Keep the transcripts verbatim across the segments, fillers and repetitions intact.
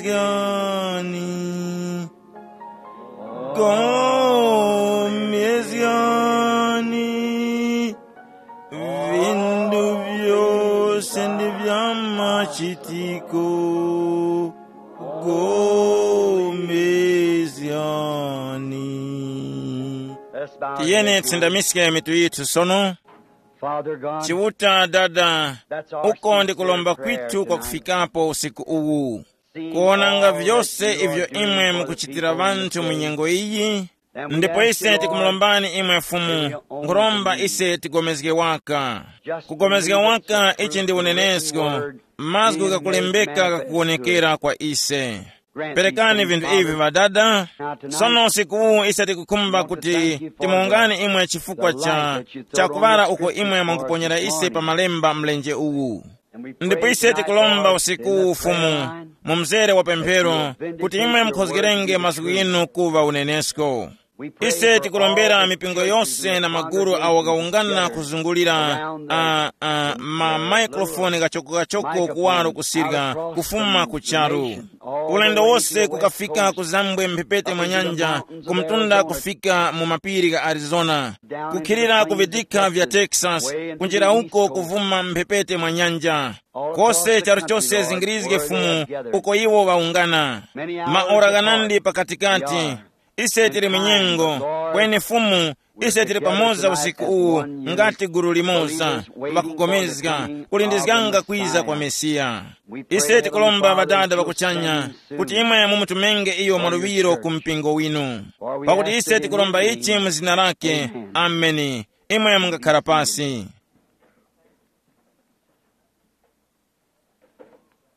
Yani. Gomezyani. Vindu vyose ndi vya machitiko. Gomezyani. Tiyeni tsindamiske mitu yithu sono. Father God, Chiuta Dada, that's our uko ndi kulomba prayer kwithu kwa tonight. Kufikapo usiku uwu. Kuonanga vyose ivyo imwe mukuchitira vanthu mu nyengo iyi. Ndipo ise tikumulombani imwe Fumu, nkhuromba ise tigomezge waka. Kugomezga waka ichi ndi unenesko, mazgu ghakulembeka ghakuwonekera kwa ise. Perekani vinthu ivi ŵadada. Sono usiku uwu ise tikukhumba kuti timuwungani imwe chifukwa cha chakuŵala uko imwe mwanguponyera ise pa malemba mlenje uwu. Ndipo ise tikulomba usiku uwu Fumu, mu mzere wa pemphero, kuti imwe mukhozgerenge mazgu ghinu kuŵa unenesko. Ise tikulombera mipingo yose na magulu awo ghawungana kuzungulira a, a, ma maikrofoni ghachoko-ghachoko kuwaro kusirya kufuma ku charu. Ulendo wose kukafika kuzambwe mphepete mwa nyanja, kumtunda kufika mu mapiri gha Arizona, kukhilira ku vidikha vya Texas, kunjira uko kuvuma mphepete mwa nyanja. Kose charu chose zingirizge Fumu, uko iwo ŵawungana. Maora ghanandi pakatikati. Ise tili mu nyengo, kweni Fumu, ise tili pamoza usiku uwu, ngati gulu limoza, ŵakugomezga, kulindizganga kwiza kwa Mesiya. Ise tikulomba Ŵadada ŵa kuchanya, kuti imwe mumutumenge iyo mwaluŵiro ku mpingo winu. Pakuti ise tikulomba ichi mu zina lake. Ameni. Imwe mungakhala pasi.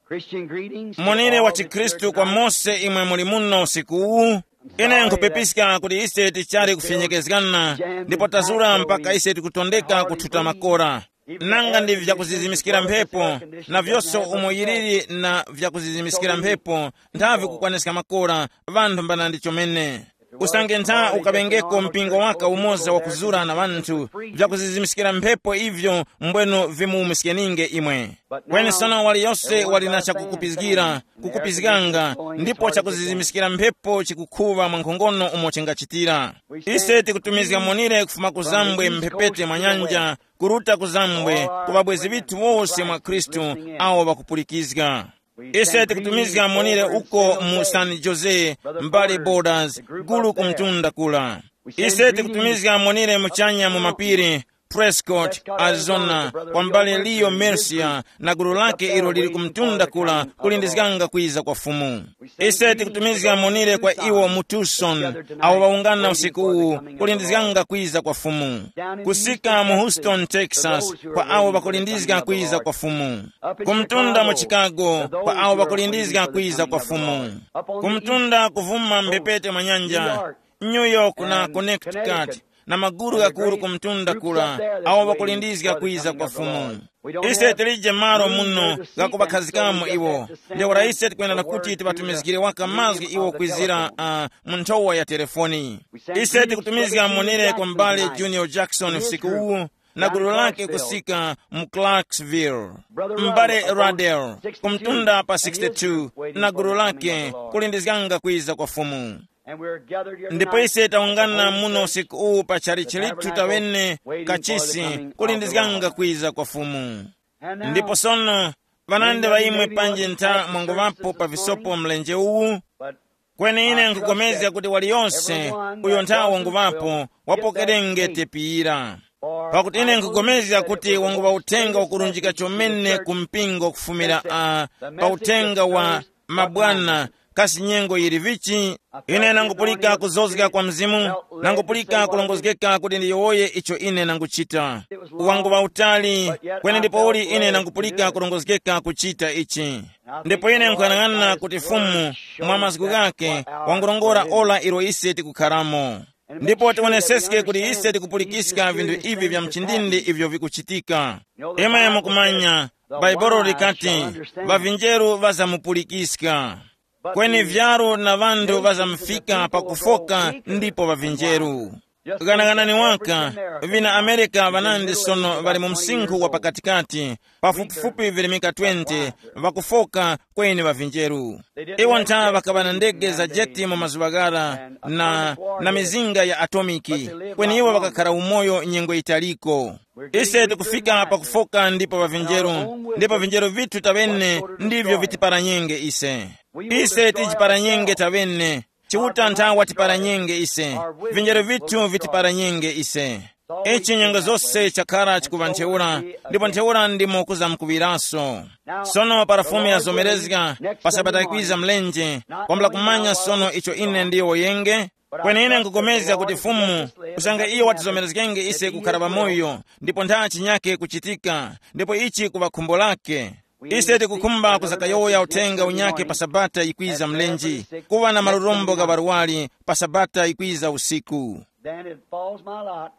Christian greetings to monire wa all that's here chikhristu kwa tonight. Mose imwe muli muno usiku uwu. Ine nkhupipiska kuti ise tichali kufyenyekezgana, ndipo tazura mpaka ise tikutondeka kuthuta makora. Nanga ndi vyakuzizimiskira mphepo, na vyose umo yiliri na vyakuzizimiskira mphepo, nthavi kukwaniska makora, vanthu mbana ndi chomene. Usange ntha ukaŵengeko mpingo waka umoza wakuzura na ŵanthu, vyakuzizimiskira mphepo ivyo mbwenu vimuwumiskeninge imwe. Kweni sono waliyose wali na chakukupizgira, kukupizganga, ndipo chakuzizimiskira mphepo chikukhuŵa mwa nkhongono umo chingachitira. Ise tikutumizga monire kufuma ku zambwe mphepete mwa nyanja, kuruta ku zambwe, ku ŵabwezi ŵithu wose mwa Khristu awo ŵakupulikizga. Ise tikutumizga monire uko mu San Jose, mbali Borders, gulu ku mtunda kula. Ise tikutumizga monire muchanya mu mapiri, Prescott, Arizona, kwa mbali Leo Mercia na gulu lake ilo lili ku mtunda kula kulindizganga kwiza kwa Fumu. Ise tikutumizga monire kwa iwo mu Tucson, awo ŵawungana usiku uwu kulindizganga kwiza kwa Fumu. Kusika mu Houston, Texas, kwa awo ŵakulindizga kwiza kwa Fumu. Kumtunda mu Chicago, kwa awo ŵakulindizga kwiza kwa Fumu. Kumtunda kuvuma mphepete mwa nyanja, New York na Connecticut, na maguru ghakuru kumtunda kula, awo ŵakulindizga kwiza kwa Fumu. Ise tilije malo muno ghakuŵakhazikamo iwo. Ntheura ise tikwenera kuti tiŵatumizgire waka mazgu iwo kwizira uh, mu nthowa ya telefoni. Ise tikutumizga monere kwa m'bale Junior Jackson usiku uwu, na gulu lake kusika mu Clarksville. M'bale Radel, kumtunda pa sixty-two, na gulu lake kulindizganga kwiza kwa Fumu. Ndipo ise tawungana muno usiku uwu pa chalichi lithu tawene kachisi, kulindizganga kwiza kwa Fumu. Ndipo sono, ŵanandi ŵa imwe panji ntha mwanguŵapo pa visopo mlenje uwu, kweni ine nkupulikana kuti waliyose uyo nthawi wanguŵapo wapokerenge tepi yira. Pakuti ine nkupulikana kuti wanguŵa uthenga wakurunjika chomene ku mpingo kufumira uh, pa uthenga wa mabwana, kasi nyengo yili vichi? Ine nangupulika kuzozga kwa Mzimu, nangupulika kulongozgeka kuti ndiyowoye icho ine nanguchita. Wanguŵa utali, kweni ndipouli ine nangupulika kulongozgeka kuchita ichi. Ndipo ine nkuyang'ana kuti Fumu, mwa mazgu ghake, wangurongora ora ilo ise tikukharamo. Ndipo tiwoneseske kuti ise tikupulikiska vinthu ivi vya mchindindi ivyo vikuchitika. Imwe mukumanya, Bhaibuli likati, ŵavinjeru ŵazamupulikiska. Kweni vyaru na ŵanthu ŵazamufika pakufoka ndipo ŵavinjeru. Ghanaghanani waka, vina Amerika vanandi sono ŵali mu msinkhu wa pakatikati, pafupifupi virimika twenty, ŵakufoka kweni ŵa vinjeru. Iwo ntha ŵakaŵa na ndege za jeti mu mazuŵa ghara na, na mizinga ya atomiki, kweni iwo ŵakakhara umoyo nyengo yitaliko. Ise tikufika pakufoka ndipo ŵa vinjeru, ndipo vinjeru vithu taŵene ndivyo vitiparanyenge ise. Ise tijiparanyenge taŵene. Chiuta ntha watiparanyenge ise. Vinjeru vithu vitiparanyenge ise. Ichi nyengo zose chakhara chikuŵa ntheura, ndipo ntheura ndimo kuzamkuŵiraso. Sono para Fumu yazomerezga, pa Sabata ikwiza mlenje, kwambula kumanya sono icho ine ndiyowoyenge. Kweni ine nkupulikana kuti Fumu, kusanga iyo watizomerezgenge ise kukhara pamoyo, ndipo ntha chinyake kuchitika, ndipo ichi kuŵa khumbo lake. Ise tikukhumba kuzakayowoya uthenga unyakhe pa Sabata yikwiza mlenje, kuŵa na malurombo gha ŵarwari pa Sabata yikwiza usiku. Then it falls my lot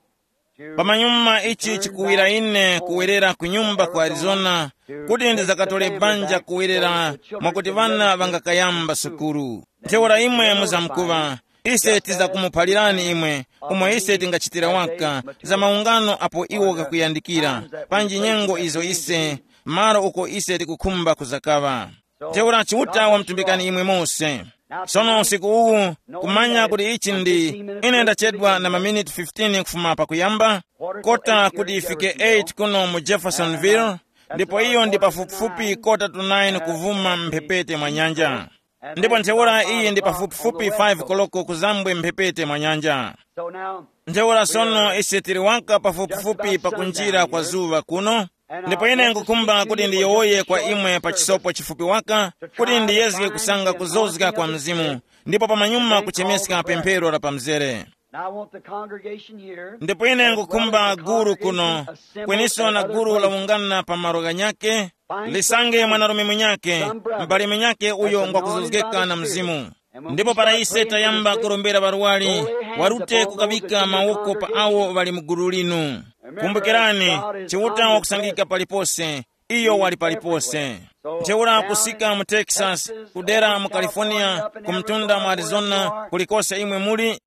to Pamanyuma ichi chikuwira ine kuwerera ku nyumba ku Arizona, kuti ndizakatole banja kuwerera mwakuti ŵana ŵangakayamba sukulu. Ntheura imwe muzamkuŵa, ise tizakumuphalirani imwe umo ise tingachitira waka za maungano apo iwo kakuyandikira, panji nyengo izo ise, malo uko ise tikukhumba kuzakaŵa. Ntheura Chiuta wamtumbikani imwe mose. Sono usiku uwu, kumanya kuti ichi ndi, ine ndachedwa na maminiti fifteen kufuma pakuyamba, kota kuti ifike eight kuno mu Jeffersonville, ndipo iyo ndi pafupifupi kota to nine kuvuma mphepete mwa nyanja. Ndipo ntheura iyi ndi pafupifupi five koloko kuzambwe mphepete mwa nyanja. Ntheura sono ise tili waka pafupifupi pa kunjira kwa zuŵa kuno. Ndipo ine nkukhumba kuti ndiyowoye kwa imwe pa chisopo chifupi waka, kuti ndiyezge kusanga kuzozga kwa Mzimu, ndipo pamanyuma kuchemeska pemphero la pamzere. Now I want the congregation here, Ndipo ine as well nkukhumba as the gulu kuno, congregation assembled kweniso at na other gulu places, lawungana pa malo ghanyake, lisange mwanarume munyake, m'bale munyake uyo ngwakuzozgeka na Mzimu. Ndipo para ise tayamba kurombera ŵarwari, warute kukabika mawoko pa awo ŵali mu gulu linu. Kumbukirani, Chiuta wakusangika palipose, iyo wali palipose. Ntheura kusika mu Texas, kudera mu California, ku mtunda mu Arizona, kulikose imwe muli,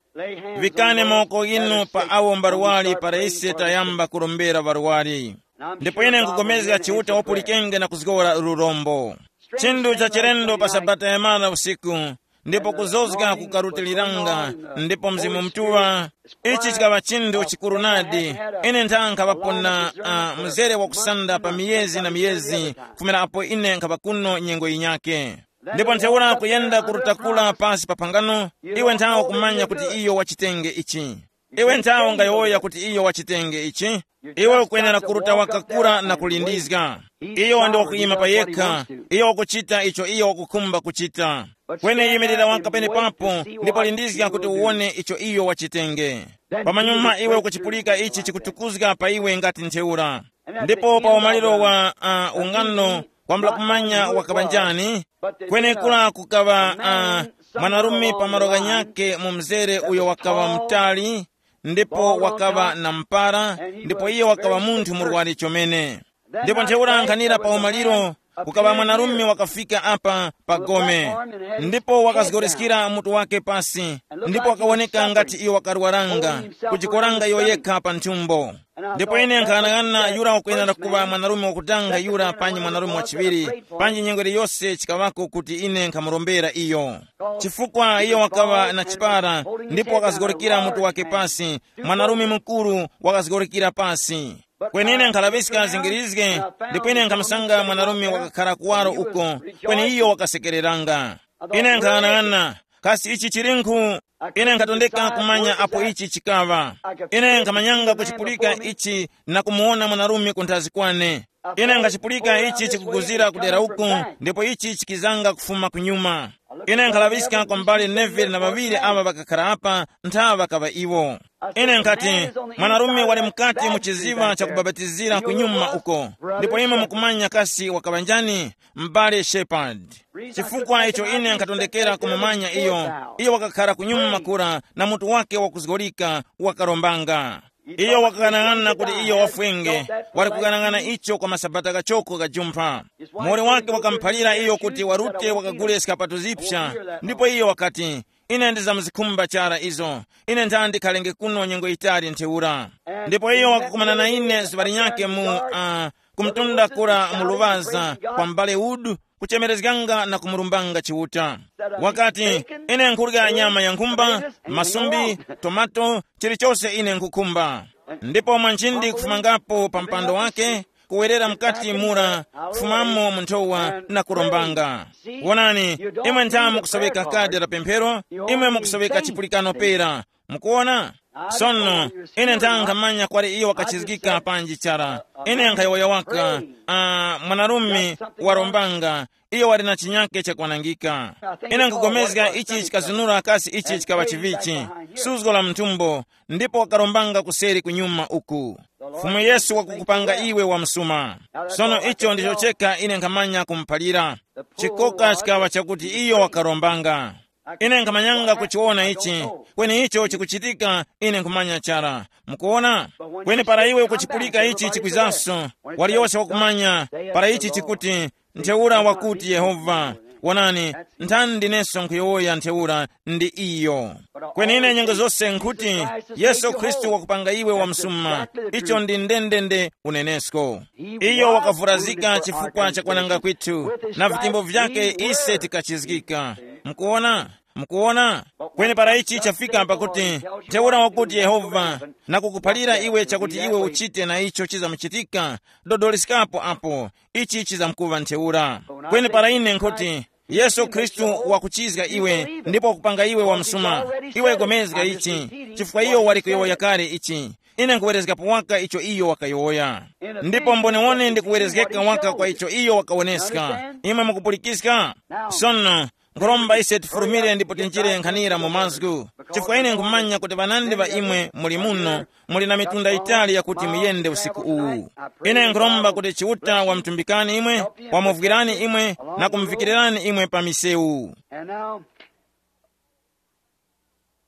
vikani mawoko ghinu pa awo mbarwari para ise tayamba kurombera ŵarwari. Ndipo ine nkupulikana Chiuta wapulikenge na kuzgora lurombo. Chinthu cha chilendo pa Sabata ya mana usiku, ndipo kuzozga kukarutiliranga, ndipo Mzimu Mutuŵa, ichi chikaŵa chinthu chikuru nadi. Ine ntha nkhaŵapo na uh, mzere wakusanda pa miyezi na miyezi, kufumira apo ine nkhaŵa kuno nyengo yinyake. Ndipo ntheura kuyenda kurutakula pasi pa phangano, iwe ntha ukumanya kuti iyo wachitenge ichi. Iwe ntha ungayowoya kuti iyo wachitenge ichi. Iwe ukwenera kuruta wakakura na kulindizga. Iyo ndi wakuyima pa yekha. Iyo wakuchita icho iyo wakukhumba kuchita. Kweni yimirira waka penepapo, ndipo lindizga kuti uwone icho iyo wachitenge. Pamanyuma iwe ukuchipulika ichi chikutukuzga pa iwe ngati ntheura. Ndipo pa umaliro wa uh, ungano, kwambula kumanya wakaŵa njani. Kwenekura kukaŵa uh, mwanarume pa malo ghanyakhe mu mzere uyo wakaŵa mutali, ndipo wakaŵa na mpara, ndipo iye wakaŵa munthu murwari chomene. Ndipo ntheura nkhanira pa umaliro, kukaŵa mwanarume wakafika apa pa gome, ndipo wakazgoreskera mutu wake pasi, ndipo wakawoneka ngati iyo wakarwaranga, kujikoranga iyo yekha pa nthumbo. Ndipo ine nkhanang'ana yura wakwenera kuŵa mwanarume wakutanga yura panji mwanarume wachiŵiri, panji nyengo iliyose chikaŵako kuti ine nkhamurombera iyo. Chifukwa iyo wakaŵa na chipara, ndipo wakazgorokera mutu wake pasi, mwanarume mukuru wakazgorokera pasi. Kweni ine nkhalaŵiska zingirizge, ndipo ine nkhamusanga mwanarume wakakhara kuwaro uko, kweni iyo wakasekereranga. Ine nkhanang'ana, kasi ichi chilinkhu? Ine nkhatondeka kumanya apo ichi chikaŵa. Ine nkhamanyanga kuchipulika ichi na kumuwona mwanarume kunthazi kwane. Ine nkhachipulika ichi chikuguzira kudera uku, ndipo ichi chikizanga kufuma kunyuma. Ine nkhalaŵiska kwa mbale Neville na ŵaŵiri aŵa ŵakakhara apa, ntha ŵakaŵa iwo. Ine nkhati, mwanarume wali mukati mu chiziŵa cha kubapatizira kunyuma uko, ndipo imwe mukumanya kasi wakaŵa njani? M'bale Shepard. Chifukwa icho ine nkhatondekera kumumanya iyo, iyo wakakhara kunyuma kura na mutu wake wakuzgorika wakarombanga. Iyo wakaghanag'ana kuti iyo wafwenge, wali kughanag'ana icho kwa masabata ghachoko ghajumpha. Muwoli wake wakamuphalira iyo kuti warute wakagule skapato zipsa, ndipo iyo wakati, Ine ndizamzikhumba chara izo. Ine nthandi khalenge kuno nyengo yitali ntheura. Ndipo iyo wakakumana na ine zuŵa linyakhe mu uh, kumtunda kura mu luŵaza kwa m'bale Wood, kuchemerezganga na kumurumbanga Chiuta. Wakati, ine nkhurya nyama ya nkhumba, masumbi, tomato, chilichose ine nkhukhumba. Ndipo mwanjindi kufumangapo pa mpando wake, kuwerera mukati mura, kufumamo mu nthowa na kurombanga. Wonani, imwe nthamu kusoweka kadi la pemphero, imwe mukusoweka chipulikano pera. Mukuona? Sono, ine nthankhamanya kwali iyo wakachizgika panji chara. Ine nkhayowoya waka, uh, mwanarume warombanga, iyo wali na chinyake chakwanangika. Ine nkugomezga ichi chikazunura kasi ichi chikaŵa chivichi, suzgo la mthumbo, ndipo wakarombanga kuseri kunyuma uku. Fumu Yesu wakukupanga iwe wa msuma. Sono icho ndicho cheka ine nkhamanya kumuphalira. Chikoka chikaŵa chakuti iyo wakarombanga. Ine nkhamanyanga kuchiwona ichi, kweni icho chikuchitika, ine nkhumanya chara. Mukuwona? Kweni para iwe ukuchipulika ichi chikwizanso, waliyose wakumanya, para ichi chikuti, ntheura wakuti Yehova. Wonani, nthani ndineso nkhuyowoya ntheura ndi iyo. Kweni ine nyengo zose nkhuti, Yesu Khristu wakupanga iwe wamsuma. Icho ndi ndendende unenesko. Iyo wakavurazika chifukwa cha kwananga kwithu, na vitimbo vyake ise tikachizgika. Mukuona? Mukuona? Kweni para ichi chafika pakuti, ntheura wakuti Yehova, nakukuphalira iwe chakuti iwe uchite na icho chizamuchitika, dodoliskapo apo, ichi chizamkuŵa ntheura. Kweni para ine nkhuti, Yesu Khristu wakuchizga iwe ndipo wakupanga iwe wamsuma. Iwe gomezga ichi, chifukwa iyo wali kuyowoya kale ichi. Ine nkhuwerezgapo waka icho iyo wakayowoya. Ndipo mbonewone ndikuwerezgeka waka kwa icho iyo wakawoneska. Imwe mukupulikiska? Sono, nkhuromba ise tifurumire ndipo tinjire nkhanira mu mazgu, chifukwa ine nkhumanya kuti ŵanandi ŵa imwe muli muno, muli na mitunda yitali yakuti muyende usiku uwu. Ine nkhuromba kuti Chiuta wamtumbikani imwe, wamuvwirani imwe, na kumuvikirirani imwe pa misewu. And now,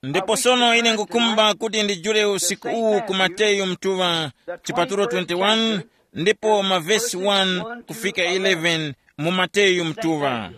ndipo sono ine ngukumba kuti ndijule usiku uwu ku Mateyu mtuŵa, chipatulo twenty-one, ndipo mavesi one kufika eleven mu Mateyu mtuŵa.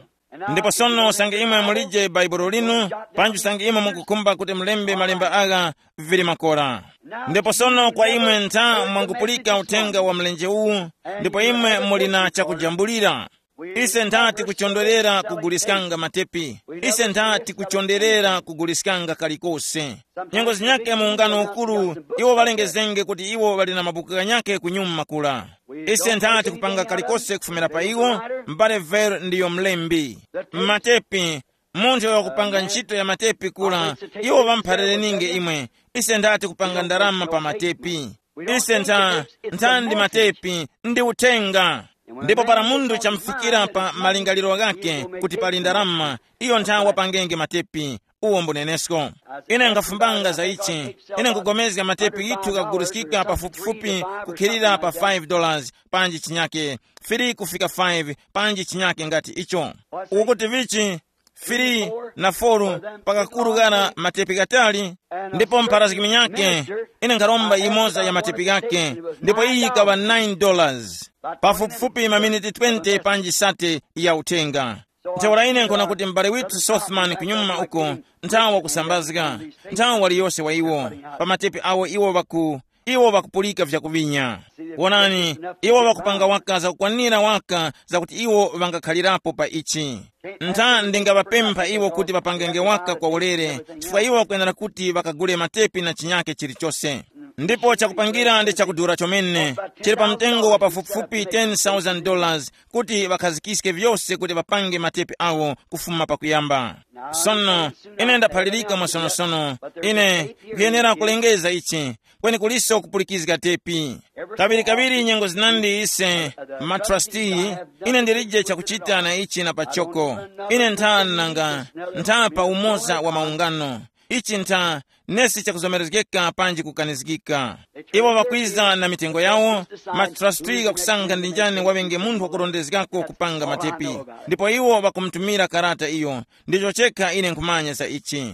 Ndipo sono usange imwe mulije baibulo linu, panji usange imwe mukukhumba kuti mulembe malemba agha, vili makora. Ndipo sono kwa imwe ntha mwangupulika uthenga wa mlenje uwu, ndipo imwe muli na chakujambulira. Ise ntha tikuchondwerera kuguliskanga matepi. Ise ntha tikuchonderera kuguliskanga kalikose. Nyengo zinyake mu ungano ukuru, iwo ŵalengezenge kuti iwo ŵali na mabuku ghanyakhe kunyuma kula. Ise ntha tikupanga kalikose kufumira pa iwo. M'bale Ver ndiyo mlembi. M'matepi, munthu uyo wakupanga ntchito ya matepi kula, iwo ŵampharereninge imwe. Ise ntha tikupanga ndarama pa matepi. Ise ntha, ntha ndi matepi, ndi uthenga. Ndipo para munthu chamufikira pa malingaliro ghakhe kuti pali ndarama, iyo ntha wapangenge matepi. Uwo mbunenesko. Ine nkhafumbanga za ichi. Ine nkugomezga matepi yithu kakuguliskika pafupifupi kukhilira pa five dollars, panji chinyake, three kufika five, panji chinyake ngati icho. Ukuti vichi? Three na four, pakakuru ghara matepi ghatali. Ndipo mpharazgimi nyake, ine nkharomba yimoza ya matepi ghake, ndipo iyi yikaŵa nine dollars. Pafupifupi maminiti twenty panji sate ya uthenga. Ntheura ine nkhona kuti m'bale withu Sothman kunyuma uko, nthawa kusambazga, nthawa waliyose wa iwo, pa matepi awo iwo ŵaku, iwo ŵakupulika vyakuŵinya. Wonani, iwo ŵakupanga waka zakukwanira waka zakuti iwo ŵangakhalirapo pa ichi. Ntha ndingaŵapempha iwo kuti ŵapangenge waka kwa ulere, chifukwa iwo ŵakwenera kuti ŵakagule matepi na chinyake chilichose. Ndipo chakupangira ndi chakudura chomene, chili pa mtengo wa pafupifupi ten thousand dollars kuti ŵakhazikiske vyose kuti ŵapange matepi awo kufuma pakuyamba. Sono, ine ndaphalirika mwasonosono, ine nkhuyenera kulengeza ichi, kweni kuliso kupulikizga tepi. Kaŵirikaŵiri nyengo zinandi ise, matrustee, ine ndilije chakuchita na ichi na pachoko. Ine ntha nanga, ntha pa umoza wa maungano. Ichi ntha, nesi chakuzomerezgeka panji kukanizgika. Iwo ŵakwiza na mitengo yawo, matrustee ghakusankha ndi njani waŵenge munthu wakurondezgako kupanga matepi. Ndipo iwo ŵakumutumira karata iyo. Ndicho chekha ine nkhumanya za ichi.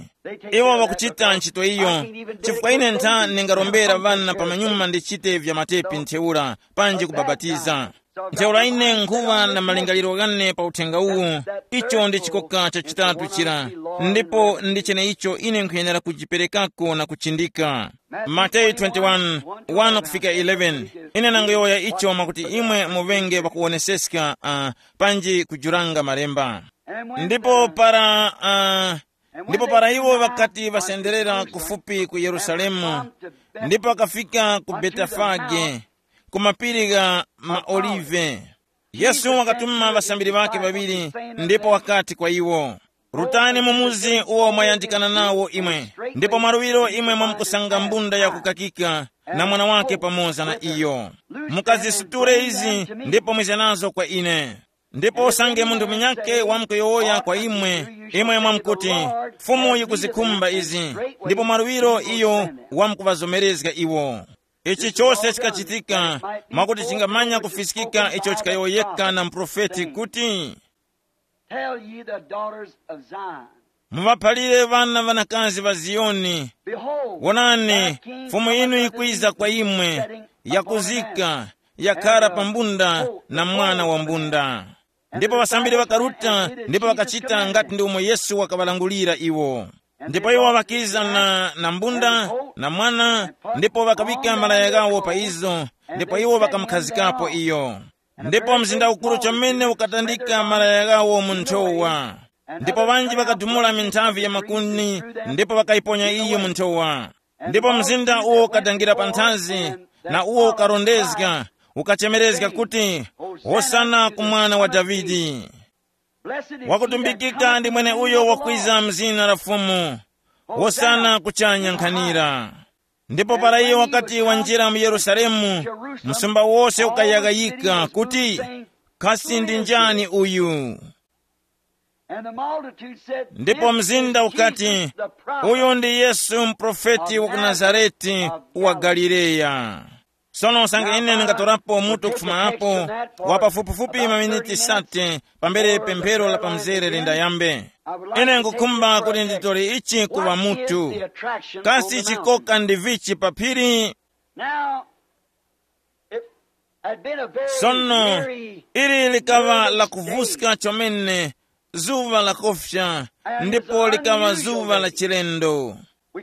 Iwo ŵakuchita ntchito iyo, chifukwa ine ntha ndingarombera ŵana pamanyuma ndichite vya matepi ntheura panji kubapatiza. Ntheura ine nkhuŵa na malingaliro ghane pa uthenga uwu. Icho ndi chikoka chachitatu chira, ndipo ndi cheneicho ine nkhuyenera kujiperekako na kuchindika. Mateyu twenty-one, one kufika eleven. Ine nangoyowoya icho mwakuti imwe muŵenge pakuwoneseska, uh, panji kujuranga malemba. Ndipo para uh, ndipo para iwo ŵakati ŵasenderera kufupi ku Yerusalemu, ndipo ŵakafika ku Betefage, ku mapiri gha maOlive. Yesu wakatuma ŵasambiri ŵakhe ŵaŵiri, ndipo wakati kwa iwo, rutani mu muzi uwo mwayandikana nawo imwe, ndipo mwaluŵiro imwe mwamkusanga mbunda yakukakika, na mwana wake pamoza na iyo. Mukazisutule izi, ndipo mwize nazo kwa ine. Ndipo usange munthu munyakhe wamkuyowoya kwa imwe, imwe mwamkuti, fumu yikuzikhumba izi, ndipo mwaluŵiro iyo wamkuŵazomerezga iwo. Ichi chose chikachitika mwakuti chingamanya kufiskika icho chikayowoyeka na muprofeti kuti, tell ye the daughters of Zion, muŵaphalire ŵana ŵanakazi ŵa Ziyoni, behold, wonani, thy king fumu cometh inu unto ikwiza thee, kwa imwe, sitting upon an yakuzika, ass, yakhara pa mbunda na mwana wa mbunda. Ndipo ŵasambiri ŵakaruta, ndipo ŵakachita ngati ndi umo Yesu wakaŵalangulira iwo. Ndipo iwo ŵakiza na, na mbunda na mwana, ndipo ŵakaŵika malaya ghawo pa izo, ndipo iwo ŵakamukhazikapo iyo. Ndipo mzinda ukuru chomene ukatandika malaya ghawo mu nthowa. Ndipo ŵanji ŵakadumula minthavi ya makuni, ndipo ŵakayiponya iyo mu nthowa. Ndipo mzinda uwo ukadangira panthazi, na uwo ukarondezga, ukachemerezga kuti, hosana ku mwana wa Davide. Wakutumbikika ndi mwene uyo wakwiza mzina la Fumu, hosana kuchanya nkhanira. Ndipo para iyo wakati wanjira mu Yerusalemu, msumba wose ukayaghayika kuti, kasi ndi njani uyu? And the multitude said, ndipo mzinda ukati, uyu ndi Yesu, mprofeti wa ku Nazareti wa Galileya. Sono usange ine ndingatorapo mutu kufuma apo, wa pafupifupi maminiti sate pambere pemphero la pamzere lindayambe, ine ngukhumba kuti nditore ichi kuŵa mutu. Kasi chikoka ndi vichi pa phiri? Now, it had been a very sono, weary, ili likaŵa la kuvuska chomene, zuŵa la kofya, ndipo likaŵa zuŵa la chilendo.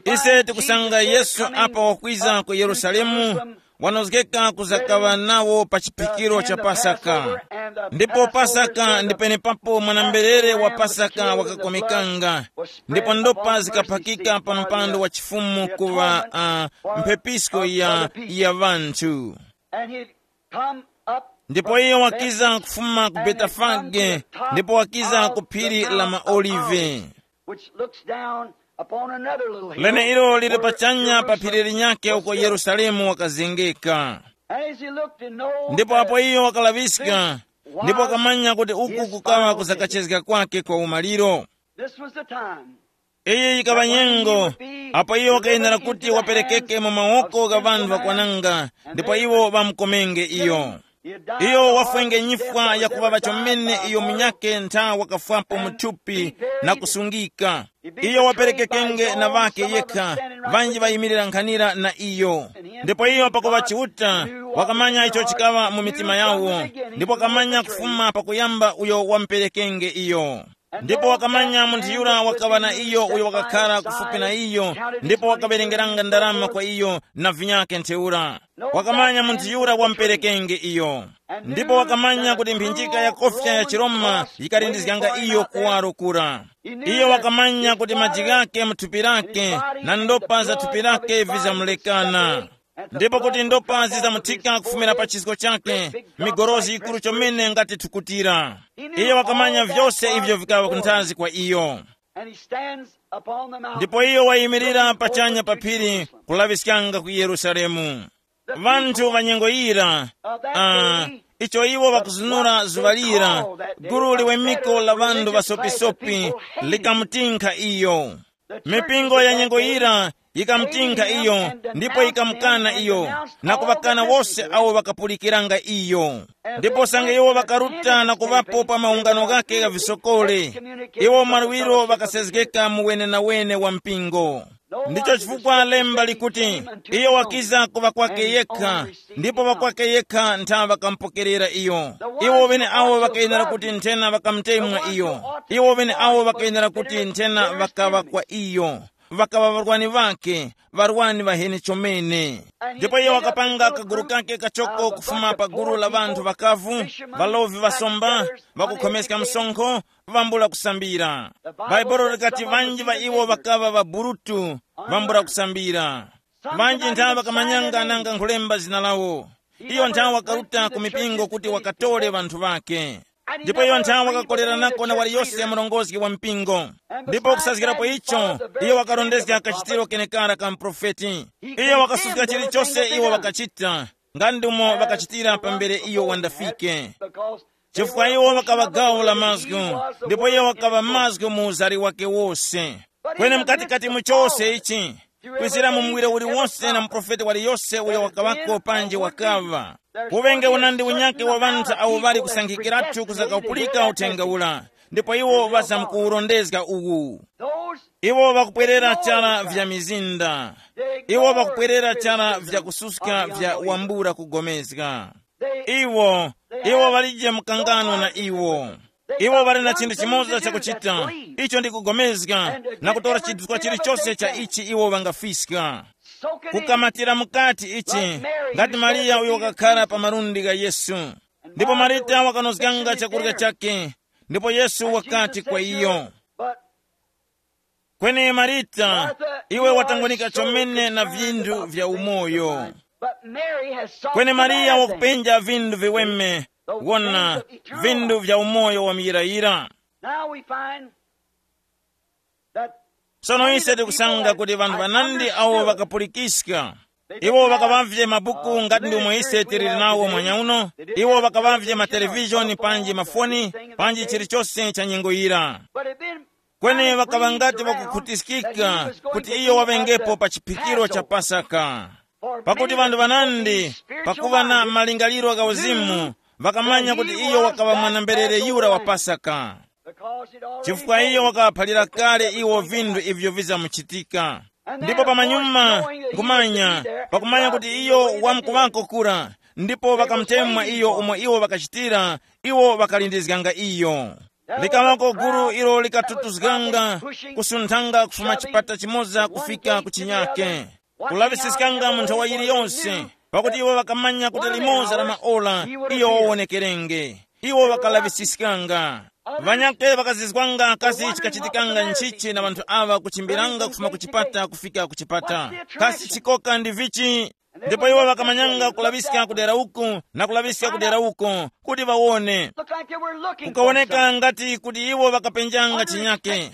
Ise tikusanga Yesu apa wakwiza ku Yerusalemu, wanozgeka kuzakaŵa nawo pa chiphikiro cha Pasaka. Ndipo Pasaka ndi penepapo mwanamberere wa Pasaka wakakomekanga, ndipo ndopa zikaphakika pa mpando wa chifumu kuŵa uh, mphepisko ya, ya ŵanthu. And he come up ndipo iye wakiza kufuma ku Betefage, ndipo wakiza ku phiri la maOlive, which looks down upon another little hill, lene ilo lili pachanya pa phiri linyakhe uko Yerusalemu wakazengeka. And as he looked and know ndipo apo iyo wakalaŵiska, ndipo wakamanya kuti uku kukaŵa kusakachezga kwake kwa umaliro. This was the time. Iyi yikaŵa nyengo apo iyo wakayenera kuti waperekeke mu mawoko gha ŵanthu ŵakwananga, ndipo iwo ŵamukomenge iyo. Iyo wafwenge nyifwa yakuŵaŵa chomene iyo munyakhe ntha wakafwapo mu thupi na kusungika. Iyo waperekekenge na ŵakhe yekha, ŵanji ŵayimirira nkhanira na iyo. Ndipo iyo pakuŵa Chiuta, wakamanya icho chikaŵa mu mitima yawo, ndipo wakamanya kufuma pakuyamba uyo wamuperekenge iyo. Ndipo wakamanya munthu yura wakaŵa na iyo uyo wakakhara kufupi na iyo, ndipo wakawerengeranga ndarama kwa iyo na vinyakhe ntheura. Wakamanya munthu yura wamuperekenge iyo. Ndipo wakamanya kuti mphinjika ya kofya ya chiRoma yikalindizganga iyo kuwaro kura. Iyo wakamanya kuti maji ghake mu thupi lake na ndopa za thupi lake vizamulekana. Ndipo kuti ndopa zizamuthika kufumira pa chisko chake, migorozi yikuru chomene ngati thukutira. Iyo wakamanya vyose ivyo vikaŵa kunthazi kwa iyo. And he stands upon the mountain, ndipo iyo wayimirira pachanya pa phiri kulaŵiskanga ku Yerusalemu. Ŵanthu ŵa nyengo yira, ah, icho iwo ŵakuzunura zuŵa lira, gulu liwemeko la ŵanthu ŵasopisopi likamutinkha iyo. Mipingo ya nyengo yira yikamutinkha iyo, ndipo yikamukana iyo, na kuŵakana wose awo ŵakapulikiranga iyo. Ndipo usange iwo ŵakaruta na kuŵapo pa maungano ghake gha visokole, iwo mwaluwiro ŵakasezgeka mu wenenawene wa mpingo. Ndicho chifukwa lemba likuti, iyo wakiza ku ŵakwake yekha, ndipo ŵakwake yekha ntha ŵakamupokerera iyo. Iwo ŵene awo ŵakayenera kuti nthena ŵakamutemwa iyo. Iwo ŵene awo ŵakayenera kuti nthena ŵakaŵa kwa iyo, ŵakaŵa ŵarwani ŵakhe, ŵarwani ŵaheni chomene. Ndipo iyo wakapanga kaguru kake kachoko kufuma pa gulu la ŵanthu ŵakavu, ŵalovi ŵasomba, ŵakukhomeska msonkho, vambula kusambira. Bhaibuli likati ŵanji ŵa iwo ŵakaŵa ŵaburutu, vambula kusambira. Ŵanji nthawe ŵakamanyanga nanga nkhulemba zina lawo. Iyo nthawe wakaruta ku mipingo kuti wakatore ŵanthu ŵakhe. Ndipo iyo nthawe wakakoleranako na waliyose murongozgi wa mpingo. Ndipo kusazgirapo icho, iyo wakarondezga kachitiro kenekara ka muprofeti. Iyo wakasuska chilichose iwo ŵakachita, nga ndimo ŵakachitira pambere iyo wandafike. Chifukwa iwo ŵakaŵa gawo la mazgu, ndipo iyo wakaŵa mazgu mu uzari wake wose. Kweni mkatikati mu chose ichi, kwizira mu muwiro uliwonse na muprofeti waliyose uyo wakaŵako panji wakaŵa, kuŵenge unandi unyakhe wa ŵanthu awo ŵali kusankhikiratu kuzakapulika uthenga ura, ndipo iwo ŵazamkuwurondezga uwu. Iwo ŵakupwerera chara vya mizinda, iwo ŵakupwerera chara vya kususka vya wambula kugomezga. Iwo, iwo ŵalije mkangano na iwo. Iwo ŵali na chinthu chimoza chakuchita, icho ndi kugomezga na kutora chidutswa chilichose cha ichi iwo ŵangafiska. Kukamatira mukati ichi, ngati Mariya uyo wakakhara pa malundi gha Yesu. Ndipo Marita wakanozganga chakurya chake, ndipo Yesu wakati kwa iyo, kweni Marita, iwe watangonika chomene na vinthu vya umoyo. Kweni Mariya wakupenja vinthu viweme, wona, vinthu vya umoyo wa muyirayira. Now we find that sono ise tikusanga kuti vanthu vanandi awo vakapulikiska. Iwo ŵakaŵavye mabuku ngati ndi omwe ise tili nawo mwanya uno. Iwo ŵakaŵavye matelevishoni panji mafoni, panji chilichose cha nyengo yira. Kweni ŵakaŵa ngati ŵakukhutiskika kuti iyo waŵengepo pa chiphikiro cha Pasaka. Pakuti ŵanthu ŵanandi, pakuŵa na malingaliro gha uzimu, ŵakamanya kuti iyo wakaŵa mwana-mberere yura wa Pasaka. Chifukwa iyo wakaphalira kale iwo vinthu ivyo vizamuchitika. Ndipo pamanyuma, nkhumanya, pakumanya kuti iyo wamkuŵako kura, ndipo ŵakamutemwa iyo umo iwo ŵakachitira, iwo ŵakalindizganga iyo. Likaŵako gulu ilo likatutuzganga, kusunthanga kufuma chipata chimoza kufika ku chinyake, kulaŵisiskanga mu nthawa yiliyonse, pakuti iwo ŵakamanya kuti limoza la maora iyo wawonekerenge. Iwo ŵakalaŵisiskanga. Ŵanyakhe ŵakazizwanga kasi chikachitikanga nchichi na ŵanthu aŵa kuchimbiranga kufuma ku chipata kufika ku chipata. Kasi chikoka ndi vichi? Ndipo iwo ŵakamanyanga kulaŵiska kudera uku na kulaŵiska kudera uko kuti ŵawone. Kukawoneka ngati kuti iwo ŵakapenjanga chinyake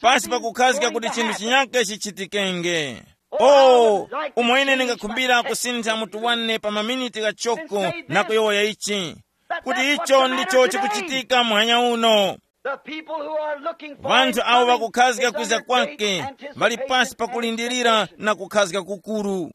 pasi pakukhazika kuti chinthu chinyake chichitikenge. Oh, umo ine ndingakhumbira kusintha mutu wane pa maminiti ghachoko na kuyowoya ichi, kuti icho ndicho chikuchitika muhanya uno. Vanthu awo ŵakukhazika kwiza kwake ŵali pasi pakulindirira na kukhazika kukuru.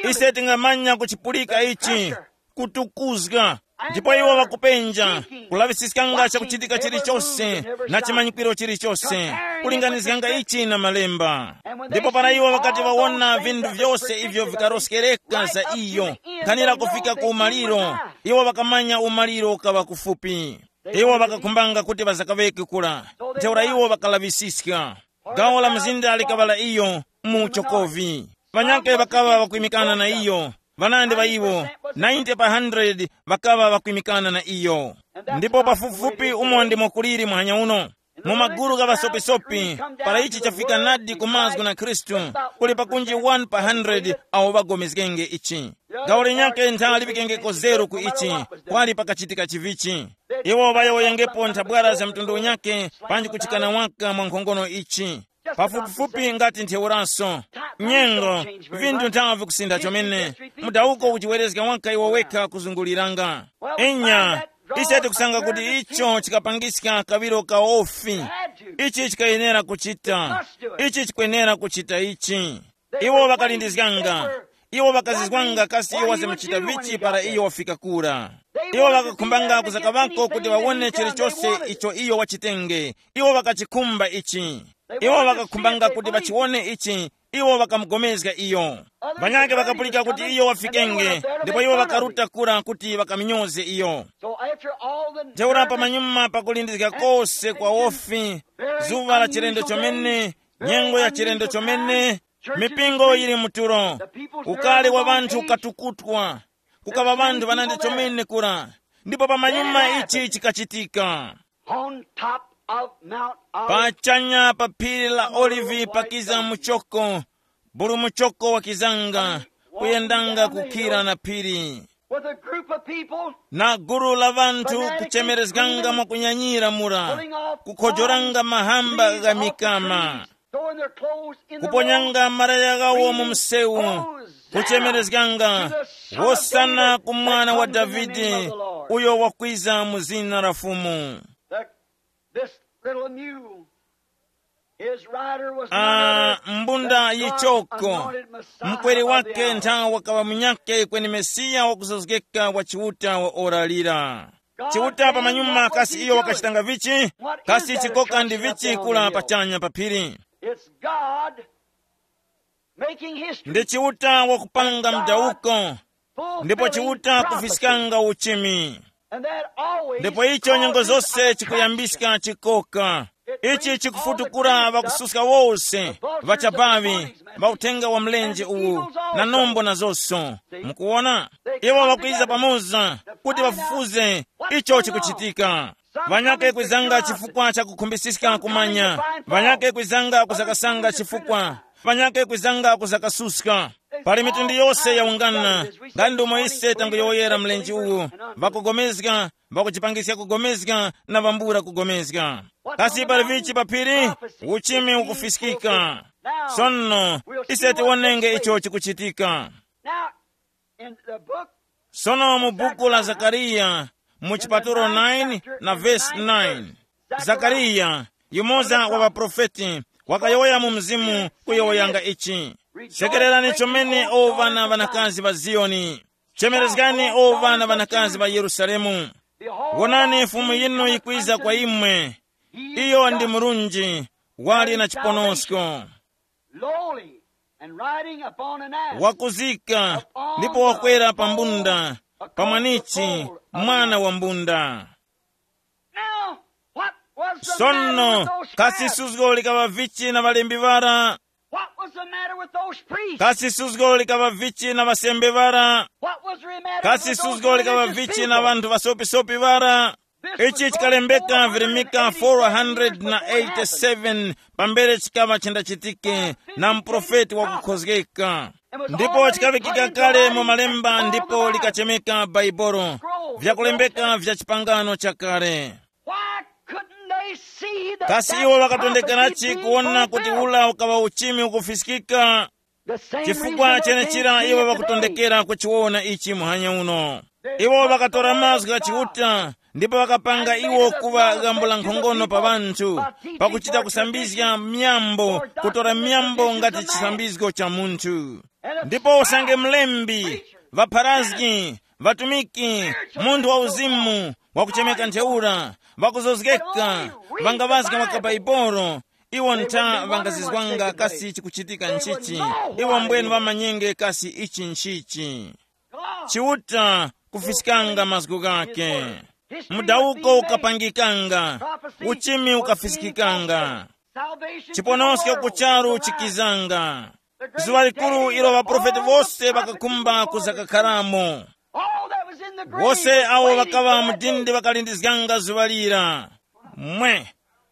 Ise tingamanya kuchipulika ichi, kutukuzga. Ndipo iwo ŵakupenja, kulaŵisiskanga chakuchitika chilichose na chimanyikwiro chilichose, kulinganizganga ichi na malemba. Ndipo para iwo ŵakati ŵawona vinthu vyose ivyo vikaroskereka za iyo, nkhanira kufika ku umaliro, iwo ŵakamanya umaliro ukaŵa kufupi. Iwo ŵakakhumbanga kuti ŵazakaŵeke kura. Ntheura iwo ŵakalaŵisiska. Gawo la mzinda likaŵa la iyo mu uchokovi. Ŵanyakhe ŵakaŵa ŵakwimikana na iyo. Ŵanandi ŵa iwo, ninety pa hundred ŵakaŵa ŵakwimikana na iyo. Ndipo pafupifupi umo ndimo kuliri muhanya uno. Mu magulu gha ŵasopisopi, para ichi chafika nadi ku mazgu na Khristu, kuli pakunji one pa hundred awo ŵagomezgenge ichi. Gawo linyakhe ntha liŵikengeko zeru ku ichi, kwali pakachitika chivichi. Iwo ŵayowoyengepo nthabwara za mtundu unyakhe, panji kuchikana waka mwa nkhongono ichi. Pafupifupi ngati ntheuraso. Nyengo, vinthu nthawe vikusintha chomene. Mudawuko uchiwerezga waka iwo wekha kuzunguliranga. Inya, ise tikusanga kuti icho chikapangiska kaŵiro kawofi. Ichi chikayenera kuchita. Ichi chikwenera kuchita ichi. Iwo ŵakalindizganga. Iwo ŵakazizwanga kasi iwo wazamuchita vichi para iyo wafika kura. Iwo ŵakakhumbanga kuzakaŵako kuti ŵawone chilichose icho iyo wachitenge. Iwo ŵakachikhumba ichi. Iwo ŵakakhumbanga kuti ŵachiwone ichi. Iwo ŵakamugomezga iyo. Ŵanyakhe ŵakapulika kuti iyo wafikenge, ndipo iwo ŵakaruta kura kuti ŵakaminyoze iyo. Ntheura pamanyuma pakulindizga kose kwa wofi, zuŵa la chilendo chomene, nyengo ya chilendo chomene, mipingo yili mutulo, ukali wa ŵanthu ukatukutwa, kukaŵa ŵanthu ŵanandi chomene kura. Ndipo pamanyuma ichi chikachitika. On top of Mount Olive, pachanya pa phiri la Olivi pakiza muchoko, bulu muchoko wakizanga, kuyendanga kukhira na phiri, with a group of people, na gulu la vanthu kuchemerezganga mwakunyanyira mura, kukhojoranga mahamba gha mikama, throwing their clothes in the road, kuponyanga malaya ghawo mu msewu, kuchemerezganga, "Hosana ku mwana wa Davide, uyo wakwiza mu zina la Fumu." This little mule, his rider was none other, mbunda yichoko, mkweri wake nthawa wakaŵa munyakhe kweni Mesiya wakuzozgeka wa Chiuta wa ora lira. Chiuta pamanyuma kasi iyo wakachitanga vichi? Kasi chikoka ndi vichi kula pachanya pa phiri? It's God making history. Ndi Chiuta wakupanga mdawuko, ndipo Chiuta kufiskanga uchimi. And that always, ndipo icho nyengo zose chikuyambiska chikoka. Ichi chikufutukura ŵakususka wose, ŵachabaŵi, ŵauthenga wa mlenje uwu, na nombo na zonso. Mukuwona, iwo ŵakwiza pamoza kuti ŵafufuze icho chikuchitika. Ŵanyake kwizanga chifukwa cha kukhumbisiska kumanya, ŵanyake kwizanga kuzakasanga chifukwa, ŵanyake kwizanga kuzakasuska. Pali mitundu yose yaungana, nga ndumo ise tanguyowoyera mlenje uwu, ŵakugomezga, ŵakujipangiska kugomezga, na ŵambula kugomezga. Kasi pali vichi pa phiri? Uchimi ukufiskika. Sono, ise tiwonenge icho chikuchitika. Now, in the book, sono mu buku la Zakariya, mu chipatulo nine na vesi nine, Zakariya, yumoza wa ŵaprofeti, wakayowoya mu mzimu kuyowoyanga ichi. Sekererani chomene, o ŵana ŵanakazi ŵa Ziyoni, chemerezgani, o ŵana ŵanakazi ŵa Yerusalemu. Wonani, Fumu yinu yikwiza kwa imwe. Iyo ndi murunji, wali na chiponosko, lowly, and riding upon an ass, wakuzika, ndipo wakwera pa mbunda, pa mwanichi, mwana wa mbunda. Now, what was the matter with those scribes? Sono, kasi suzgo likaŵa vichi na ŵalembi ŵara? What was the matter with those priests? Kasi suzgo likaŵa vichi na ŵasembe ŵara? What was the matter with those religious people? Kasi suzgo likaŵa vichi na ŵanthu ŵasopisopi ŵara? Ichi chikalembeka virimika four hundred na eighty-seven pambere chikaŵa chendachitike na muprofeti wakukhozgeka. Ndipo chikaŵikika kale mu malemba ndipo likachemeka Baibolo, vyakulembeka vya chipangano chakale. Why couldn't they see that? Kasi iwo ŵakatondekerachi kuwona kuti ula ukaŵa uchimi ukufiskika? Chifukwa chenechira iwo ŵakutondekera kuchiwona ichi muhanya uno. Iwo ŵakatora mazgu gha Chiuta ndipo ŵakapanga iwo kuŵa ghambo la nkhongono pa ŵanthu, pakuchita kusambizga myambo, kutora myambo ngati chisambizgo cha munthu. Ndipo usange mlembi, ŵapharazgi, ŵatumiki, munthu wa uzimu, wakuchemeka ntheura, ŵakuzozgeka, ŵangaŵazga makabaibolo, iwo ntha ŵangazizwanga kasi chikuchitika nchichi, iwo mbwenu ŵamanyenge kasi ichi nchichi. Chiuta kufiskanga mazgu ghake. Mudawuko ukapangikanga, uchimi ukafiskikanga. Chiponosko ku charu chikizanga. Zuŵa likuru ilo ŵaprofeti wose ŵakakhumba kuzakakharamo. Wose awo ŵakaŵa mu dindi ŵakalindizganga zuŵa lira. Mwe,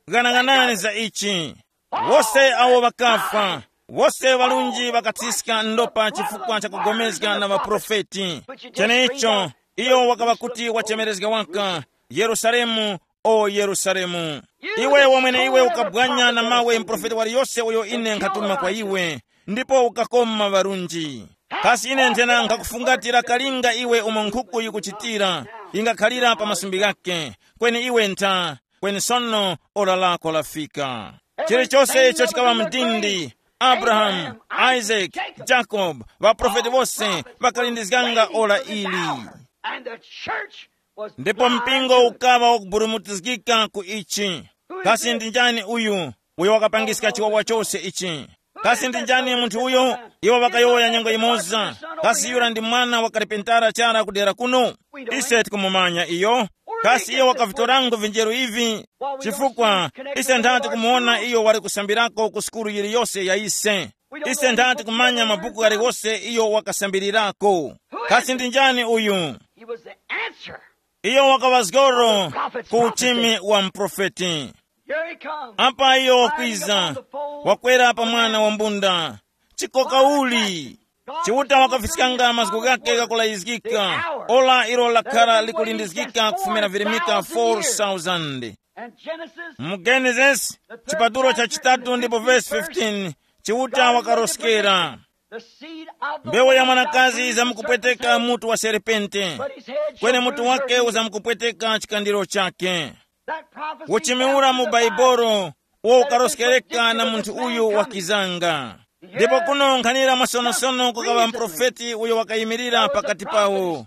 ghanaghanani za ichi. Wose awo ŵakafa, wose ŵalunji ŵakathiska ndopa chifukwa cha kugomezga na ŵaprofeti. Cheneicho, iyo wakaŵa kuti wachemerezga waka, Yerusalemu, o Yerusalemu, iwe wamwene iwe ukabwanya na mawe muprofeti waliyose uyo ine nkhatuma kwa iwe, ndipo ukakoma ŵarunji. Kasi ine nthena nkhakufungatira kalinga iwe umo nkhuku yikuchitira, ingakhalira pa masumbi ghake, kweni iwe ntha, kweni sono ora lako lafika. Chilichose icho chikaŵa mdindi, Abrahamu, Isake, Jakobe, ŵaprofeti wose ŵakalindizganga ora ili. And the church was, ndipo mpingo ukaŵa wakuburumutizgika ku ichi. Kasi ndi njani uyu? uyo wakapangiska chiwawa chose ichi. Kasi ndi njani munthu uyo? Iwo ŵakayowoya nyengo yimoza. Kasi yura ndi mwana wa karipentara chara kudera kuno? Ise tikumumanya iyo. Kasi iyo wakavitorango vinjeru ivi? Chifukwa ise nthati kumuwona iyo wali kusambirako ku sukulu yiliyose ya ise. Ise nthati kumanya mabuku ghaliwose iyo wakasambirirako. Kasi ndi njani uyu? He was the answer. Iyo wakaŵa zgoro ku uchimi wa muprofeti. Here he comes. Apa iyo wakwiza, wakwera pa mwana wa mbunda. Chikoka uli? Chiuta wakafiskanga mazgu ghake ghakulayizgika, ora ilo lakhara likulindizgika kufumira virimika four thousand. And Genesis, mu Genesis chipatulo cha chitatu ndipo vesi fifteen, Chiuta wakaroskera. The seed of the mbewu ya woman shall mwanakazi bruise the izamukupweteka serpent's head, mutu wa serpente, but his head shall kweni mutu bruise her wake heel. Uzamukupweteka chikandiro chake. That prophecy uchimiwura mu baibolo uwo ukaroskereka na munthu uyu wakizanga. Ndipo kuno nkhanira mwasonosono kukaŵa mprofeti uyo wakayimirira pakati pawo.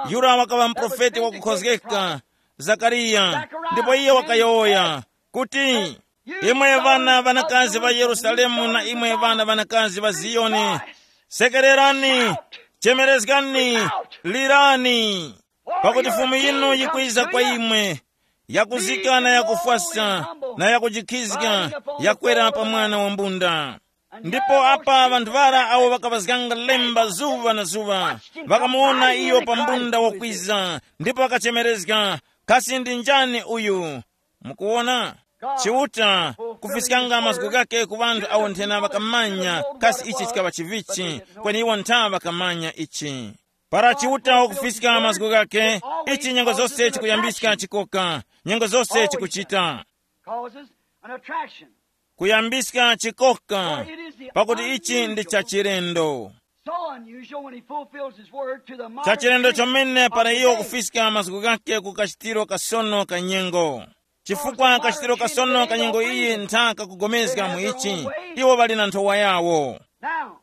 Yura wakaŵa mprofeti wakukhozgeka, Zakariya. Ndipo iye wakayowoya kuti, imwe ŵana ŵanakazi ŵa Yerusalemu na imwe ŵana ŵanakazi ŵa Ziyoni, sekererani, chemerezgani, lirani, pakuti Fumu yinu yikwiza kwa imwe, yakuzika na yakufwasa na yakujikhizga, yakwera pa mwana wa mbunda. Ndipo apa ŵanthu ŵara awo ŵakaŵazganga lemba zuŵa na zuŵa, ŵakamuwona iyo pa mbunda wakwiza, ndipo ŵakachemerezga, kasi ndi njani uyu? Mukuwona, Chiuta kufiskanga mazgu ghake ku ŵanthu awo nthena ŵakamanya kasi ichi chikaŵa chivichi, kweni iwo ntha ŵakamanya ichi. Para Chiuta wakufiska mazgu ghake, ichi nyengo zose chikuyambiska chikoka, nyengo zose chikuchita. Causes an attraction. Kuyambiska chikoka, pakuti ichi ndi chachilendo. So unusual when he fulfills his word to the modern chachilendo chomene para iyo kufiska mazgu ghake ku kachitiro kasono ka nyengo. Chifukwa kachitiro kasono ka nyengo iyi nthaka kugomezga mu ichi, iwo ŵali na nthowa yawo. Now,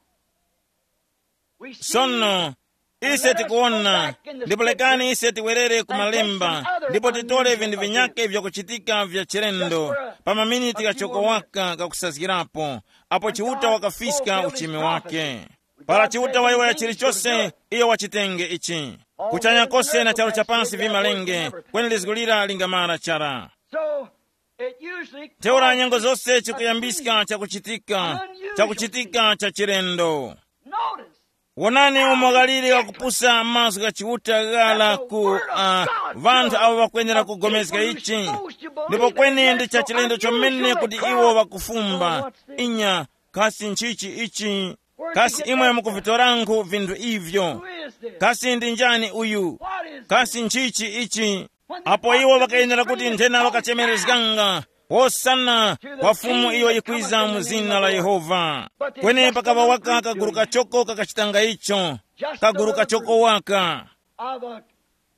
we see sono ise tikuwona, ndipo lekani ise tiwerere ku malemba ndipo titole vinthu vinyake vyakuchitika vya chilendo pa maminiti ghachoko waka kakusazgirapo, apo Chiuta wakafiska uchimi wake. Para Chiuta wayowoya chilichose, iyo wachitenge ichi. Kuchanya kose na charu chapansi vimalenge, kweni lizgu lira lingamara chara. So, it usually ntheura nyengo zose chikuyambiska chakuchitika, chakuchitika cha chilendo. Notice. Wonani umo ghaliri wakupusa mazgu gha Chiuta ghala ku uh, vanthu avo vakwenera kugomezga ichi. Ndipo kweni ndi cha chilendo chomene kuti iwo vakufumba. Inya, kasi nchichi ichi? Kasi imwe mukuvitorangu vinthu ivyo? Kasi ndi njani uyu? Kasi nchichi ichi? Apo iwo ŵakayenera kuti nthena ŵakachemerezganga, hosana kwa Fumu iyo yikwiza mu zina la Yehova. Kweni pakaŵa waka kaguru kachoko kakachitanga icho, kaguru kachoko waka. Of a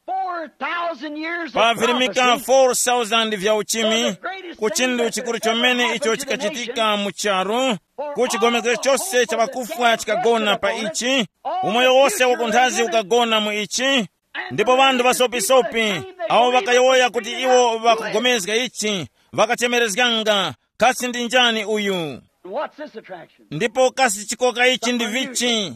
four thousand years pa of virimika prophecy, four thousand vya uchimi, ku chinthu chikuru chomene icho chikachitika mu charu, ku chigomezero chose cha pakufwa chikagona pa ichi, umoyo wose wakunthazi ukagona mu ichi. Ndipo ŵanthu ŵasopisopi awo ŵakayowoya kuti iwo ŵakugomezga ichi, ŵakachemerezganga, kasi ndi njani uyu? What's this attraction? Ndipo kasi chikoka ichi ndi vichi?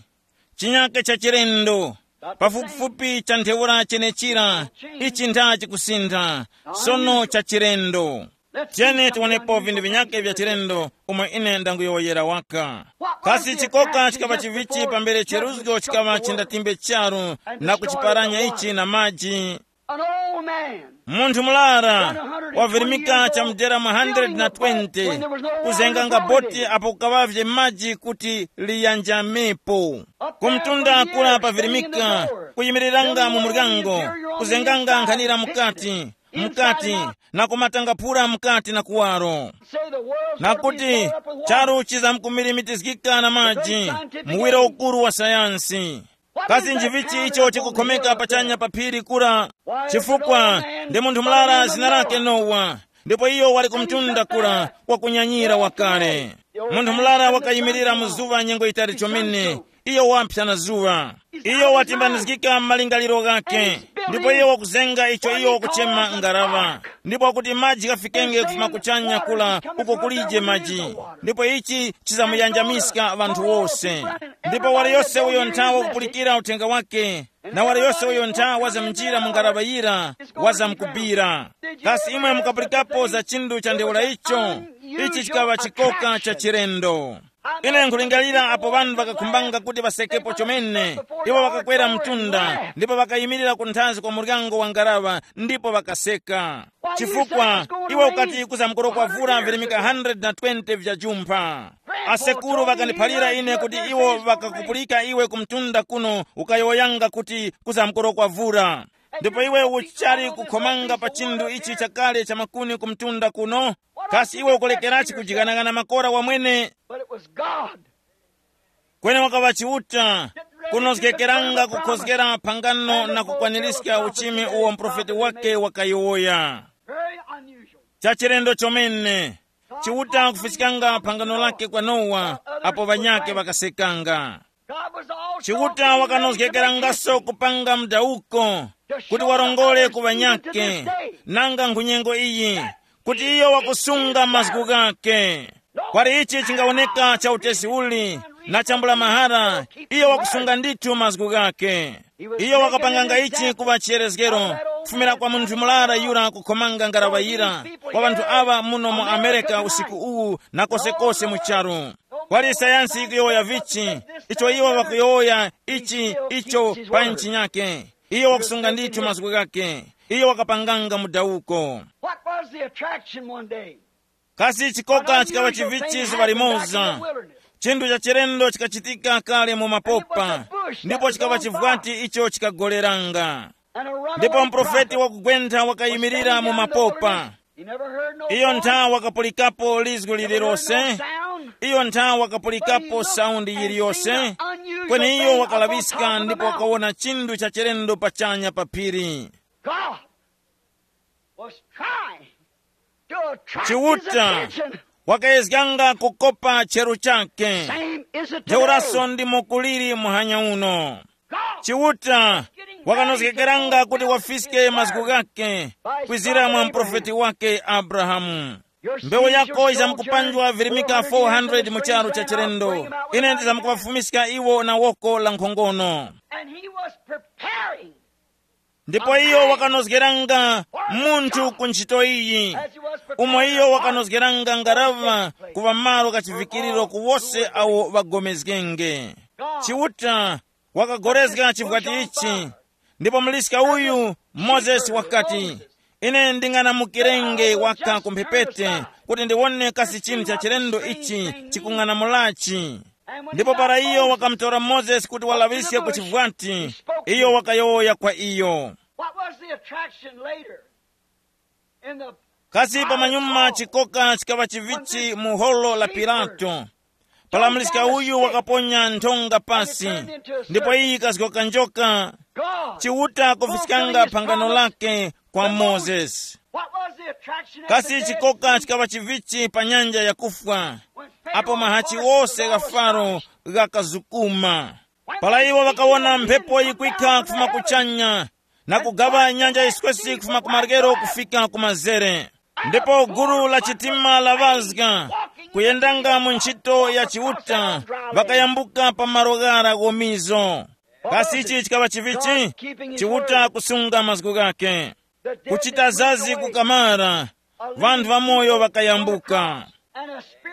Chinyake cha chilendo, pafupifupi cha ntheura chenechira. Ichi ntha chikusintha, sono cha chilendo. Tiyeni tiwonepo vinthu vinyake vya chilendo, umo ine ndanguyowoyera waka. Kasi chikoka chikaŵa chivichi pambere cheruzgo chikaŵa chindatimbe charu na kuchiparanya ichi na maji? An old man. Munthu mulara wavirimika cha mudera mwa one hundred twenty, kuzenganga boti apo kukaŵavye maji kuti liyanjamepo. Kumtunda kura pavirimika, kuyimiriranga mu muryango, kuzenganga nkhanira mukati, mukati, na kumatanga phura mukati na kuwaro. Nakuti charu chizamkumirimitizgika na maji, muwiro ukuru wa sayansi. Kasi njivichi icho chikukhomeka pachanya pa phiri kura? Chifukwa ndi munthu murara zina lake Nowa, ndipo iyo wali kumtunda kura wakunyanyira wakale. Munthu murara wakayimirira mu zuŵa nyengo yitali chomene, iyo waphya na zuŵa. Iyo watimbanizgika mu malingaliro ghake. Ndipo iye wakuzenga icho iye wakuchema ngaraŵa, ndipo wakuti maji ghafikenge kufuma kuchanya kula uko kulije maji, ndipo ichi chizamuyanjamiska ŵanthu wose. Ndipo wali yose uyo nthawa wakupulikira uthenga wake, na wali yose uyo ntha wazamnjira mu ngaraŵa yira, wazamkubira. Kasi imwe mukapulikapo za chinthu cha ntheura icho? Ichi chikaŵa chikoka cha chilendo. Ine nkulingalira apo ŵanthu ŵakakhumbanga kuti ŵasekepo chomene, iwo ŵakakwera mtunda ndipo ŵakayimirira kunthazi kwa muryango wa ngaraŵa ndipo ŵakaseka. Chifukwa iwe ukati kuzamkorokwa vura virimika hundred na twenty vya jumpha. Asekuru ŵakandiphalira ine kuti iwo ŵakakupulika iwe ku mtunda kuno ukayowoyanga kuti kuzamkorokwa vura. Ndipo iwe uchali kukhomanga pa chinthu ichi chakale cha makuni ku mtunda kuno. Kasi iwe ukulekerachi kujikanangana makora wamwene? But it was God. Kweni wakaŵa Chiuta, kunozgekeranga kukhozgera phangano na kukwanirizga uchimi uwo muprofeti wake wakayowoya. Very unusual. Chachilendo chomene. Chiuta kufiskanga phangano lake kwa Nowa, apo ŵanyake ŵakasekanga. Chiuta wakanozgekerangaso kupanga mdawuko kuti warongore ku ŵanyake, nanga nkhunyengo iyi, kuti iyo wakusunga mazgu ghake. Kwali ichi chingawoneka cha utesi uli na chambula mahara, iyo wakusunga ndithu mazgu ghake. Iyo wakapanganga ichi kuŵa chiyerezgero, kufumira kwa munthu murara yura kukhomanga ngaraŵa yira, kwa ŵanthu aŵa muno mu Amerika usiku uwu na kosekose mu charu. Kwali sayansi yikuyowoya vichi, icho iwo ŵakuyowoya ichi icho pa nchi nyake. Iyo wakusunga ndithu mazgu ghake. Iyo wakapanganga mudawuko. What was the attraction one day? Kasi chikoka chikaŵa chivichi zuŵa limoza. Chinthu cha chilendo chikachitika kale mu mapopa, ndipo chikaŵa chivwati icho chikagoleranga. Ndipo mprofeti wakugwentha wakayimirira mu mapopa. Iyo ntha wakapulikapo lizgu lililose. Iyo ntha wakapulikapo saundi yiliyose. Kweni iyo wakalaŵiska ndipo wakawona chinthu cha chilendo pachanya pa phiri. God was trying to attract his Chiuta attention. Wakayezganga kukopa cheru chake. Same is it today. Ntheuraso ndimo kuliri muhanya uno. God Chiuta wakanozgekeranga kuti wafiske mazgu ghake kwizira mwa mprofeti wake Abrahamu. Mbewu yako izamkupanjwa virimika four hundred mu charu cha chilendo. Ine ndizamkuwafumiska iwo na woko la nkhongono. And he was preparing Ndipo iyo wakanozgeranga munthu ku ntchito iyi, umo iyo wakanozgeranga ngaraŵa kuŵa malo kachivikiriro ku wose awo ŵagomezgenge. Chiuta wakagorezga chivwati ichi, ndipo muliska uyu Mozesi wakati, ine nding'anamukirenge waka ku mphepete kuti ndiwone kasi chinthu cha chilendo ichi chikung'anamulachi. Ndipo para iyo wakamutora Mozesi kuti walaŵiske ku chivwati, iyo wakayowoya kwa iyo. What was the attraction later? In the Kasi pamanyuma chikoka chikaŵa chivichi mu holo la Pilato, para muliska uyu wakaponya nthonga pasi, ndipo iyi ikazgoka njoka. God Chiuta kufiskanga phangano lake kwa Mozesi. What was the attraction at the Kasi Dead chikoka Sea? Chikaŵa chivichi pa nyanja yakufwa, When Pharaoh apo mahachi ordered the ose gha Faro ghakazukuma. Pala iwo ŵakawona mphepo yikwikha kufuma kuchanya, na kugaŵa nyanja yiswesi kufuma ku maryero kufika ku mazere. Ndipo gulu la chitima laŵazga, kuyendanga mu ntchito ya Chiuta, ŵakayambuka pa malo ghara ghomizo. Kasi ichi chikaŵa chivichi? Chiuta kusunga mazgu ghake. Kuchita zazi kukamara, ŵanthu ŵamoyo ŵakayambuka.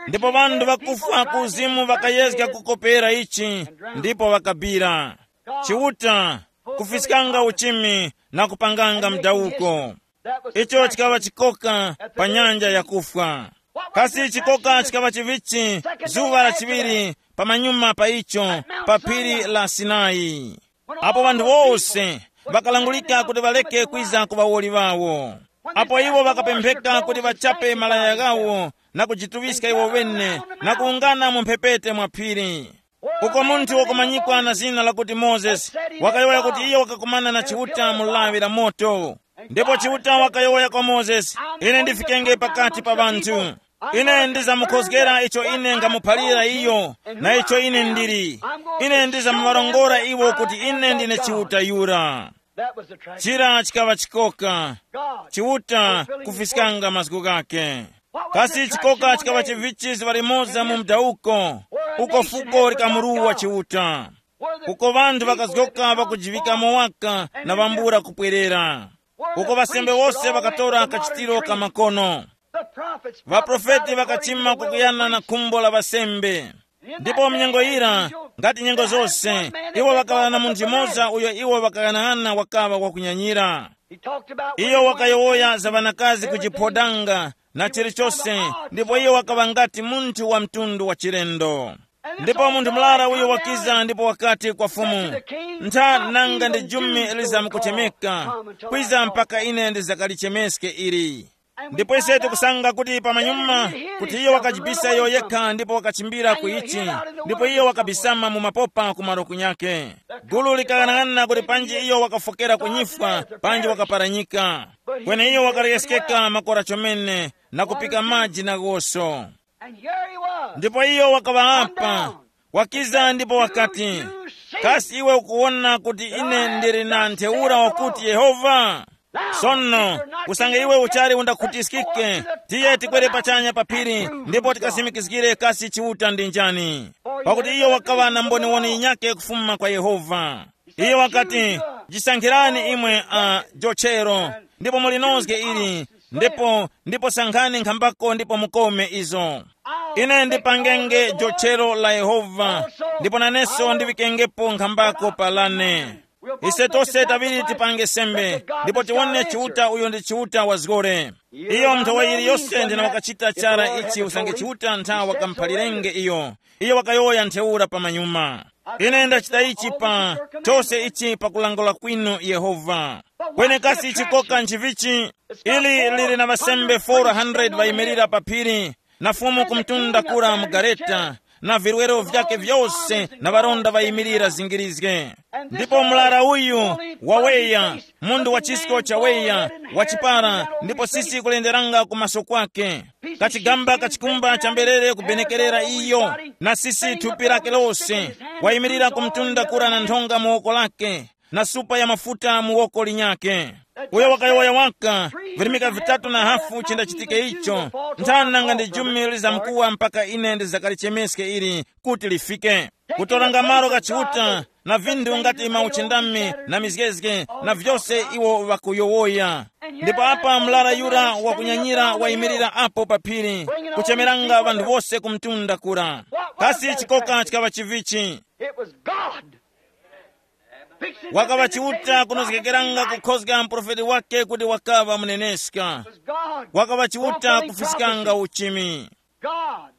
Ndipo ŵanthu ŵakufwa ku uzimu ŵakayezga kukopera ichi, ndipo ŵakabira. Chiuta kufiskanga uchimi na kupanganga mdawuko. Icho chikaŵa chikoka pa nyanja yakufwa. Kasi chikoka chikaŵa chivichi zuŵa la chiŵiri pamanyuma pa icho, pa phiri la Sinai, apo ŵanthu wose ŵakalangulika kuti ŵareke kwiza ku ŵawoli ŵawo, apo iwo ŵakapempheka kuti ŵachape malaya ghawo na kujituŵiska iwo ŵene na kuwungana mu mphepete mwa phiri, uko munthu wakumanyikwa na zina lakuti Mozesi wakayowoya kuti iyo wakakumana na Chiuta mu lawi la moto. Ndipo Chiuta wakayowoya kwa Mozesi, ine ndifikenge pakati pa ŵanthu. Ine ndizamukhozgera icho ine ngamuphalira iyo, na icho ine ndili. Ine ndizamuŵarongora iwo kuti ine ndine Chiuta yura. That was the tragedy. Chira chikaŵa chikoka. God. Chiuta kufiskanga mazgu ghake. Kasi chikoka chikaŵa chivichi ziŵa limoza mu mdawuko? Uko fuko likamuruwa Chiuta. Uko ŵanthu ŵakazgoka ŵakujiŵikamo waka na ŵambula kupwerera. Uko ŵasembe wose ŵakatora kachitiro ka makono. Ŵaprofeti ŵakachima kukuyana na khumbo la ŵasembe. Ndipo mnyengo yira, ngati nyengo zose, iwo ŵakaŵa na munthu yumoza uyo iwo ŵakaghanag'ana wakaŵa wakunyanyira. Iyo wakayowoya za ŵanakazi kujiphodanga na chilichose, ndipo iyo wakaŵa ngati munthu wa mtundu wa chilendo. Ndipo munthu murara uyo wakiza ndipo wakati kwa Fumu, ntha nanga ndi jumi lizamukuchemeka, kwiza mpaka ine ndizakalichemeske ili. Ndipo ise tikusanga kuti pamanyuma, kuti iyo wakajibisa iyo yekha ndipo wakachimbira ku ichi, ndipo iyo wakabisama mu mapopa ku malo kunyake. Gulu likang'anang'ana kuti panji iyo wakafokera ku nyifwa, panji wakaparanyika. Kweni iyo wakaleyeskeka makora chomene, na kupika maji na ghoso. And here he was. Ndipo iyo wakaŵa apa, wakiza ndipo wakati, kasi iwe ukuwona kuti ine ndili na ntheura wakuti Yehova? Sono, usange iwe uchali undakhutiskike, tiye tikwere pachanya pa phiri, ndipo tikasimikizgire kasi Chiuta ndi njani. Pakuti iyo wakaŵa na mboniwoni yinyakhe kufuma kwa Yehova. Iyo wakati, jisankhirani imwe a jochero, ndipo mulinozge ili, ndipo ndipo sankhani nkhambako ndipo mukome izo. Ine ndipangenge jochero la Yehova, ndipo naneso ndiŵikengepo nkhambako pa lane. Ise tose taŵiri tipange sembe, ndipo tiwone Chiuta uyo ndi Chiuta wa zgore. Iyo nthowa yiliyose ndina wakachita chara ichi usange Chiuta ntha wakamuphalirenge iyo. Iyo wakayowoya ntheura pamanyuma. Ine ndachita ichi pa chose ichi pakulangula kwinu Yehova. Kwenekasi chikoka nchivichi? Ili lili na ŵasembe four hundred ŵayimirira pa phiri, na Fumu kumtunda kura mu gareta, na virwero vyake vyose na ŵaronda ŵayimirira zingirizge. Ndipo murara uyu waweya, mundu wa chisko chaweya, wachipara, ndipo sisi kulenderanga ku maso kwake. Kachigamba kachikumba cha mberere kubenekerera iyo, na sisi thupi lake lose, wayimirira kumtunda kura na nthonga mu woko lake, na supa ya mafuta mu woko linyakhe. Uyo wakayowoya waka, virimika vitatu na hafu chindachitike icho, nthani nanga ndi jumi lizamkuwa mpaka ine ndizakalichemeske ili kuti lifike. Kutoranga malo gha Chiuta, na vinthu ngati mauchindami na mizgezge, na vyose iwo ŵakuyowoya. Ndipo apa mlara yura wakunyanyira wayimirira apo pa phiri, kuchemeranga ŵanthu wose ku mtunda kura. Kasi chikoka chikaŵa chivichi? It was God. Wakaŵa Chiuta kunozgekeranga kukhozga muprofeti wake kuti wakaŵa muneneska. Wakaŵa Chiuta kufiskanga uchimi. God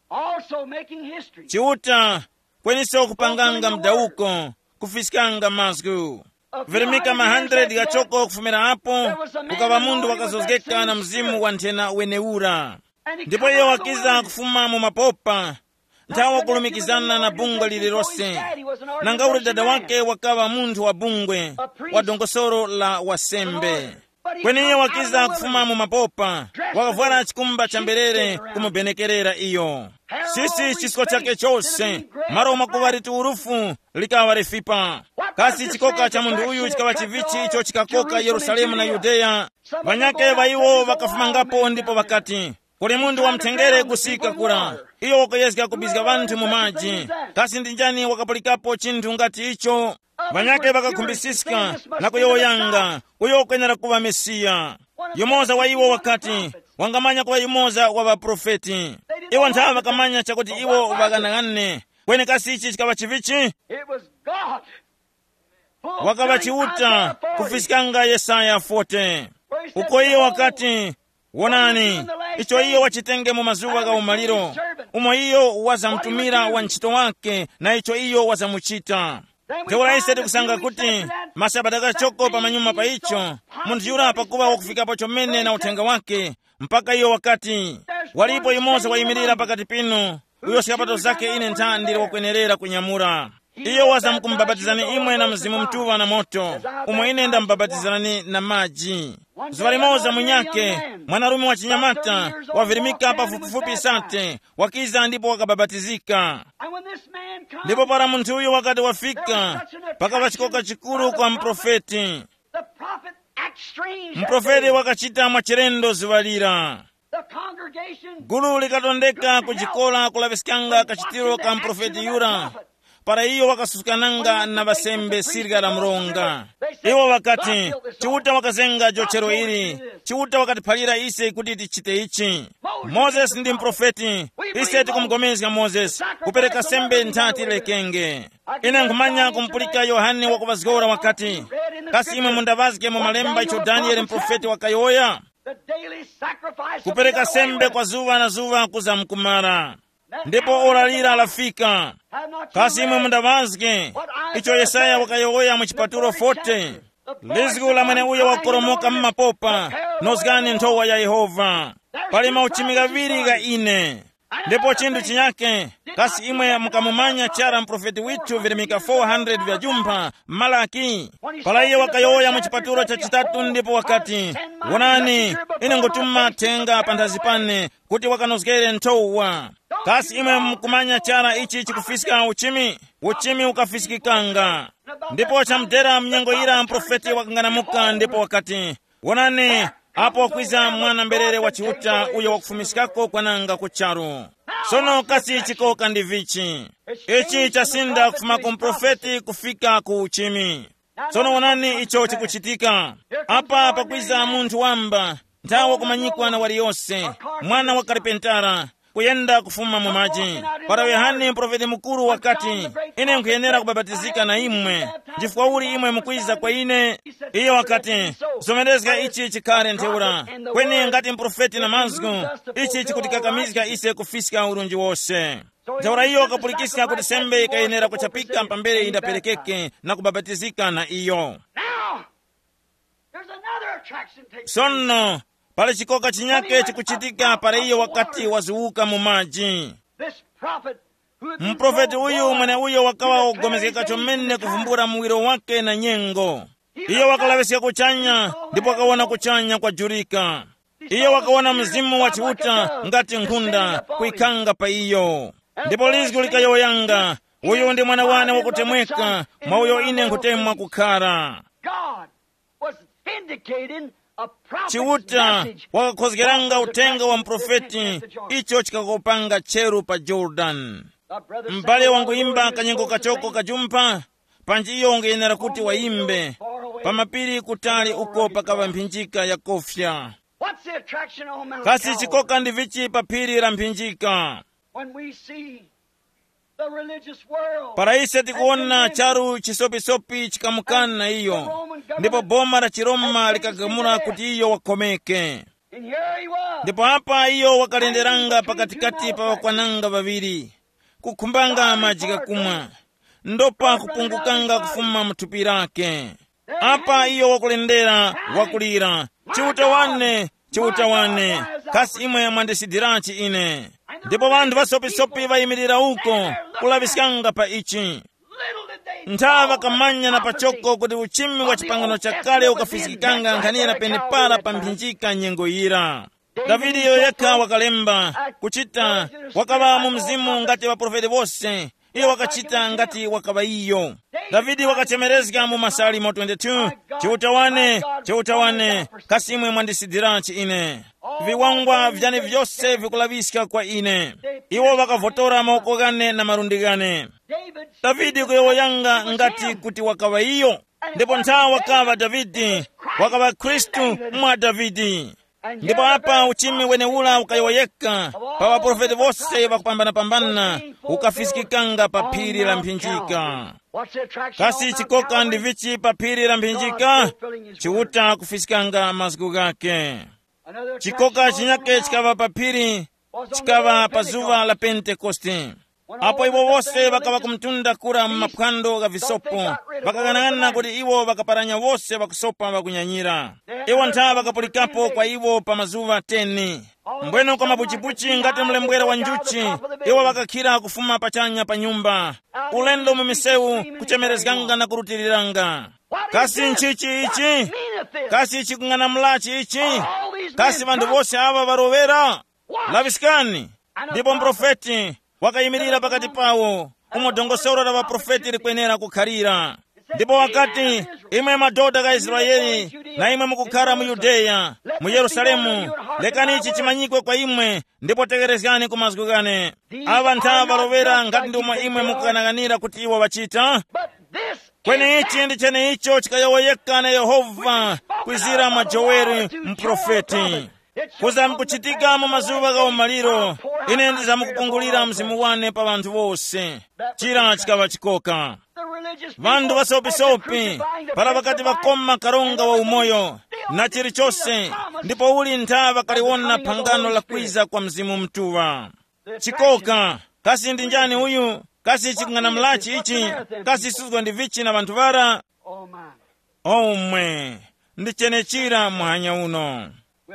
also making history. Chiuta kweniso kupanganga mdawuko, kufiskanga mazgu. Virimika ma hundred ghachoko kufumira apo, kukaŵa munthu wakazozgeka na mzimu wa nthena wenewura. Ndipo iyo wakiza kufuma mu mapopa, nthawi wakulumikizana na bungwe lililose. Nanga uli dada wake wakaŵa munthu wa bungwe, wa dongosolo la wasembe. Kweni iyo wakiza kufuma mu mapopa, wakavwara chikumba cha mberere kumubenekerera iyo. Sisi chisko chake chose, malo mwakuŵa liti urufu, likaŵa lifipa. Kasi chikoka cha munthu uyu chikaŵa chivichi icho chikakoka Yerusalemu na Yudeya? Ŵanyakhe ŵa iwo ŵakafumangapo ndipo ŵakati, kuli munthu wamthengere kusika kura, iyo wakuyezga kubizga ŵanthu mu maji. Kasi ndi njani wakapulikapo chinthu ngati icho? Ŵanyakhe ŵakakhumbisiska na kuyowoyanga, uyo wakwenera kuŵa Mesiya. Yumoza wa iwo wakati, wangamanya kuŵa yumoza wa ŵaprofeti. Iwo nthawe ŵakamanya chakuti iwo ŵaghanaghanane. Kweni kasi ichi chikaŵa chivichi? It was God. Wakaŵa Chiuta kufiskanga Yesaya forty, uko iyo wakati, wonani, icho iyo wachitenge mu mazuŵa gha umaliro, umo iyo wazamutumira wa ntchito wake na icho iyo wazamuchita. Ntheura ise tikusanga kuti masabata ghachoko pamanyuma pa icho, munthu yura pakuŵa wakufikapo chomene na uthenga wake, mpaka iyo wakati, walipo yumoza wayimirira pakati pinu, uyo skapato zake ine ntha ndili wakwenerera kunyamura. Iyo wazamkumubapatizani imwe na Mzimu Mutuŵa na moto, umo ine ndamubapatizani na maji. Zuŵa limoza munyake, mwanarume wa chinyamata, wavirimika pafupifupi sate, wakiza ndipo wakabapatizika. Ndipo para munthu uyo wakati wafika, pakaŵa chikoka chikuru kwa muprofeti. Muprofeti wakachita mwachilendo zuŵa lira. Gulu likatondeka ku chikora kulaŵiskanga kachitiro ka muprofeti yura, para iyo wakasusukananga na ŵasembe sirya la mronga. Iwo ŵakati, Chiuta wakazenga jochero ili. Chiuta wakatiphalira ise kuti tichite ichi. Mozesi ndi muprofeti. Ise tikumugomezga Mozesi, kupereka sembe nthati lekenge. Ine nkhumanya kumupulika Yohane wakuvazgora wakati, kasi imwe mundaŵazge mu malemba icho Danieli muprofeti wakayowoya? Kupereka sembe kwa zuŵa na zuŵa kuza mkumara. Ndipo ora lira lafika. Kasi imwe mundaŵazge icho Yesaya wakayowoya mu chipatulo forty? Lizgu la mweneuyo wakukoromoka mu mapopa, nozgani nthowa ya Yehova. Pali mauchimi ghaŵiri gha ine. Ndipo chinthu chinyake, kasi imwe mukamumanya chara muprofeti withu virimika four hundred vya jumpha, Malaki? Para iye wakayowoya mu chipatulo cha chitatu ndipo wakati, wonani, ine ngutuma thenga panthazi pane kuti wakanozgere nthowa. Kasi imwe mukumanya chara ichi chikufiska uchimi? Uchimi ukafiskikanga. Ndipo chamudera mnyengo yira mprofeti wakanganamuka ndipo wakati, wonani, apo wakwiza mwana mberere wa Chiuta uyo wakufumiskako kwananga ku charu. Sono kasi chikoka ndi vichi? Ichi chasinda kufuma ku mprofeti kufika ku uchimi. Sono wonani icho chikuchitika. Apa pakwiza munthu wamba, nthawi wakumanyikwa na waliyose, mwana wa karipentara, kuyenda kufuma mu maji. Para Yohane mprofeti mukuru wakati, ine nkhuyenera kubapatizika na imwe, chifukwa uli imwe mukwiza kwa ine? Iyo wakati, zomerezga ichi chikhale ntheura. Kweni ngati mprofeti na mazgu, ichi chikutikakamizga ise kufiska urunji wose. Ntheura iyo wakapulikiska kuti sembe yikayenera kuchapika pambere indaperekeke na kubapatizika na iyo. Now, there's another attraction takes place. Sono, pali chikoka chinyake chikuchitika para iyo wakati waziwuka mu maji. This prophet who had been Muprofeti so uyu warned mwene uyo wakawa wogomezgeka chomene kuvumbula muwiro wake na nyengo. Iyo wakalaŵiska kuchanya ndipo wakawona kuchanya kwajurika. Iyo wakawona Mzimu wa Chiuta ngati nkhunda kuikhanga pa iyo. Ndipo lizgu likayowoyanga, uyu ndi mwana wane wakutemweka, mwa uyo ine nkhutemwa kukhara. God was vindicating a prophet's Chiuta message wakakhozgeranga uthenga wa mprofeti, icho chikakopanga cheru pa Jordan. M'bale wanguyimba kanyengo kachoko kajumpha, panji iyo ungayenera kuti wayimbe pa mapiri kutali uko pakaŵa mphinjika yakofya. What's the attraction on Mount Kasi Calvary? Chikoka ndi vichi pa phiri la mphinjika? When we see the religious world Para ise tikuwona charu chisopisopi chikamukana na iyo, ndipo boma la chiroma likagamula kuti iyo wakomeke. And here he was. Ndipo apa iyo wakalenderanga pakatikati pa ŵakwananga ŵaŵiri, kukhumbanga maji ghakumwa, ndopa kupungukanga kufuma mu thupi lake. Apa iyo wakulendera, wakulira, Chiuta wane, Chiuta wane, kasi imwe mwandisidiranji ine? Ndipo ŵanthu ŵasopisopi ŵayimirira uko, kulaŵiskanga pa ichi. Nthawe ŵakamanya na pachoko kuti uchimi wa chipangano chakale ukafiskikanga nkhanira penepara pa mphinjika nyengo yira. Davide iyo yekha wakalemba, kuchita, wakaŵa mu mzimu ngati ŵaprofeti wose, iyo wakachita ngati wakaŵa iyo. Davide wakachemerezga mu Masalimo twenty-two, Chiuta wane, Chiuta wane, kasi imwe mwandisidiranji ine? Viwangwa vyane vyose vikulaŵiska kwa ine. Iwo ŵakavotora mawoko ghane na malundi ghane. Davide kuyowoyanga ngati kuti wakaŵa iyo. Ndipo nthawe wakaŵa Davide, wakaŵa Khristu mwa Davide. Ndipo apa uchimi wenewura ukayowoyeka pa ŵaprofeti wose ŵakupambanapambana, ukafiskikanga pa phiri la mphinjika. Kasi chikoka ndi vichi pa phiri la mphinjika? Chiuta kufiskanga mazgu ghake. Chikoka chinyake chikaŵa pa phiri, chikaŵa pa zuŵa la Pentekoste. Apo iwo wose ŵakaŵa kumtunda kura mu maphwando gha visopo, ŵakaghanag'ana kuti iwo ŵakaparanya wose ŵakusopa ŵakunyanyira. Iwo ntha ŵakapulikapo kwa iwo pa mazuŵa teni. Mbweno kwa mapuchipuchi ngati mlembwera wa njuchi, iwo ŵakakhira kufuma pachanya pa nyumba, ulendo mu misewu, kuchemerezganga na kurutiriranga. Kasi nchichi ichi? Kasi chikung'anamulachi ichi? Kasi ŵanthu wose aŵa ŵarowera? Laŵiskani. Ndipo mprofeti wakayimirira pakati pawo, umo dongosolo la ŵaprofeti likwenera kukhalira. Ndipo wakati, imwe madodha gha Israeli, na imwe mukukhara mu Yudeya, mu Yerusalemu, lekani ichi chimanyikwe kwa imwe, ndipo tegherezgani ku mazgu ghane. Aŵa ntha ŵalowera ngati ndimo imwe mukughanaganira kuti iwo ŵachita. Kweni ichi ndi cheneicho chikayowoyeka na Yehova kwizira mwa Joeli muprofeti. Kuzamkuchitika mu mazuŵa gha umaliro, ine ndizamkupungulira mzimu wane pa ŵanthu wose. Chira chikaŵa chikoka. Ŵanthu ŵasopisopi, para ŵakati ŵakoma karonga wa umoyo na chilichose, ndipo uli ntha ŵakaliwona phangano la kwiza kwa Mzimu Mutuŵa. Chikoka. Kasi ndi njani uyu? Kasi chikung'anamulachi ichi? Kasi suzgo ndi vichi na ŵanthu ŵara? Omwe, ndi chenechira muhanya uno.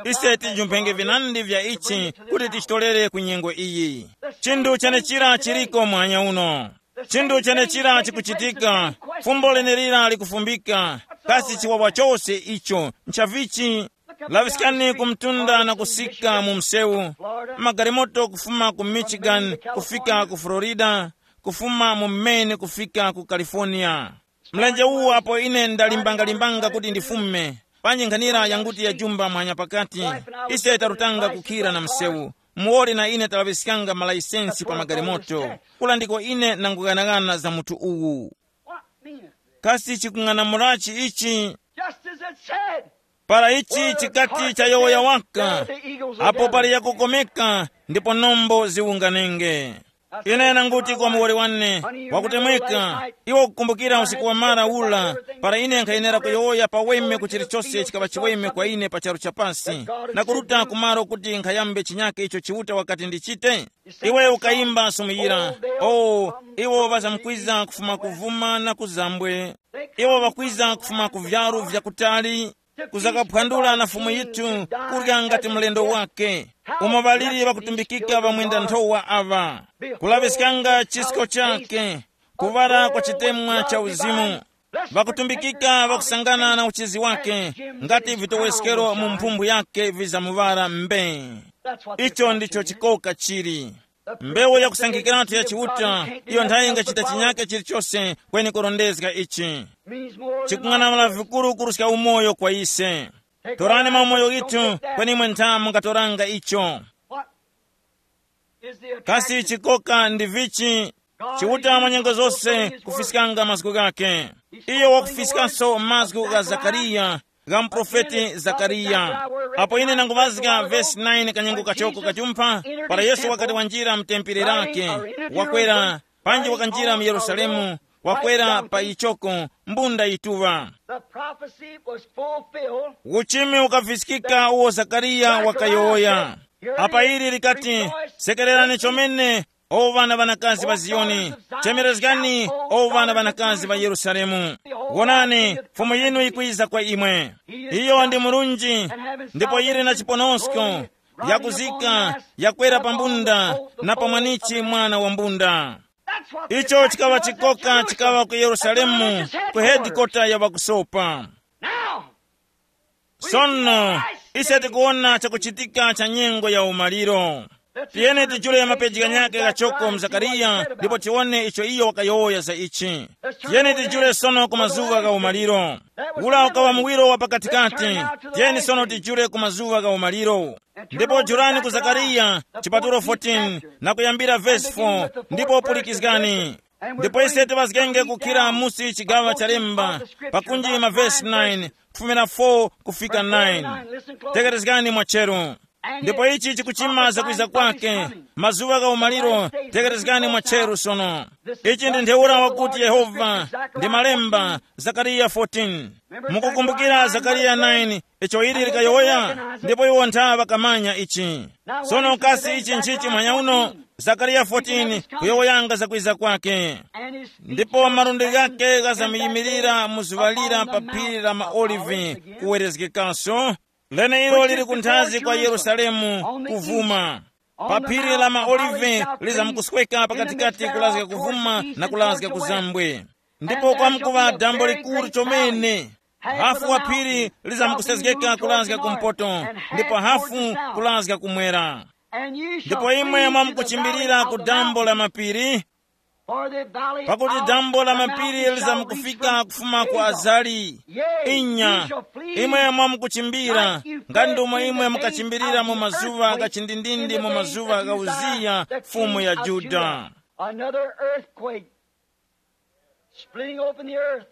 Ise tijumphenge vinandi vya ichi kuti tichitolere ku nyengo iyi. Chinthu chenechira chiliko muhanya uno. Chinthu chenechira chikuchitika. Fumbo lenelira likufumbika. Kasi chiwawa chose icho nchavichi? Laŵiskani ku mtunda na kusika mu msewu, magalimoto kufuma ku Michigan kufika ku Florida, kufuma mu Maine kufika ku California. Mlenje uwu apo ine ndalimbangalimbanga kuti ndifume, panji nkhanira yanguti yajumba mwanya pakati, ise tarutanga kukhira na msewu. Muwoli na ine talaŵiskanga malayisensi pa magalimoto. Kula ndiko ine nanguganaghana za munthu uwu. Kasi chikung'anamulachi ichi? Just as it said. Para ichi chikati chayowoya waka, apo pali yakukomeka ndipo nombo ziwunganenge. Ine nanguti kwa muwoli wane wakutemweka, iwe ukukumbukira usiku wa mara ula, para ine nkhayenera kuyowoya paweme ku chilichose chikaŵa chiweme kwa ine pa charu cha pasi, na kuruta kumaro kuti nkhayambe chinyake icho Chiuta wakati ndichite? Iwe ukayimba sumuyira, o, iwo ŵazamkwiza kufuma kuvuma na kuzambwe. Iwo ŵakwiza kufuma ku vyaru vyakutali, kuzakaphwandula na Fumu yithu, kurya ngati mlendo wake. Umo ŵaliri ŵakutumbikika ŵamwenda nthowa aŵa, kulaŵiskanga chisko chake, kuŵala kwa chitemwa cha uzimu. Ŵakutumbikika ŵakusangana na uchizi wake, ngati vitoweskero mu mphumbu yake vizamuŵala mbe. Icho ndicho chikoka chili. Mbewu yakusankhikiratu ya Chiuta, iyo nthayi ingachita chinyake chilichose kweni kurondezga ichi. Chikung'anamula vikuru kuruska umoyo kwa ise. Torani maumoyo ghithu, kweni imwe ntha mungatoranga icho. Kasi chikoka ndi vichi? Chiuta mwa nyengo zose kufiskanga mazgu ghake. Iyo wakufiskanso mazgu gha Zakariya, gha muprofeti Zakariya. Apo ine nanguvazga vesi nine kanyengo kachoko kachumpha, para Yesu wakati wanjira mu tempere lake, wakwera, panji wakanjira mu Yerusalemu, wakwera pa ichoko, mbunda yituŵa. The prophecy was fulfilled. Uchimi ukafiskika uwo Zakariya wakayowoya. Apa ili likati, sekererani chomene, o ŵana ŵanakazi ŵa Ziyoni, chemerezgani, o ŵana ŵanakazi ŵa Yerusalemu. Wonani, Fumu yinu yikwiza kwa imwe. Iyo ndi murunji, ndipo yili na chiponosko, yakuzika, yakwera pa mbunda, na pa mwanichi mwana wa mbunda. Icho chikaŵa chikoka chikaŵa ku Yerusalemu, ku hedikota ya ŵakusopa. Now, sono, ise tikuwona chakuchitika cha nyengo ya umaliro. Tiyeni tijule mapeji ghanyakhe ghachoko mu Zakariya ndipo tiwone icho iyo wakayowoya za ichi. Tiyeni tijule sono ku mazuŵa gha umaliro. Ula ukaŵa muwiro wa pakatikati. Tiyeni sono tijule ku mazuŵa gha umaliro. Ndipo julani ku Zakariya chipatulo fourteen na kuyambira vesi four, ndipo pulikizgani. Ndipo ise tiŵazgenge kukhira musi chigaŵa cha lemba, pakunji mavesi nine, kufumira four kufika nine. Tekerezgani mwacheru. Ndipo ichi chikuchima zakwiza kwake. Mazuŵa gha umaliro, tekerezgani mwa cheru sono. Ichi ndi ntheura wakuti Yehova, ndi malemba, Zakariya fourteen. Mukukumbukira Zakariya nine, icho ili likayowoya? Ndipo iwo ntha ŵakamanya ichi. Sono kasi ichi nchichi mwanya uno? Zakariya fourteen kuyowoyanga zakwiza kwake. Ndipo malundi ghake ghazamuyimilira mu zuŵa lira pa phiri la maolivi, kuwerezgekanso, leneilo liri kunthazi kwa Yerusalemu kuvuma. Pa phiri la maolive lizamkusweka pakatikati kulazga kuvuma na kulazga kuzambwe. Ndipo kwamkuŵa dambo likuru chomene. Hafu wa phiri lizamkusezgeka kulazga kumpoto, ndipo hafu kulazga kumwera. Ndipo imwe mwamkuchimbilira ku dambo la mapiri, pakuti dambo la mapiri lizamkufika kufuma ku Azali. Inya, imwe mwamkuchimbira, ngati ndomwe imwe mukachimbirira mu mazuŵa gha chindindindi, mu mazuŵa gha Uziya, mfumu ya Juda. Another earthquake, splitting open the earth.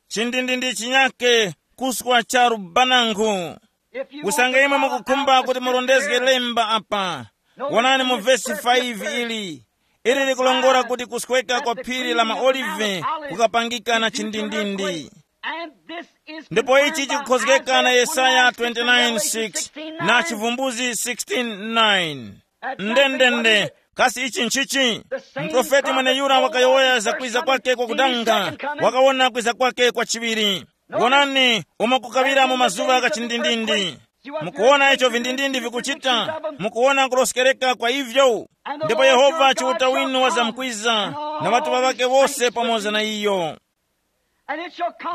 Chindindindi chinyake, kuswa cha lubanango. Usange imwe mukukhumba kuti murondezge lemba apa, wonani mu vesi five ili. Ili likulongora kuti kusweka kwa phiri la maolive kukapangika na chindindindi. Ndipo ichi chikukhozgeka na Yesaya twenty-nine six na Chivumbuzi sixteen nine. Ndendende, kasi ichi nchichi? Muprofeti mweneyura wakayowoya za kwiza kwake kwa kudanga, wakawona kwiza kwake kwa chiŵiri. Wonani, umo kukaŵira mu mazuŵa gha chindindindi. Mukuwona icho vindindindi vikuchita, mukuwona kuloskereka kwa ivyo. Ndipo Yehova Chiuta winu wazamkwiza, na ŵatuŵa ŵake wose pamoza na iyo.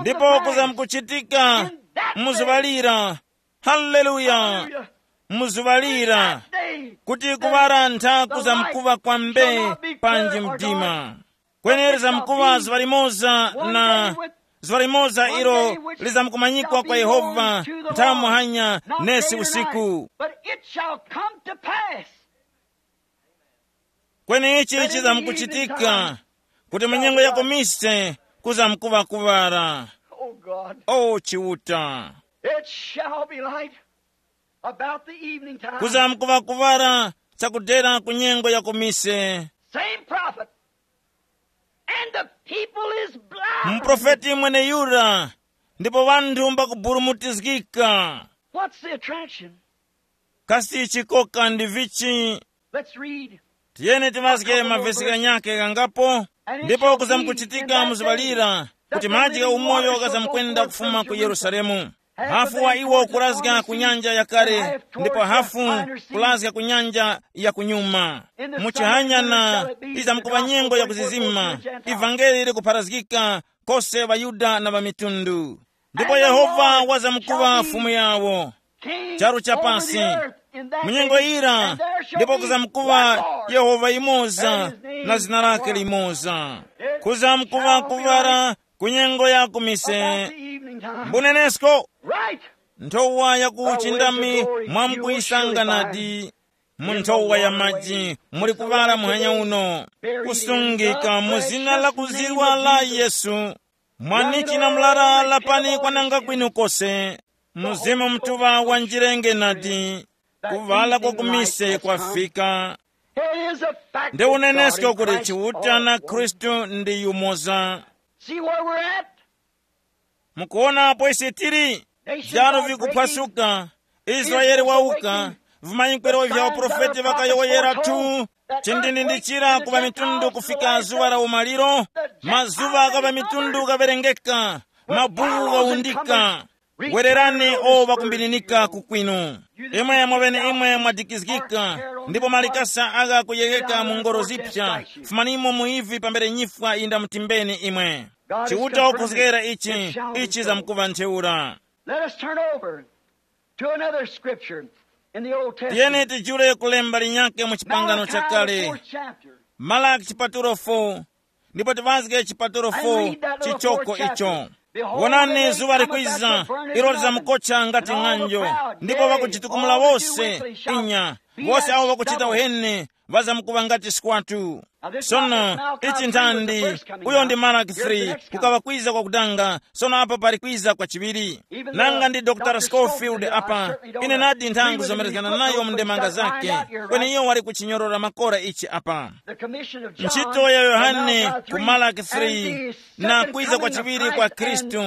Ndipo kuzamkuchitika mu zuŵa lira. Haleluya. Mu zuŵa lira, kuti kuŵala ntha kuzamkuŵa kwa mbee panji mdima. Kweni lizamkuŵa zuŵa limoza, na zuŵa limoza ilo lizamkumanyikwa kwa Yehova nthawi muhanya nesi usiku. But it shall come to pass. Kweni ichi chizamkuchitika, kuti mu nyengo ya kumise kuzamkuŵa kuŵala. Oh God. O Chiuta. It shall be light about the evening time. Kuzamkuŵa kuŵala chakudera ku nyengo ya kumise. Same prophet. And the people is blind. Muprofeti mweneyura, ndipo ŵanthu mbakuburumutizgika. What's the attraction? Kasi chikoka ndi vichi? Let's read. Tiyeni tiŵazge mavesi ghanyakhe ghangapo. Ndipo kuzamkuchitika mu zuŵa lira, kuti madzi gha umoyo ghazamkwenda kufuma ku Yerusalemu. Hafu wa iwo kurazga ku nyanja yakale, ndipo hafu kurazga ku nyanja ya kunyuma. Mu chihanyana, iza mkuŵa nyengo ya kuzizima, ivangeli likupharazgika kose ŵaYuda na ŵamitundu. Ndipo Yehova wazamkuŵa Fumu yawo charu cha pasi. Mu nyengo yira, ndipo kuzamkuŵa Yehova yimoza, na zina lake limoza. Kuzamkuŵa kuŵala ku nyengo ya kumise. Mbunenesko, nthowa ya ku uchindami mwamkuyisanga nadi. Mu nthowa ya maji muli kuŵala muhanya uno, kusungika mu zina la kuzirwa la Yesu. Mwanichi na mlara lapani kwananga kwinu kose. Mzimu Mutuŵa wanjirenge nadi, kuŵala kwa kumise kwafika. It is a fact. Nde that unenesko God is kuti Christ Chiuta na all. Khristu ndi yumoza. See where we're at? Mukuona apo isi tili? Vyaro vikuphwasuka. Israeli wauka. Vimanyikwero vya uprofeti vakayowoyera tu. Chindindindi chira kuva mitundu kufika zuwa la umaliro. Mazuwa gava mitundu gaverengeka. Mabuku gaundika. Wererani o ŵakumbirinika ku kwinu. Imwe mwaŵene imwe mwadikizgika, ndipo malikasa agha kuyeyeka mu ngoro zipsa. Fumanimo mu ivi pambere nyifwa yindamutimbeni imwe. Chiuta wakhozgera ichi, ichi zamkuŵa ntheura. Let us turn over to another scripture in the Old Testament. Tiyeni tijule kulemba linyake mu chipangano Malachi, the chakale. Fourth chapter. Malaki chipatulo four, ndipo tiŵazge chipatulo four chichoko icho. Wonani, zuŵa likwiza, ilo lizamukotcha ngati ng'anjo, ndipo ŵakuchitukumula wose. Inya, wose awo ŵakuchita uheni ŵazamkuŵa ngati skwatu. Sono, ichi nthandi, uyo ndi Malaki three, kukaŵa kwiza kwakutanga. Sono apa pali kwiza kwa chiŵiri. Nanga ndi Dr Scofield apa, ine nadi nthangu zomerezgana nayo mu ndemanga zake. Kweni iyo wali kuchinyorora makora ichi apa. Ntchito ya Yohane ku Malaki three na kwiza kwa chiŵiri kwa Khristu,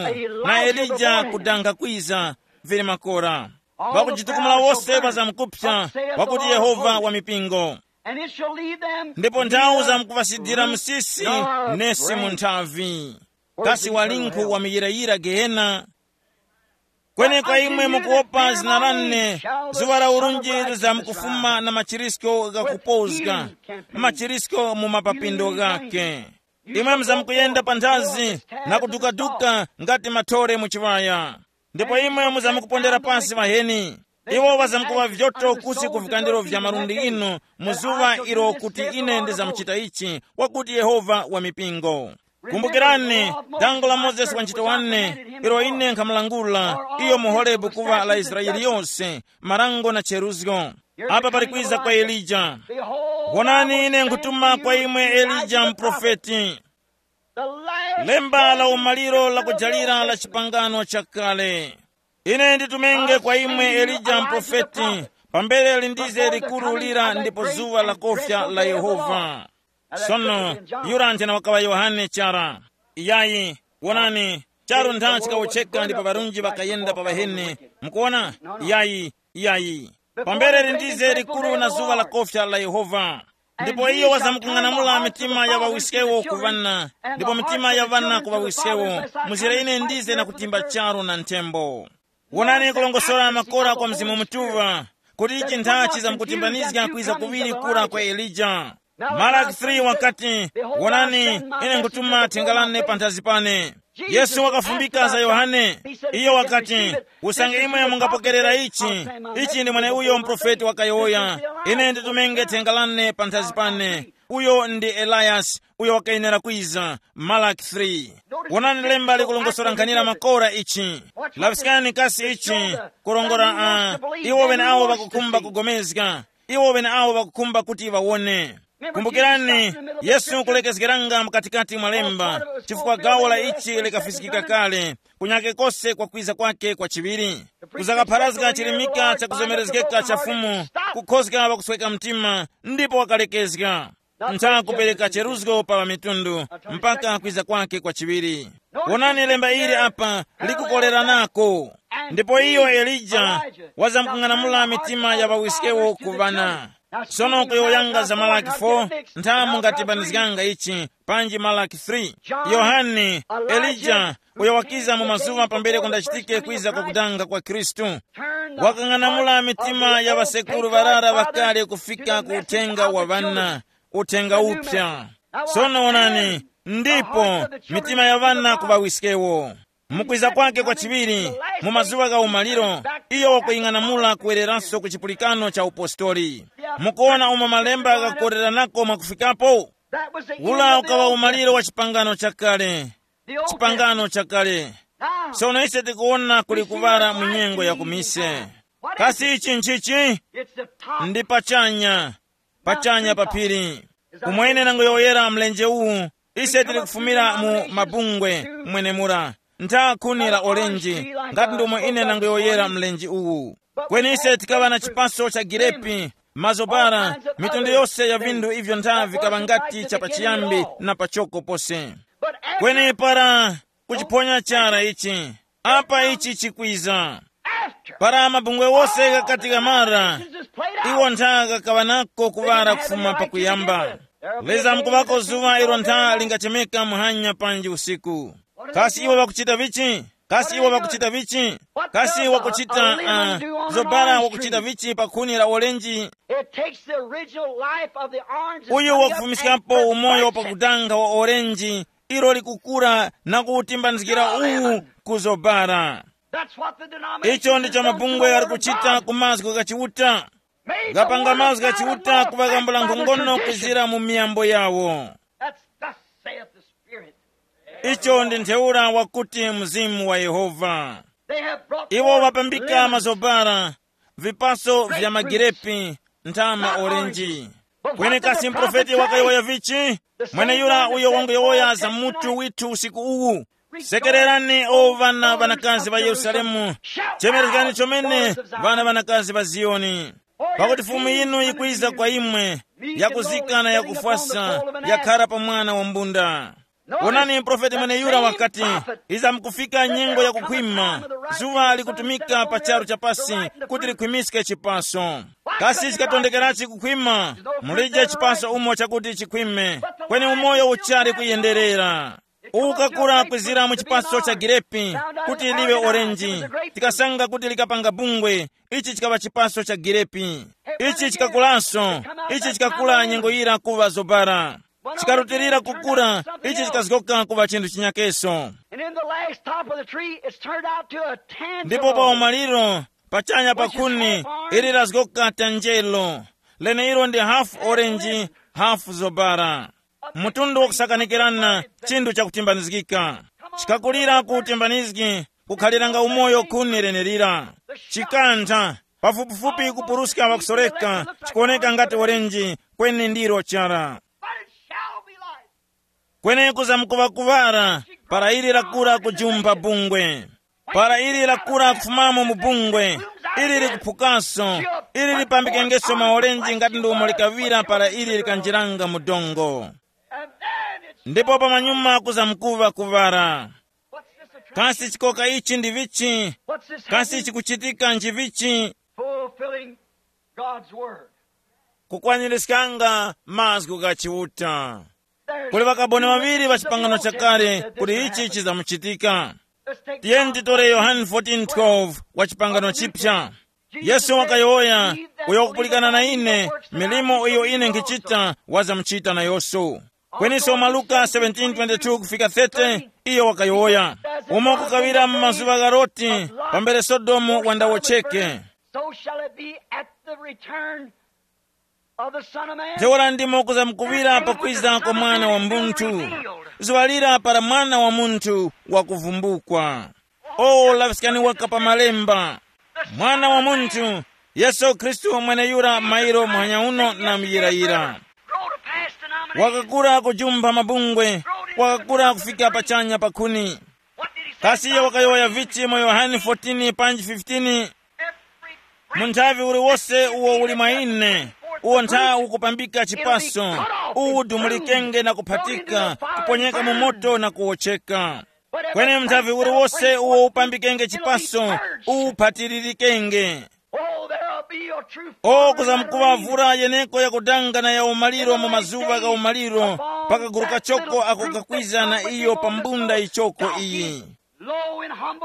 na Elija kudanga kwiza, vili makora. Wakujitukumula wose pa zamkupsa, wakuti Yehova wa mipingo. Ndipo nthawu zamkuŵasidira msisi, nesi mu nthavi. Kasi walinkhu wa miyirayira gehena? Kweni kwa imwe mukuwopa zina lane, zuŵa la urunji lizamkufuma na machirisko ghakupozga, machirisko mu mapapindo ghake. Imwe muzamkuyenda pa nthazi na kudukaduka ngati mathore mu chiŵaya. Ndipo imwe muzamkupondera pasi ŵaheni. Iwo ŵazamkuŵa vyoto kusi ku vikandiro vya malundi inu, mu zuŵa ilo kuti ine ndizamuchita ichi, wakuti Yehova wa mipingo. Kumbukirani, dango la Mozesi wa ntchito wane, ilo ine nkhamulangula, iyo mu Horebu kuŵa la Israeli yose, marango na cheruzgo. Apa pali kwiza kwa Elija. Wonani, ine nkutuma kwa imwe Elija muprofeti. Lemba la umaliro la kujalira la chipangano chakale. Ine nditumenge kwa imwe Elija muprofeti, pambere lindize likuru lira ndipo zuŵa la kofya la Yehova. Sono, yura njana wakaŵa Yohane chara. Iyayi, wonani, charu ntha chikawotcheka ndipo ŵarunji ŵakayenda pa ŵaheni. Mukuona? Iyayi, iyayi. Pambere lindize likuru na zuŵa la kofya la Yehova. Ndipo iyo wazamkung'anamula mitima ya ŵawiskewo ku ŵana, ndipo mitima ya ŵana ku ŵawiskewo, muzira ine ndize na kutimba charu na nthembo. Wonani kulongosora makora kwa Mzimu Mutuŵa, kuti ichi nthachi zamkutimbanizga kwiza kuŵiri kura kwa Elija. Malaki three wakati, wonani, ine nkutuma thenga lane panthazi pane. Yesu wakafumbika za Yohane. Iyo wakati, usange imwe mungapokerera ichi, ichi ndi mweneuyo muprofeti wakayowoya, ine nditumenge thenga lane panthazi pane. Uyo ndi Eliyasi, uyo wakayenera kwiza. Malaki three. Wonani lemba likulongosora nkhanira makora ichi. Laŵiskani kasi ichi, kurongora, uh, iwo ŵeneawo ŵakukhumba kugomezga, iwo ŵeneawo ŵakukhumba kuti ŵawone. Kumbukirani, Yesu kulekezgeranga mkatikati mwa lemba, chifukwa gawo la ichi likafiskika kale, kunyake kose kwa kwiza kwake kwa chiŵiri. Kuzakapharazga chirimika cha kuzomerezgeka cha Fumu, kukhozga ŵakusweka mtima, ndipo wakalekezga. Ntha kupereka cheruzgo pa ŵamitundu, mpaka kwiza kwake kwa chiŵiri. Wonani lemba ili apa, likukoleranako. Ndipo iyo Elija wazamkung'anamula mitima ya ŵawiskewo ku ŵana. Sono kuyowoyanga za Malaki four, ntha mungatimbanizganga ichi, panji Malaki three. Yohane, Elija, uyo wakiza mu mazuŵa pambere kundachitike kwiza kwa kudanga kwa Khristu, wakang'anamula mitima ya ŵasekuru ŵarara ŵakale kufika ku uthenga wa ŵana, uthenga uphya. Sono wonani, ndipo mitima ya ŵana kuŵawiskewo. Mukwiza kwake kwa chiŵiri, mu mazuŵa gha umaliro, iyo wakuying'anamula kuwereranso ku chipulikano cha upostoli. Mukuwona umo malemba ghakukoreranako mwakufikapo? Ula ukaŵa umaliro wa chipangano chakale. Chipangano chakale. Sono ise tikuwona kuli kuŵala mu nyengo ya kumise. Kasi ichi nchichi? Ndi pachanya, pachanya pa phiri. Umwene nangoyowoyera mlenje uwu, ise tili kufumira mu mabungwe mwenemura, ntha khuni la orenji, ngati ndomwe ine nangoyowoyera mlenje uwu. Kweni ise tikaŵa na chipaso cha girepi, mazobara, mitundu yose ya vinthu ivyo ntha vikaŵa ngati cha pachiyambi na pachoko pose. Kweni para kuchiphonya chara ichi, apa ichi chikwiza. Para mabungwe wose ghakati ghamara, iwo ntha ghakaŵa nako kuŵala kufuma pakuyamba. Leza mkuŵako zuŵa ilo ntha lingachemeka muhanya panji usiku. Kasi iwo ŵakuchita vichi? Kasi iwo ŵakuchita vichi? Kasi wakuchita, uh, zobala wakuchita vichi pa khuni la olenji? It takes the original life of the orange and uyu put it up and wakufumiskapo umoyo pakutanga wa orenji, ilo likukura na kuwutimbanizgira uwu kuzobara. That's what the denominations icho ndicho have done to mabungwe the ari word of kuchita God. Ku mazgu gha Chiuta. Made the gapanga word of mazgu gha God Chiuta enough kuvakambula back by their nkhongono tradition. Kuzira mu miyambo yawo. That's thus saith the Spirit. Icho ndi ntheura wakuti Mzimu wa Yehova. They have brought iwo forth vapambika lemons, mazobara, vipaso grape vya fruits, magirepi, nthama not orenji oranges. Kweni kasi mprofeti wakayowoya vichi? Mweneyura uyo wanguyowoya za mutu withu usiku uwu. Sekererani, o ŵana ŵanakazi ŵa Yerusalemu, chemerezgani chomene, ŵana ŵanakazi ŵa Ziyoni. Pakuti Fumu yinu yikwiza kwa imwe, yakuzika na yakufwasa, yakhara pa mwana wa mbunda. Onani, profeti mweneyura wakati, iza mukufika nyengo ya kukhwima, zuŵa likutumika pa charu cha pasi kuti likhwimiske chipaso. Kasi chikatondekerachi kukhwima? Mulije chipaso umo chakuti chikhwime, kweni umoyo uchali kuyenderera. Ukakura kwizira mu chipaso cha girepi kuti liwe orenji, tikasanga kuti likapanga bungwe, ichi chikaŵa chipaso cha girepi. Ichi chikakulanso, ichi chikakula nyengo yira kuŵa zobara. Chikarutilira kukura, ichi chikazgoka kuŵa chinthu chinyakeso. And in the last top of the tree, it's turned out to a ndipo pa tangerine. Umaliro, pachanya pa khuni, ili lazgoka tanjelo, leneilo ndi hafu orange, hafu zobara. Mtundu wakusakanikirana, chinthu chakutimbanizgika. Chikakulira ku utimbanizgi, kukhaliranga umoyo khuni lenelira. Chikantha, pafupifupi kupuruska wakusoreka, chikuoneka ngati orenji, kweni ndiro chara. But it shall be light. Kweni kuzamkuŵakuŵara, para ili lakura kujumpha bungwe. Para ili lakura kufumamo mu bungwe, ili likuphukaso, ili lipambikengeso maolenji ngati ndi umo likaŵira para ili likanjiranga mu dongo. And then it's ndipo pamanyuma kuzamkuŵa kuŵara. What's this attraction? Kasi chikoka ichi ndi vichi? What's this? Kasi happening? Chikuchitika nji vichi? Fulfilling God's word. Kukwanirizganga mazgu gha Chiuta. Kuli ŵakaboni ŵaŵiri ŵa chipangano chakale kuti ichi chizamuchitika. Tiyeni titore Yohane fourteen twelve wa chipangano chipya. Yesu wakayowoya, uyo wakupulikana na ine, milimo iyo ine nkhichita, wazamuchita na Yesu. Kweninso mwa Luka seventeen twenty-two kufika thirty, iyo wakayowoya, umo kukaŵira mu mazuŵa gha Loti, pambere Sodomu wandawotcheke. So shall it be at the return of the Son of Man. Ntheura ndimo kuzamkuŵira pakwiza kwa Mwana wa Munthu. Zuŵa lira para Mwana wa Munthu wakuvumbukwa. O laŵiskani waka pa malemba. Mwana wa Munthu, Yesu Khristu mweneyura mairo muhanya uno na muyirayira. Wakakura kujumpha mabungwe, wakakura kufika pachanya pa khuni. Kasi iyo wakayowoya vichi mu Yohane fourteen panji fifteen? Munthavi uliwose uwo uli mwa ine, uwo ntha ukupambika chipaso, uwu udumulikenge na kuphatika, kuponyeka mu moto na kuwotcheka. Kweni munthavi uliwose uwo upambikenge chipaso, uwu uphatiririkenge. Oh, there'll be a true o kuzamkuŵa vura yeneko yakudanga na ya umaliro mu mazuŵa gha umaliro, pakaguru kachoko ako kakwiza na iyo pa mbunda ichoko iyi.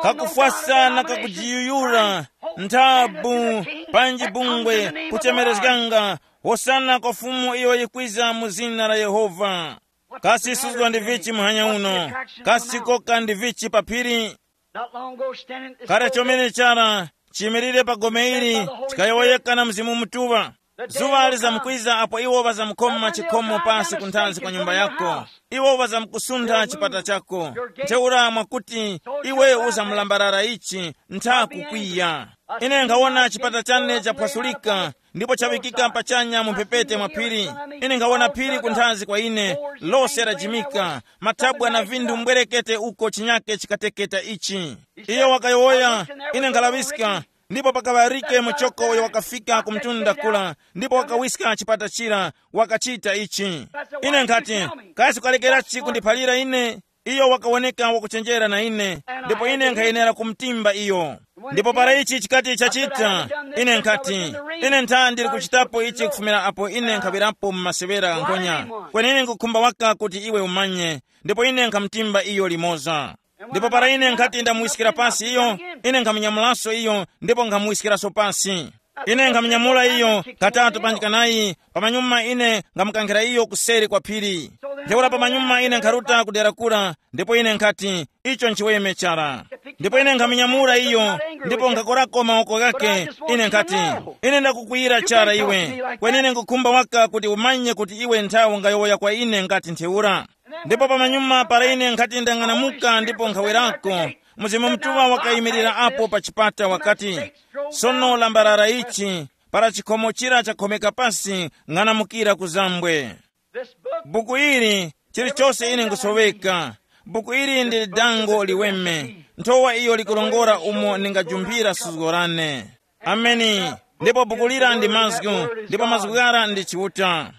Kakufwasa na kakujiyuyura, nthabu, panji bungwe, kuchemerezganga, hosana kwa Fumu iyo yikwiza mu zina la Yehova. Kasi suzgo ndi vichi muhanya uno? Kasi chikoka ndi vichi pa phiri? Not long ago, standing at this kale chomene chara chiyimirire pa gome ili, chikayowoyeka na Mzimu Mutuŵa. Zuŵa lizamkwiza apo iwo ŵazamkhoma chikhomo pasi kunthanzi kwa nyumba yako. Iwo ŵazamkusuntha chipata chako. Ntheura mwakuti iwe uzamulambarara ichi, ntha kukwiya. Ine nkhawona chipata chane chaphwasulika, ndipo chaŵikika pachanya mu mphepete mwa phiri. Ine nkhawona phiri kunthanzi kwa ine, lose lajimika, mathabwa na vinthu mbwerekete uko chinyake chikateketa ichi. Iyo wakayowoya, ine nkhalaŵiska, ndipo pakaŵa Rike muchoko uyo wakafika ku mtunda kula, ndipo wakawiska chipata chira, wakachita ichi. Ine nkhati, kasi ukalekerachi kundiphalira ine? Iyo wakawoneka wakuchenjera na ine, ndipo ine nkhayenera kumtimba iyo. Ndipo para ichi chikati chachita, ine nkhati, ine ntha ndili kuchitapo ichi kufumira apo ine nkhaŵirapo mu masewera gha nkhonya. Kweni ine nkhukhumba waka kuti iwe umanye, ndipo ine nkhamtimba iyo limoza. Ndipo para ine nkhati ndamuwiskira pasi iyo, ine nkhamunyamulanso iyo, ndipo nkhamuwiskiraso pasi. Ine nkhamunyamula iyo katatu panji kanayi, pamanyuma ine nkhamukankhira iyo kuseri kwa phiri. Ntheura pamanyuma ine nkharuta ku dera kura, ndipo ine nkhati, icho nchiweme chara. Ndipo ine nkhamunyamula iyo, ndipo nkhakorako mawoko ghake. Ine nkhati, ine ndakukwiyira chara iwe, kweni ine nkhukhumba waka kuti umanye kuti iwe nthawe ungayowoya kwa ine ngati ntheura. Ndipo pamanyuma para ine nkhati ndang'anamuka ndipo nkhawerako, Mzimu Mutuŵa wakayimirira apo pa chipata wakati, sono lambarara ichi, Para chikhomo chira chakhomeka pasi, ng'anamukira ku zambwe. Buku ili, chilichose ine nkusoweka. Buku ili ndi dango liweme, nthowa iyo likulongora umo ndingajumbira suzgo lane. Ameni. Ndipo buku lira ndi mazgu, ndipo mazgu ghara ndi Chiuta.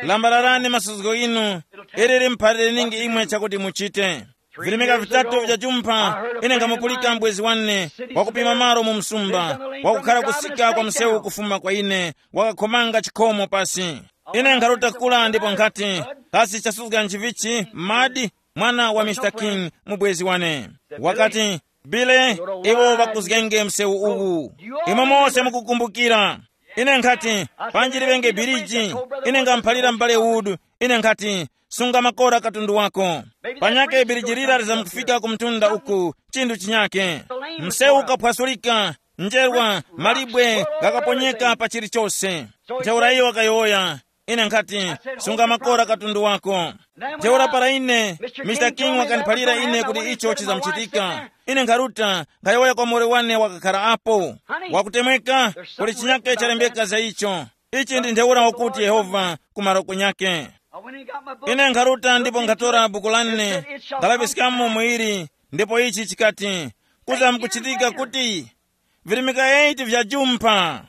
Lambalarani masuzgo inu, ili limphalire ningi imwe chakuti muchite. Virimika vitatu vya jumpha, ine nkhamupulika mbwezi wane, wakupima malo mu msumba, wakukhala kusika kwa msewu kufuma kwa ine, wakakhomanga chikhomo pasi. Ine nkharuta kula ndipo nkhati, kasi chasuzga nchivichi, madi? Mwana wa Mister King, mubwezi wane, wakati, Bile, iwo ŵakuzgenge msewu uwu. Imwe mose mukukumbukira. Ine nkhati, panji liŵenge biriji. Ine ngamuphalira m'bale Wood. Ine nkhati, sunga makora katundu wako. Panyake biriji lira lizamkufika ku mtunda uku, chinthu chinyake. Msewu ukaphwasulika, njerwa, malibwe ghakaponyeka pa chilichose. Ntheura iyo wakayowoya, ine nkhati, sunga makora katundu wako. Ntheura para ine, Mister King wakandiphalira ine kuti icho chizamuchitika. Ine nkharuta, nkhayowoya kwa muwoli wane wakakhala apo. Wakutemweka, kuli chinyake chalembeka za icho. Ichi ndi ntheura wakuti Yehova ku maroko nyake. Ine nkharuta ndipo nkhatora buku lane, nkhalaŵiskamo muili, ndipo ichi chikati, kuza mkuchitika kuti virimika eight vya jumpha.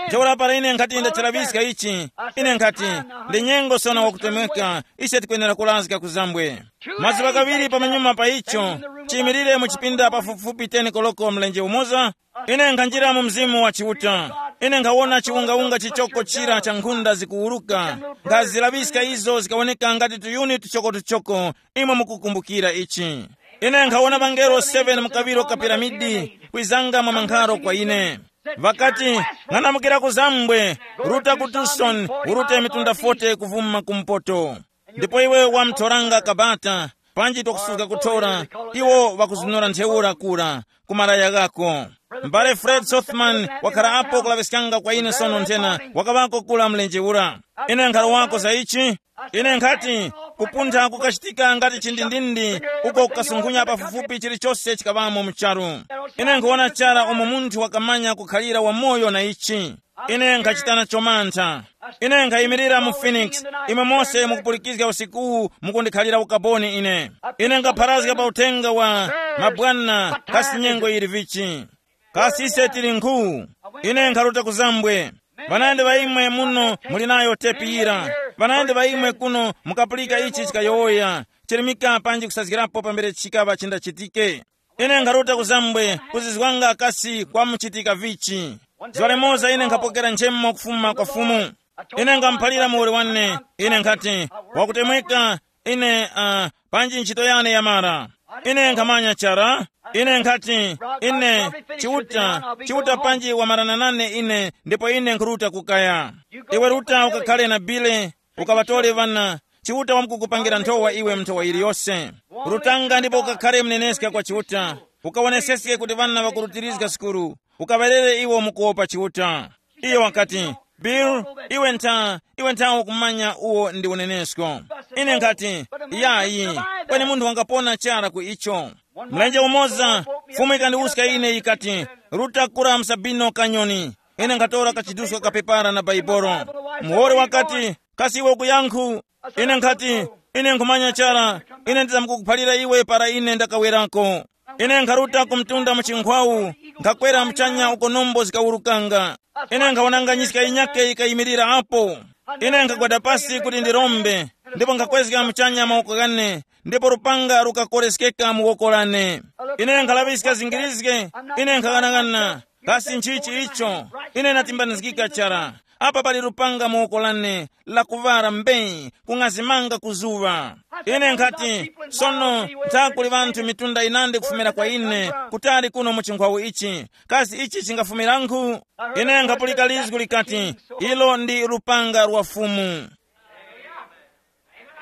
Ntheura para ine nkhati ndachalaŵiska ichi, ine nkhati, ndi nyengo sono wakutemweka, ise tikwenera kulazga ku zambwe. Mazuŵa ghaŵiri pamanyuma pa icho, chiyimirire mu chipinda pafupifupi ten koloko mlenje umoza, ine nkhanjira mu mzimu wa Chiuta. Ine nkhawona chiwungawunga chichoko chira cha nkhunda zikuwuruka, nkhazilaŵiska izo zikawoneka ngati tuyuni tuchokotuchoko. Imwe mukukumbukira ichi. Ine nkhawona ŵangelo seven mu kaŵiro ka piramidi kwizanga mwa mankharo kwa ine. Ŵakati, ng'anamukira ku zambwe, ruta ku Tucson, urute mitunda forty kuvuma kumpoto. Ndipo iwe wamthoranga kabata, panji twakususka kuthora, iwo ŵakuzunura ntheura kura ku malaya ghako. M'bale Fred Sothman wakhala apo kulaŵiskanga kwa ine sono nthena, wakaŵako kula mlenje ura. Ine nkhalowako za ichi. Ine nkhati, kupuntha kukachitika ngati chindindindi, uko kukasunkhunya pafupifupi chilichose chikaŵamo mu charu. Ine nkhuwona chara umo munthu wakamanya kukhalira wamoyo na ichi. Ine nkhachita nacho mantha. Ine nkhayimirira mu Phoenix, imwe mose mukupulikizga usikuwu mukundikhalira ukaboni ine. Ine nkhapharazga pa uthenga wa mabwana kasi nyengo yili vichi. Kasi ise tili nkhu? Ine nkharuta ku zambwe. Ŵanandi ŵa imwe muno muli nayo tepi yira. Ŵanandi ŵa imwe kuno mukapulika ichi chikayowoya, chirimika panji kusazgirapo pambere chikaŵa chindachitike. Ine nkharuta ku zambwe kuzizwanga kasi kwamuchitika vichi. Zuwa limoza ine nkhapokera nchemo kufuma kwa Fumu. Ine ngamuphalira muwoli wane, ine nkhati, wakutemweka, ine uh, panji ntchito yane yamara. Ine nkhamanya chara. Ine nkhati, ine, Chiuta, Chiuta panji wamarana nane ine, ndipo ine nkhuruta kukaya. Iwe ruta ukakhale na Bile, ukaŵatore ŵana. Chiuta wamkukupangira nthowa iwe mnthowa yiliyose. Rutanga ndipo ukakhale mneneska kwa Chiuta. Ukawoneseske kuti ŵana ŵakurutirizga sukulu. Ukaŵerere iwo mukuwopa Chiuta. Iyo wakati, Bill, iwe ntha, iwe ntha ukumanya uwo ndi unenesko. Ine nkhati, yayi, kweni munthu wangapona chara ku icho. Mlenje umoza, Fumu ikandiwuska ine yikati, ruta kura msabino kanyoni. Ine nkhatora kachiduska kapepara na Baibolo. Muhori wakati, kasi iwe ukuyankhu? Ine nkhati, ine nkhumanya chara, ine ndizamkukuphalira iwe para ine ndakawerako. Ine nkharuta ku mtunda mu chinkhwawu, nkhakwera muchanya uko nombo zikawurukanga. Ine nkhawonanga nyiska yinyakhe yikayimirira apo. Ine nkhagwada pasi kuti ndirombe, ndipo nkhakwezga muchanya mawoko ghane, ndipo lupanga lukakoreskeka mu woko lane. Ine nkhalaŵiska zingirizge, ine nkhaghanaghananga, kasi nchichi icho? Ine natimbanizgika chara. Apa pali lupanga mu woko lane, lakuŵala mbee, kung'azimanga ku zuŵa. Ine nkhati, sono, ntha kuli ŵanthu mitunda yinandi kufumira kwa ine, kutali kuno mu chinkhwawu ichi. Kasi ichi chingafumirankhu? Ine nkhapulika lizgu likati, ilo ndi lupanga lwa Fumu.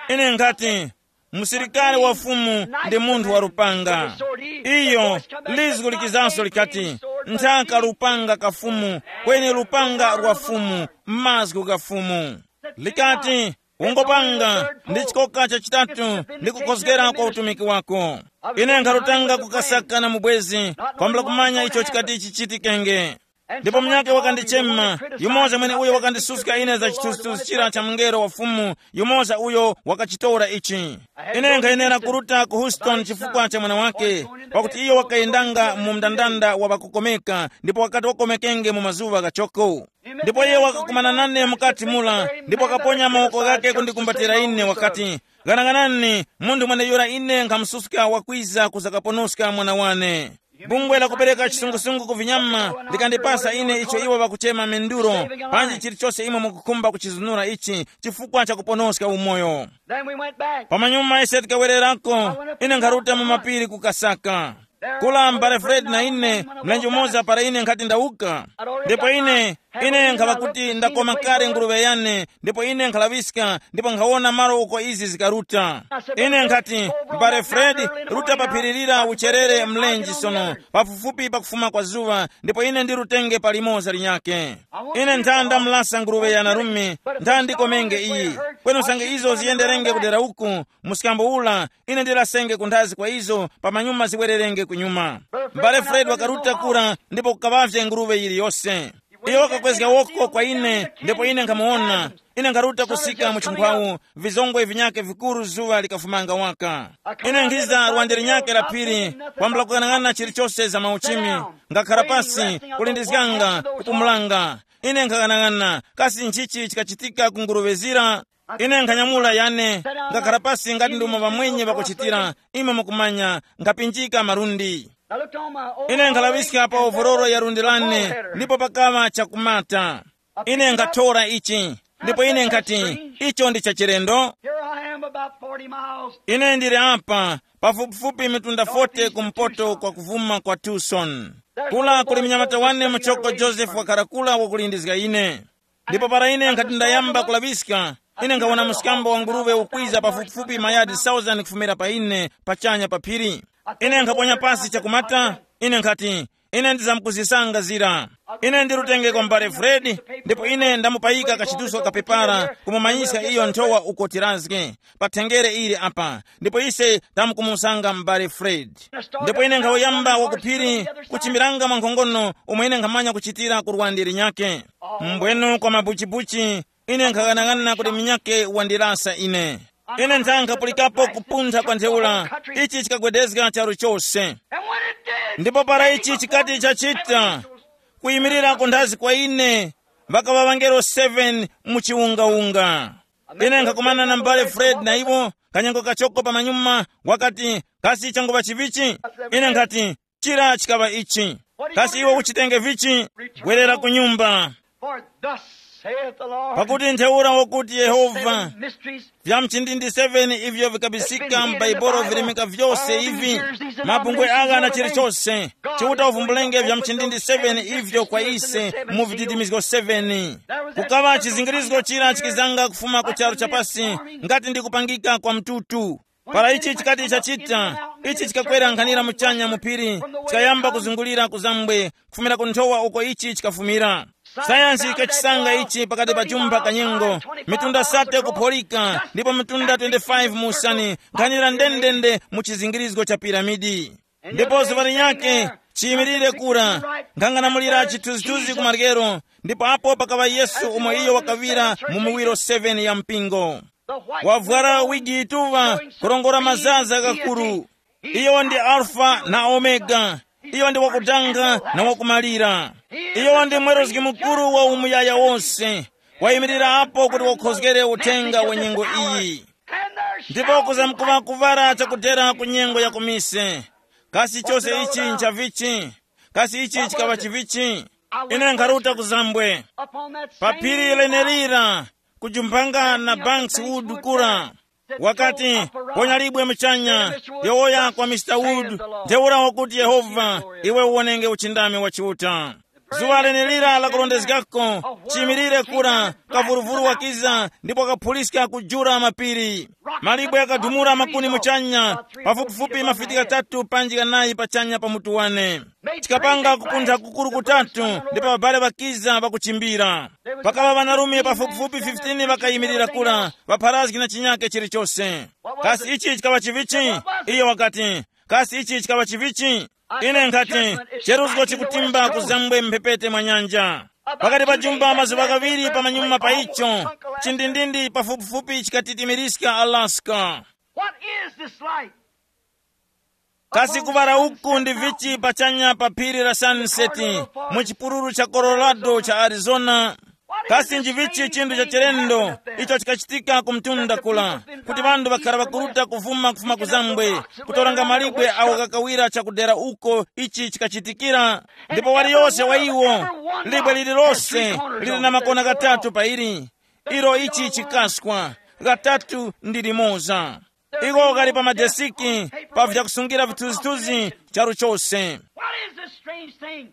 Ine nkhati, musilikari wa Fumu ndi munthu wa lupanga. Iyo, lizgu likizanso likati, nthaka lupanga ka Fumu, kweni lupanga lwa Fumu, mazgu gha Fumu. Likati, ungopanga ndi chikoka chachitatu ndi kukhozgera kwa utumiki wako. Ine nkharutanga kukasaka na mubwezi, kwambula kumanya icho chikati chichitikenge. Ndipo munyakhe wakandichema, yumoza mwene uyo wakandisuska ine za chithunzithunzi chira cha mungelo wa Fumu, yumoza uyo wakachitora ichi. Ine nkhayenera kuruta ku Houston chifukwa cha mwana wake, pakuti iyo wakayendanga mu mndandanda wa ŵakukomeka, ndipo wakati wakomekenge mu mazuŵa ghachoko. Ndipo iye wakakumana nane mukati mula, ndipo wakaponya mawoko ghake kundikumbatira ine, wakati, "Ghanaghanani, munthu mweneyura ine nkhamususka wakwiza kuzakaponoska mwana wane." Bungwe la kupereka chisungusungu ku vinyama likandipasa ine icho iwo ŵakuchema menduro, panji chilichose imwe mukukhumba kuchizunura ichi chifukwa cha kuponoska umoyo. Then we went back. Pamanyuma ise tikawererako, ine nkharuta mu mapiri kukasaka. Kula mbale Fred na ine, mlenje umoza para ine nkhati ndawuka. Ndipo ine, ine nkhaŵa kuti ndakoma kale nguruŵe yane, ndipo ine nkhalaŵiska, ndipo nkhawona malo uko izi zikaruta. Ine nkhati, "Mbale Fred, ruta pa phiri lira ucherere mlenje sono, pafupifupi pakufuma kwa zuŵa, ndipo ine ndirutenge palimoza linyakhe. Ine ntha ndamulasa nguruŵe ya narume, ntha ndikomenge iyi. Kweni usange izo ziyenderenge kudera uku, msikambo ula, ine ndilasenge kunthazi kwa izo, pamanyuma ziwererenge kunyuma." Mbale Fred wakaruta kura ndipo kukaŵavye nguruŵe yiliyose. Iyo wakakwezga woko kwa ine, ndipo ine nkhamuwona. Ine nkharuta kusika mu chingwawu, vizongwe vinyakhe vikuru zuŵa likafumanga waka. Ine nkhiza lwande linyakhe la phiri, kwambula kukang'ana chilichose za mauchimi, ngakhara pasi, kulindizganga, kupumulanga. Ine nkhang'anang'ana, kasi nchichi chikachitika ku nguluŵe zira? Ine nkhanyamula yane, ngakhara pasi ngati ndimo ŵamwenye ŵakuchitira, imwe mukumanya, nkhapinjika malundi. Ine nkhalaŵiska pa ovororo ya lundi lane, ndipo pakaŵa chakumata. Ine nkhathora ichi, ndipo ine nkhati, "Icho ndi chachilendo." Here I am about forty miles. Ine ndili apa, pafupifupi mitunda forty kumpoto kwa kuvuma kwa Tucson. Kula kuli mnyamata wane muchoko Joseph wakhala kula wakulindizga ine. Ndipo para ine nkhati ndayamba kulaŵiska, ine nkhawona mskambo wa nguruŵe ukwiza pafupifupi mayadi thousand kufumira pa ine, pachanya pa phiri. Ine nkhaponya pasi chakumata, ine nkhati, "Ine ndizamkuzisanga zira. Ine ndirutenge kwa mbale Fred, ndipo ine ndamupayika kachituso kapepara kumumanyiska iyo nthowa uko tirazge, pa thengere ili apa, ndipo ise tamkumusanga mbale Fred." Ndipo ine nkhawuyamba wakuphiri kuchimiranga mwankhongono umo ine nkhamanya kuchitira ku lwande linyakhe. Mbwenu kwa mabuchibuchi, ine nkhaghanaghanana kuti minyakhe wandirasa ine. Ine ntha nkhapulikapo kupuntha kwa ntheura, ichi chikagwedezga charu chose. Ndipo para ichi chikati chachita, kuyimirira kunthazi kwa ine, ŵakaŵa ŵangelo seven mu chiwungawunga. Ine nkhakumana na mbale Fred na iwo, kanyengo kachoko pamanyuma, wakati, "Kasi changuŵa chivichi?" Ine nkhati, "Chira chikaŵa ichi. Kasi iwe uchitenge vichi? Gwerera ku nyumba. For thus saith the Lord, pakuti ntheura wakuti Yehova, seven mysteries vya mchindindi seven ivyo vikabisika m'Baibulo vilemeka vyose ivi, mabungwe agha na chilichose, Chiuta uvumbulenge vya mchindindi seven ivyo kwa ise mu vididimizgo seven. Kukaŵa chizingirizgo chira chikizanga kufuma ku charu chapasi, ngati ndi kupangika kwa mtutu. Para ichi chikati chachita, ichi chikakwera nkhanira muchanya mu phiri, chikayamba kuzungulira kuzambwe, kufumira ku nthowa uko ichi chikafumira. Sayansi ikachisanga ichi pakati pa chumba kanyengo, mitunda sate kupholika, ndipo mitunda twenty-five mu usani, nkhanira ndendende mu chizingirizgo cha piramidi. Ndipo zuŵa linyakhe, chiyimirire kura, nkhanganamulira chithunzithunzi ku maryero, ndipo apo pakaŵa Yesu umo iyo wakaŵira mu miwiro seven ya mpingo. Wavwara wigi yituŵa, kurongora mazaza ghakuru. Iyo ndi Alfa na Omega. Iyo ndi wakudanga na wakumalira. Iyo ndi mweruzgi mukuru wa umuyaya wose. Wayimirira apo kuti wakhozgere uthenga wa nyengo iyi. Ndipo kuzamkuŵa kuvara chakudera ku nyengo ya kumise. Kasi chose ichi nchavichi? Kasi ichi chikaŵa chivichi? Ine nkharuta kuzambwe. Pa phiri lenelira, kujumpanga na Banks Wood kura, wakati, "Ponya libwe muchanya, yowoya kwa Mister Wood, ntheura wakuti Yehova, iwe uwonenge uchindami wa Chiuta." Zuŵa lenelira lakurondezgako, chiyimirire kura, kavuruvuru wakiza, ndipo kaphuliska kujura mapiri. Malibwe yakadumura makuni muchanya, pafupifupi mafiti ghatatu panji ghanayi pachanya pa mutu wane. Chikapanga kupuntha kukuru kutatu, ndipo ŵabale ŵakiza ŵakuchimbira. Pakaŵa ŵanarume pafupifupi fifteen ŵakayimirira kura, ŵapharazgi na chinyake chilichose. Kasi ichi chikaŵa chivichi? Iyo wakati, "Kasi ichi chikaŵa chivichi?" Ine nkhati, cheruzgo chikutimba kuzambwe mphepete mwa nyanja. Pakati pa jumba mazuŵa ghaŵiri pamanyuma pa icho, chindindindi pafupifupi chikatitimiriska Alaska. What is this light? Kasi kuŵala uku ndi vichi pachanya pa phiri la Sunset, mu chipululu cha Colorado cha Arizona? Kasi nji vichi chinthu cha chilendo icho chikachitika ku mtunda kula, kuti ŵanthu ŵakhara ŵakuruta kuvuma kufuma kuzambwe, kutoranga malibwe awo ghakawira chakudera uko ichi chikachitikira? Ndipo waliyose wa iwo, libwe lililose lili na makona ghatatu pa ili, ilo ichi chikaskwa, ghatatu ndi limoza. Iwo ghali pa madesiki, pa vyakusungira vithunzithunzi charu chose. What is this strange thing?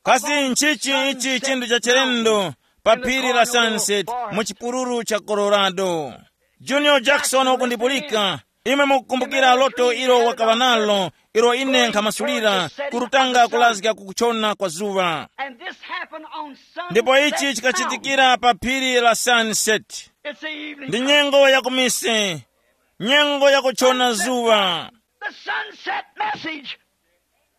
Kasi nchichi ichi chinthu cha chilendo pa phiri la Sunset mu chipululu cha Colorado? Junior Jackson wakundipulika. Imwe mukukumbukira loto ilo wakaŵa nalo, ilo ine nkhamasulira, kurutanga kulazga ku kuchona kwa zuŵa. And this happened on Sunset. Ndipo ichi chikachitikira pa phiri la Sunset. It's the evening. Ndi nyengo ya kumise, nyengo ya kuchona zuŵa. The sunset message.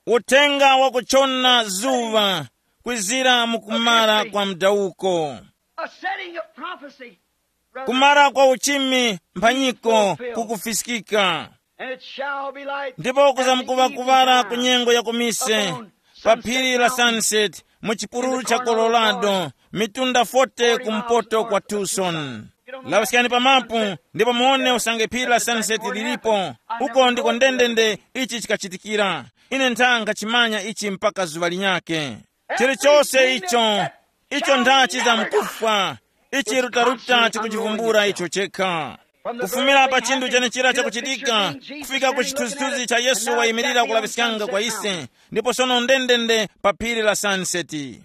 Uthenga wa kuchona zuŵa kwizira mu kumara kwa mdawuko. A setting of prophecy. Kumara kwa uchimi mphanyiko kukufiskika. And it shall be light. Ndipo kuzamkuŵa kuŵala ku nyengo ya kumise pa phiri la Sunset mu chipululu cha Colorado, mitunda forty kumpoto kwa Tucson. Laŵiskani pa mapu ndipo muwone usange phiri la Sunset lilipo. Uko ndiko ndendende ichi chikachitikira. Ine nthanga chimanya ichi mpaka zuŵa linyake. Chilichose icho, icho nthachi za mkufwa, ichi rutaruta chikuchivumbula icho chekha. Kufumira pa chinthu chenechira chakuchitika, kufika ku chithunzithunzi cha Yesu wayimirira kulaŵiskanga kwa ise, ndipo sono ndendende pa phiri la Sunset.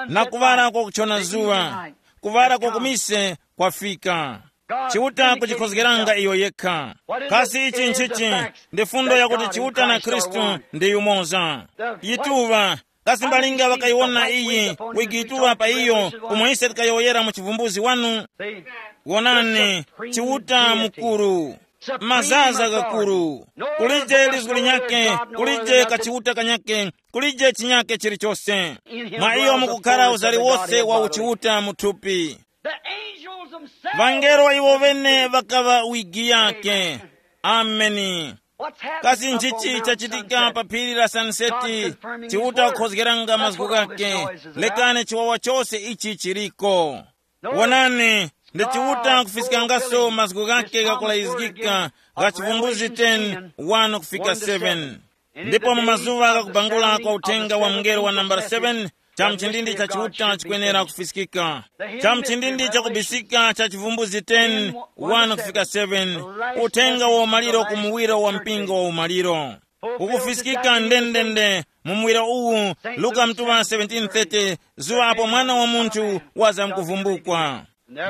Na kuŵala kwa kuchona zuŵa, kuŵala kwa kumise kwafika. Chiuta kuchikhozgeranga iyo yekha. Kasi ichi nchichi? Ndi fundo yakuti Chiuta na Khristu ndi yumoza. Yituŵa, kasi mbalinga ŵakayiwona iyi, wigituŵa pa iyo, umo ise tikayowoyera mu chivumbuzi wanu? Wonani, Chiuta mukuru, mazaza ghakuru, kulije lizgu linyakhe, kulije kachiuta kanyakhe, kulije chinyakhe chilichose. Mwa iyo mukukhara uzari wose wa uchiuta mu thupi. The angels themselves. Vangelo iwo vene ŵakaŵa wigi yake. Ameni. What's happened? Kasi nchichi chachitika pa phiri la Sanseti? Chiuta kukhozgeranga mazgu ghake. Lekani chiwawa chose ichi chiriko. Wonani, ndi Chiuta kufiskangaso mazgu ghake ghakulayizgika gha Chivumbuzi ten, one kufika seven. Ndipo mu mazuŵa ghakubangula kwa uthenga wa mngelo wa nambala seven, cha mchindindi cha Chiuta chikwenera kufiskika. Cha mchindindi chakubisika cha Chivumbuzi ten, one kufika seven, uthenga wa umaliro ku muwiro wa mpingo wa umaliro. Ukufiskika ndendende mu muwiro uwu, Luka mtuŵa seventeen thirty, zuŵa apo Mwana wa Munthu wazamkuvumbukwa.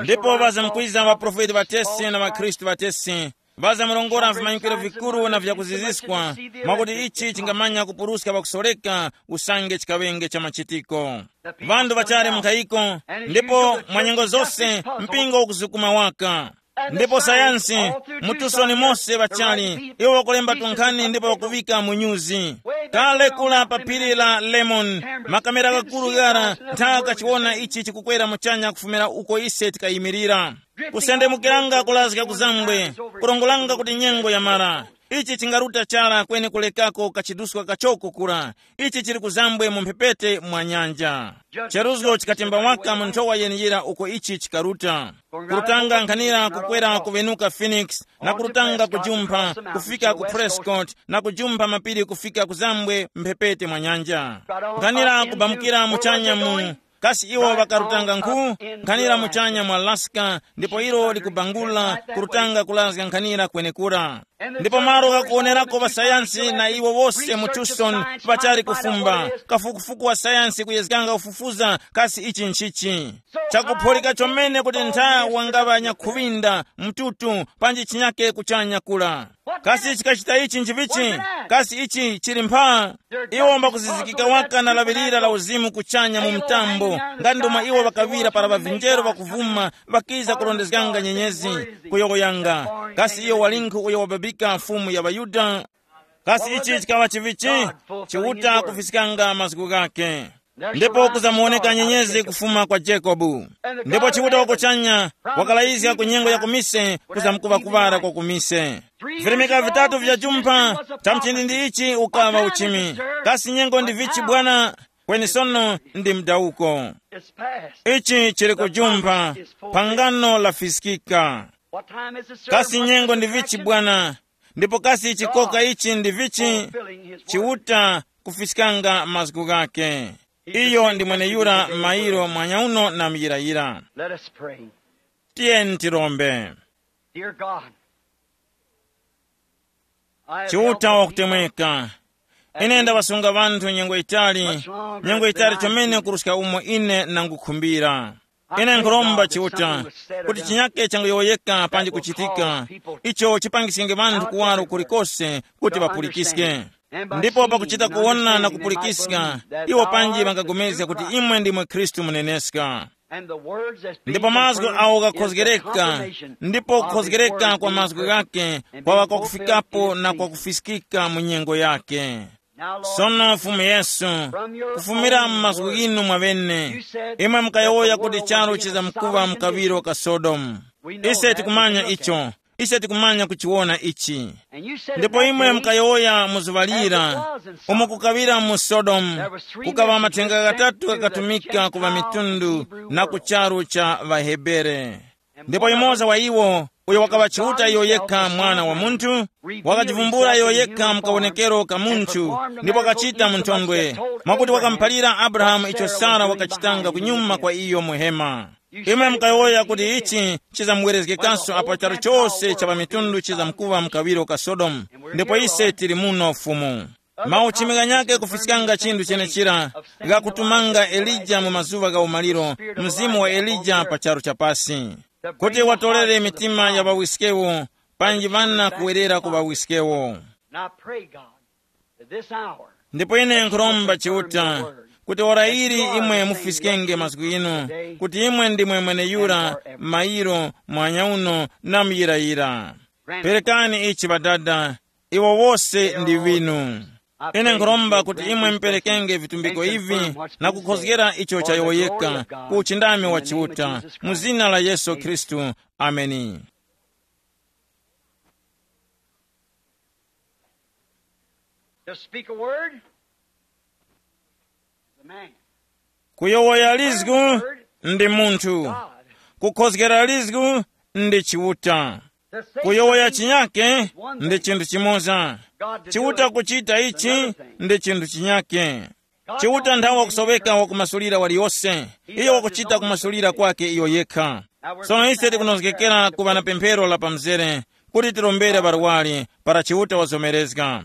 Ndipo ŵazamkwiza ŵaprofeti ŵatesi na ŵakhristu ŵatesi, ŵazamurongora vimanyikwiro vikuru na vyakuziziskwa, mwakuti ichi chingamanya kupuruska ŵakusoreka usange chikaŵenge cha machitiko. Ŵanthu ŵachali mu nkhayiko, ndipo mwa nyengo zose mpingo ukuzukuma waka. Ndipo sayansi, mu tusoni mose ŵachali, iwo ŵakulemba tunkhani ndipo ŵakuŵika mu nyuzi. Kale kula pa phiri la Lemon, makamera ghakuru ghara nthaka kachiwona ichi chikukwera muchanya kufumira uko ise tikayimirira. Kusendemukiranga kulazga kuzambwe, kurongolanga kuti nyengo yamara. Ichi chingaruta chara kweni kulekako kachiduska kachoko kura. Ichi chili kuzambwe mu mphepete mwa nyanja. Cheruzgo chikatemba waka mu nthowa yeniyira uko ichi chikaruta. Kurutanga nkhanira kukwera kuvenuka Phoenix, na kurutanga kujumpha kufika ku Prescott, na kujumpha mapiri kufika kuzambwe mphepete mwa nyanja. Nkhanira kubamukira muchanya mu, kasi iwo ŵakarutanga nkhu? Nkhanira muchanya mu Alaska, ndipo ilo likubangula kurutanga kulazga nkhanira kwenekura. Ndipo malo ghakuwonerako ŵasayansi na iwo wose mu Tucson ŵachali kufumba. Kafukufuku wa sayansi kuyezganga kufufuza kasi ichi nchichi. Chakupholika chomene kuti ntha wangaŵa nyakhuŵinda, mtutu, panji chinyake kuchanya kula. Kasi chikachita ichi nchivichi? Kasi ichi chili mpha? Iwo mbakuzizikika waka na laŵirira la uzimu kuchanya mu mtambo, nga ndi umo iwo ŵakaŵira para ŵavinjero ŵakuvuma ŵakiza kurondezganga nyenyezi, kuyowoyanga, kasi iyo walinkhu uyo wababika Fumu ya ŵaYuda? Kasi ichi chikaŵa chivichi? Chiuta kufiskanga mazgu ghake. Ndipo kuzamuwoneka nyenyezi kufuma kwa Jacobu. Ndipo Chiuta wakuchanya wakalayizga ku nyengo ya kumise kuzamkuŵa kuŵala kwa kumise. Virimika vitatu vya jumpha cha mchindi ndi ichi ukaŵa uchimi. Kasi nyengo ndi vichi bwana? Kweni sono ndi mdawuko. Ichi chili kujumpha. Phangano lafiskika. Kasi nyengo ndi vichi bwana? Ndipo kasi chikoka ichi ndi vichi? Chiuta kufiskanga mazgu ghake. Iyo ndi mweneyura mairo mwanyauno na muyirayira. Let us pray. Tiyeni tirombe. Dear God, I have Chiuta held wakutemweka, ine ndawasunga ŵanthu nyengo itali, nyengo itali chomene kuruska umo ine nangukhumbira. Ine nkhuromba Chiuta kuti chinyake changoyowoyeka panji kuchitika, icho chipangiskenge ŵanthu kuwaro kulikose kuti ŵapulikiske. Ndipo pakuchita kuwona na kupulikiska, iwo panji ŵangapulikana kuti imwe ndimwe Khristu muneneska. Ndipo mazgu awo ghakhozgereka, ndipo kukhozgereka kwa mazgu ghake kwaŵa kwakufikapo na kwakufiskika mu nyengo yake. Sono Fumu Yesu, kufumira mu mazgu ghinu mwaŵene, imwe mukayowoya kuti charu chizamkuŵa mkaŵiro ka Sodomu. Ise tikumanya icho. Ise tikumanya kuchiwona ichi. Ndipo imwe mukayowoya mu zuŵa lira, umo kukaŵira mu Sodomu, kukaŵa mathenga ghatatu ghakatumika ku ŵamitundu na ku charu cha ŵaHebere. Ndipo yumoza wa iwo, uyo wakaŵa Chiuta iyo yekha Mwana wa Munthu, wakajivumbula iyo yekha mukawonekero ka munthu, ndipo wakachita mu nthondwe, mwakuti wakamuphalira Abrahamu icho Sara wakachitanga kunyuma kwa iyo muhema. Imwe mukayowoya kuti ichi chizamwerezgekanso apo charu chose cha pamitundu chizamkuŵa mkaŵiro ka Sodomu, ndipo ise tili muno Fumu. Mauchimi ghanyakhe kufiskanga chinthu chenechira ghakutumanga Elija mu mazuŵa gha umaliro, mzimu wa Elija pa charu cha pasi, kuti watorere mitima ya ŵawiskewo, panji ŵana kuwerera ku ŵawiskewo. And I pray, God, that this hour, ndipo ine nkhuromba Chiuta kuti ora ili imwe mufiskenge mazgu inu, kuti imwe ndimwe mweneyura, mairo, mwanyauno na muyirayira. Perekani ichi ŵadada, iwo wose ndi winu. Ine nkhuromba kuti imwe muperekenge vitumbiko ivi na kukhozgera icho chayowoyeka ku uchindami wa Chiuta, mu zina la Yesu Khristu. Ameni. To speak a word is a man. Kuyowoya lizgu ndi munthu. God. Kukhozgera lizgu ndi Chiuta. To say kuyowoya something chinyake is one ndi thing. Chinthu chimoza. God to do Chiuta it kuchita is ichi another thing. Ndi chinthu chinyake. Chiuta nthawi wakusoweka wakumasulira waliyose. Iyo wakuchita kumasulira kwake iyo yekha. Sono ise tikunozgekera kuŵa na pemphero la pamzere kuti tirombere ŵarwari para Chiuta wazomerezga.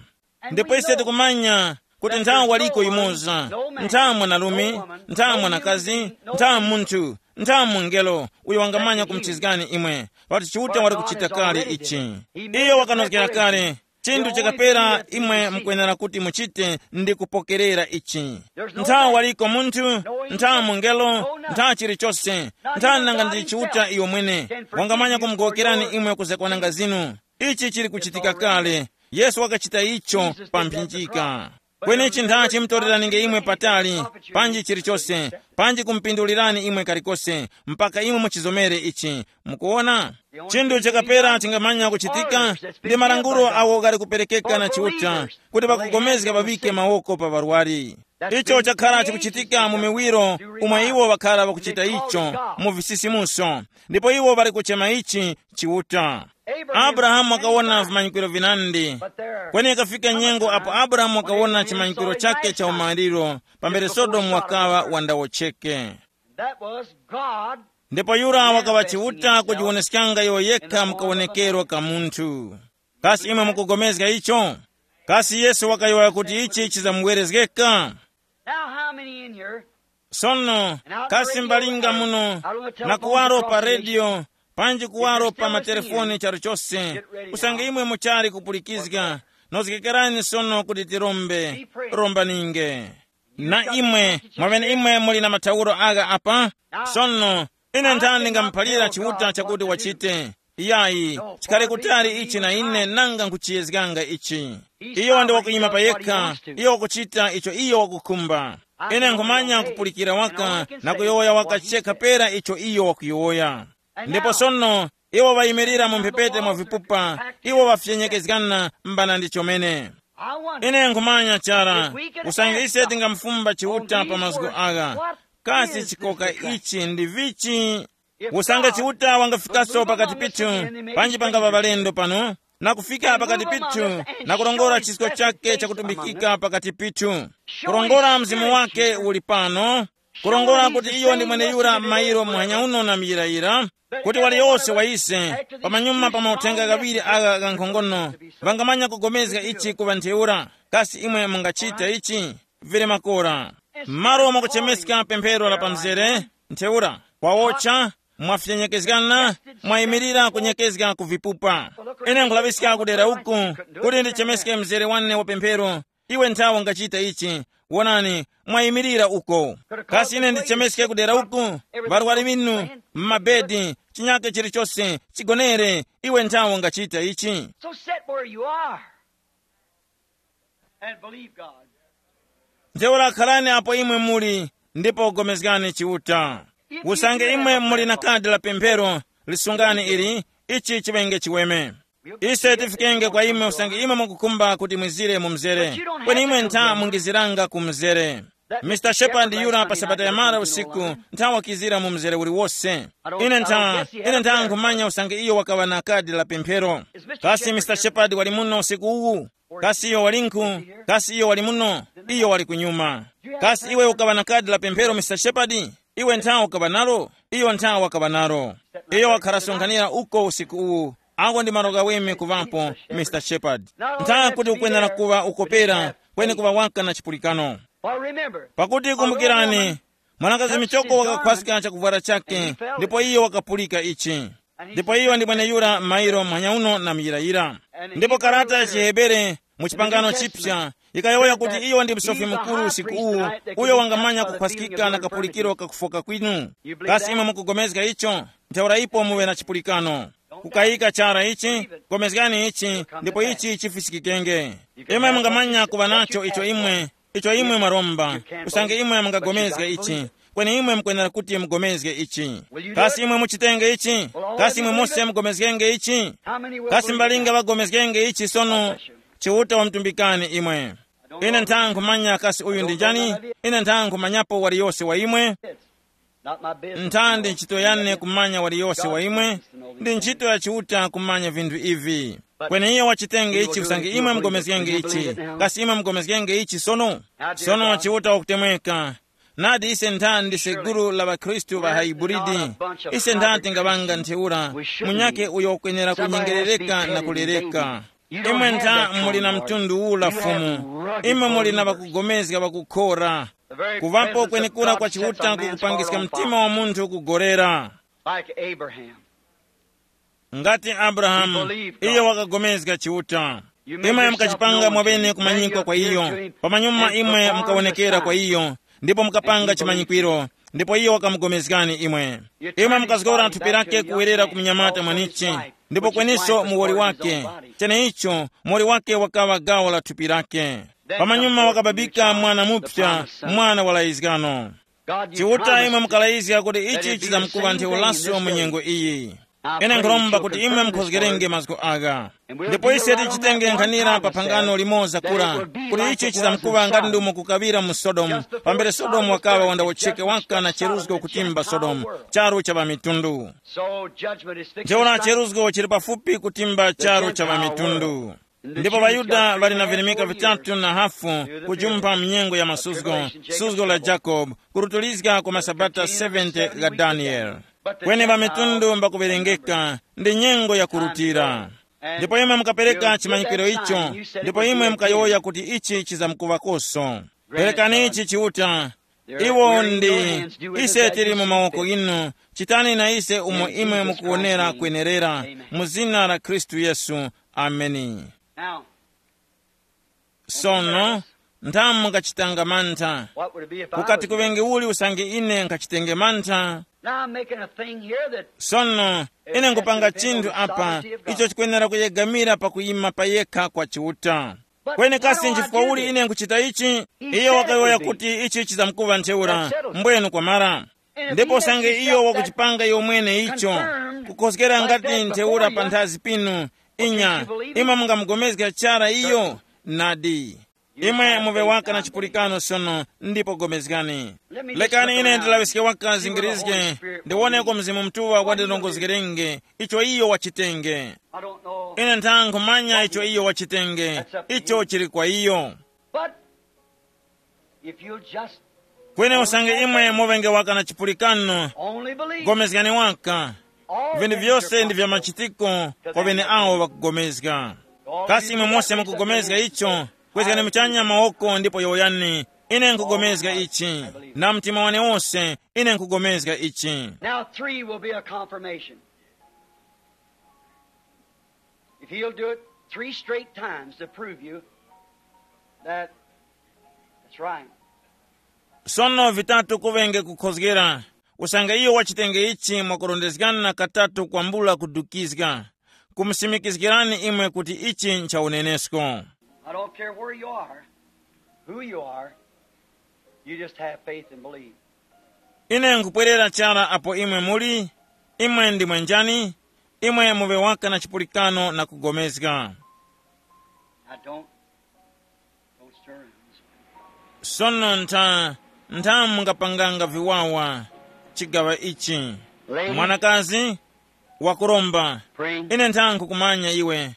Ndipo ise tikumanya kuti nthawi waliko yumoza, nthawi mwanarume, nthawi mwanakazi, nthawi munthu, nthawi mungelo uyo wangamanya kumuchizgani imwe, pakuti Chiuta wali kuchita kale ichi. Iyo wakanozgera kale chinthu chakapera imwe mukwenera kuti muchite ndi kupokerera ichi. Nthawi waliko munthu, nthawi mungelo, nthawi chilichose, nthawi nanga ndi Chiuta iyo mwene wangamanya kumugowokerani imwe kuzakwananga zinu. Ichi chili kuchitika kale. Yesu wakachita icho pa mphinjika. Kweni chinthachi mutoreraninge imwe patali, panji chilichose, panji kumupindulirani imwe kalikose, mpaka imwe muchizomere ichi. Mukuona? Chinthu chakapera chingamanya kuchitika ndi malangulo awo ghali kuperekeka na Chiuta kuti ŵakugomezga ŵaŵike mawoko pa ŵarwari. Icho chakhala chikuchitika mu miwiro umwe iwo ŵakhala ŵakuchita icho mu visisimuso, ndipo iwo ŵali kuchema ichi Chiuta. Abrahamu wakawona vimanyikiro vinandi. Kweni ikafika nyengo apo Abrahamu wakawona chimanyikiro chake cha umaliro pambere Sodomu wakaŵa wandawo cheke. That was God. Ndipo yura wakaŵa Chiuta kujiwoneskanga iyo yekha mukawonekero ka munthu. Kasi imwe mukugomezga icho? Kasi Yesu wakayowoya kuti ichi chizamuwerezgeka? Now, how many in here? Sono, kasi mbalinga muno na kuwaro pa rediyo, panji kuwaro pa matelefoni charo chose, usange imwe muchali kupulikizga, nozgekerani sono kuti tirombe. Rombaninge. Na imwe, mwamene imwe muli na mathauro agha apa, sono, ine nthani ndingamuphalira Chiuta chakuti wachite? Yayi, chikhale kutali ichi na ine nanga nkuchiyezganga ichi. Iyo ndi wakuyima pa yekha, iyo wakuchita icho iyo wakukhumba. Ine nkhumanya kupulikira waka na kuyowoya waka chekha pera icho iyo wakuyowoya. Ndipo sono iwo ŵayimirira mu mphepete mwa vipupa, iwo ŵafyenyekezgana mbana ndi chomene. Ine nkhumanya chara, usange ise tingamufumba Chiuta pa mazgu agha, kasi chikoka ichi ndi vichi? Usange Chiuta wangafikaso pakati pithu, panji pangaŵa ŵalendo pano, na kufika pakati pithu, na kurongora chisko chake chakutumbikika pakati pithu, kurongora mzimu wake uli pano, kurongora kuti iyo ndi mweneyura mairo muhanya uno na miyirayira, kuti waliyose wa ise, pamanyuma pa mauthenga ghaŵiri agha ghankhongono, ŵangamanya kugomezga ichi kuŵa ntheura. Kasi imwe mungachita ichi? Vili makora. M'malo mwakuchemeska pemphero la pamzere, ntheura, kwawocha, mwafyenyekezgana, mwayimirira kunyekezga ku vipupa. Ine nkhulaŵiska kudera uku, kuti ndichemeske mzere wane wa pemphero. Iwe nthawe ungachita ichi. Wonani, mwayimirira uko. Kasi ine ndichemeske kudera uku? Varwari vinu, mmabedi, chinyake chilichose, chigonere. Iwe nthawe ungachita ichi. So sit where you are and believe God. Ntheura kharani apo imwe muli, ndipo gomezgani Chiuta. Usange imwe muli na kadi la pemphero, lisungani ili, ichi chiŵenge chiweme. Ise tifikenge kwa imwe usange imwe mukukhumba kuti mwizire mu mzere, kweni imwe ntha mungiziranga ku mzere. Mister Shepard yura pa sabata yamara usiku, ntha wakizira mu mzere uliwose. Ine ntha, ine ntha nkhumanya usange iyo wakaŵa na kadi la pemphero. Kasi Mister Shepard wali muno usiku uwu? Kasi iyo walinkhu? Kasi iyo wali muno? Iyo wali kunyuma. Kasi iwe ukaŵa na kadi la pemphero, Mister Shepard? Iwe ntha ukaŵa nalo? Iyo ntha wakaŵa nalo. Iyo wakharasonkhanira uko usiku uwu. Ako ndi malo ghaweme kuŵapo, Mister Shepard. Ntha kuti ukwenera kuŵa ukopera, kweni kuŵa waka na chipulikano. Pakuti kumbukirani, mwanakazi michoko wakakhwaska chakuvwara chake, ndipo iyo wakapulika ichi. Ndipo iyo ndi mweneyura mairo mphanya uno na muyirayira. Ndipo karata ya chihebere mu chipangano chipsa yikayowoya kuti iyo ndi msofi mukuru usiku uwu, uyo wangamanya kukhwaskika na kapulikiro kakufoka kwinu. Kasi imwe mukugomezga icho? Ntheura ipo muŵe na chipulikano. Kukayika chara ichi, gomezgani ichi, ndipo ichi chifisikikenge. Imwe mungamanya kuŵa nacho icho imwe, icho imwe mwaromba. Usange imwe mungagomezga ichi, kweni imwe mukwenera kuti mugomezge ichi. Kasi imwe muchitenge ichi? Kasi imwe mose mugomezgenge ichi? Kasi mbalinga ŵagomezgenge ichi sono? Chiuta wamtumbikani imwe. Ine ntha nkhumanya kasi uyu ndi njani? Ine ntha nkhumanyapo waliyose wa imwe. Ntha ndi ntchito yane kumanya waliyose wa imwe. Ndi ntchito ya Chiuta kumanya vinthu ivi. Kweni iyo wachitenge ichi usange imwe mugomezgenge ichi. Kasi imwe mugomezgenge ichi sono? Sono Chiuta wakutemweka. Nadi ise ntha ndise gulu la ŵakhristu ŵa haiburidi. Ise ntha tingaŵanga ntheura, munyakhe uyo wakwenera kunyengerereka na kulereka. Imwe ntha muli na mtundu ula Fumu. Imwe muli na ŵakugomezga ŵakukhora. Kuŵapo kwenekura kwa Chiuta kukupangiska mtima wa munthu kugorera. Like Abraham. Ngati Abrahamu, iyo wakagomezga Chiuta. Imwe mukachipanga mwabene kumanyikwa kwa iyo. Pamanyuma imwe mukawonekera kwa iyo, ndipo mukapanga chimanyikwiro, ndipo iyo wakamugomezgani imwe. Imwe mukazgora thupi lake kuwerera ku mnyamata mwanichi, ndipo kweniso muwoli wake. Cheneicho, muwoli wake wakaŵa gawo la thupi lake. Pamanyuma wakababika mwana mupsa, mwana wa layizgano. Chiuta imwe mukalayizga kuti ichi chizamkuŵa ntheuraso mu nyengo iyi. Ine nkhuromba kuti imwe mukhozgerenge mazgu agha. Ndipo ise tichitenge nkhanira pa phangano limoza kura, kuti ichi chizamkuŵa ngati ndumo kukaŵira mu Sodomu, pambere Sodomu wakaŵa wandawotcheke waka na cheruzgo kutimba Sodomu, charu cha ŵamitundu. Ntheura cheruzgo chili pafupi kutimba charu cha ŵamitundu. Ndipo ŵaYuda ŵali na virimika vitatu na hafu kujumpha mnyengo ya masuzgo, suzgo la Jakobe, kurutulizga kwa masabata seventy gha Daniele. Kweni ŵamitundu mbakuŵerengeka, ndi nyengo yakurutira. Ndipo imwe mukapereka chimanyikiro icho, ndipo imwe mukayowoya kuti ichi chizamkuŵakoso. Perekani ichi Chiuta. Iwo ndi, ise tili mu mawoko inu. Chitani na ise umo imwe mukuwonera kwenerera, mu zina la Khristu Yesu. Ameni. Now, sono, nthamu mungachitanga mantha. What would it be if I ukati was kuŵenge uli usange ine nkhachitenge mantha? Now I'm making a thing here that Sono, ine nkupanga chinthu apa icho chikwenera kuyegamira pakuyima payekha kwa Chiuta. Kweni kasi nchifukwa uli ine nkuchita ichi? Iyo wakayowoya kuti ichi chizamkuŵa ntheura. Mbwenu kwamara. Ndipo usange iyo wakuchipanga iyo mwene icho, kukhozgera ngati ntheura panthazi pinu, inya, imwe mungamugomezga chara iyo? Nadi. Imwe muve waka na chipulikano sono, ndipo gomezgani. Lekani ine ndilaŵiske waka zingirizge, ndiwoneko Mzimu Mutuŵa wandilongozgerenge icho iyo wachitenge. Ine ntha nkhumanya icho iyo wachitenge, icho chili kwa iyo. But if you'll just Kweni usange imwe muvenge waka na chipulikano, only believe. Gomezgani waka. All Vinthu things vyose are ndi vya possible. Machitiko kwa vene awo ŵakugomezga. Kasi imwe mose mukugomezga icho? Kwezgani muchanya mawoko ndipo yowoyani, ine nkugomezga ichi. Na mtima wane wose, ine nkugomezga ichi. Now three will be a confirmation. If he'll do it three straight times to prove you that it's right. Sono vitatu kuvenge kukhozgera, usange iyo wachitenge ichi mwakurondezgana katatu kwambula kudukizga, kumusimikizgirani imwe kuti ichi ncha unenesko. I don't care where you are, who you are, you just have faith and believe. Ine nkupwerera chara apo imwe muli, imwe ndimwe njani, imwe muve waka na chipulikano na kugomezga. Now don't, don't stir. Sono ntha, ntha mungapanganga viwawa chigawa ichi. Lady, mwanakazi wakuromba, praying. Ine ntha nkukumanya iwe.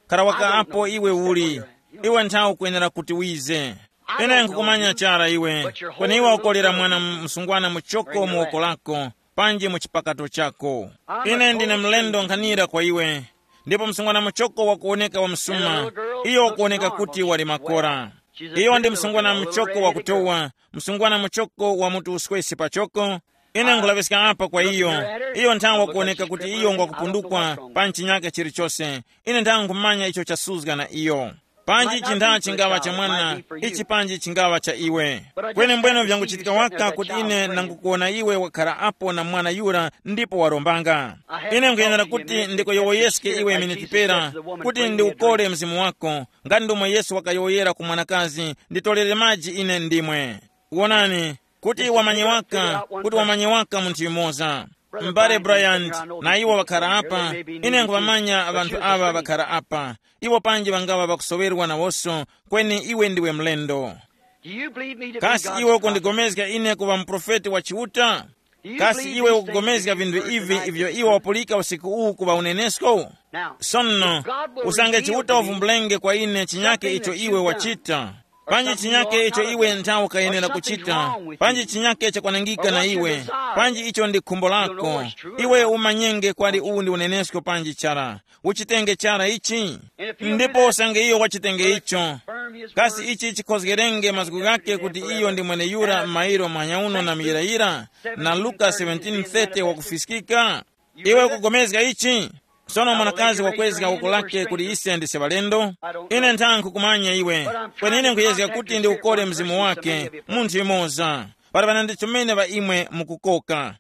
Kara waka apo iwe uli, iwe ntha ukwenera kuti wize. Ine nkukumanya chara iwe, kweni iwe ukolera mwana msungwana muchoko mu woko lako, panji mu chipakato chako. Ine ndine mlendo nkhanira kwa iwe. Ndipo msungwana muchoko wakuwoneka wa msuma, iyo wakuwoneka kuti wali makora. Iyo ndi msungwana muchoko wakutowa, msungwana muchoko wa mutu uswesi pachoko. Ine nkulaŵiska apa kwa iyo. Iyo nthawe wakuwoneka kuti iyo ngwakupundukwa pa nchinyake chilichose. Ine nthawe nkhumanya icho chasuzga na iyo. Panji chintha chingaŵa cha mwana, ichi panji chingaŵa cha iwe. Kweni mbwene vyanguchitika waka kuti ine nangukuwona iwe wakhara apo na mwana yura ndipo warombanga. Ine nkhuyenera kuti ndikuyowoyeske iwe miniti pera, kuti ndiukole mzimu wako, ngati ndomwe Yesu wakayowoyera ku mwanakazi, nditolere maji ine ndimwe. Wonani, kuti wamanye waka, kuti wamanye waka munthu yumoza. M'bale Bryant, na iwo ŵakhara apa, ine nkhuŵamanya ŵanthu aŵa ŵakhara apa. Iwo panji ŵangaŵa ŵakusoŵerwa nawonso, kweni iwe ndiwe mlendo. Do you believe me to be Kasi God's iwe prophet? Ukundigomezga ine kuŵa muprofeti wa Chiuta? Do you Kasi believe iwe these things ukugomezga that you've vinthu heard ivi tonight ivyo is iwe true? Wapulika usiku uwu kuŵa unenesko? Now, Sono, if God will usange reveal Chiuta to me uvumbulenge kwa ine chinyake something icho that iwe you've done, wachita, or panji something you chinyake ought icho not have iwe done, nthawe or ukayenera something's kuchita, wrong with panji you, chinyake chakwanangika or na what your iwe, desire panji is, icho ndi khumbo the lako, Lord's true or iwe not. Umanyenge kwali uwu ndi unenesko panji chara. Uchitenge chara ichi. And if you do Ndipo that, usange iyo wachitenge will it icho, confirm his kasi word? Ichi chikhozgerenge mazgu ghake kuti iyo ndi mweneyura m'mairo manyauno na miyirayira, na Luka seventeen thirty wakufiskika? Iwe ukugomezga ichi? Sono mwanakazi wakwezga woko lake kuti ise ndise ŵalendo. Ine nthankhu kumanya iwe, kweni ine nkhuyezga kuti ndiukole mzimu wake, munthu yumoza. Para ŵanandi chomene ŵa imwe mukukoka.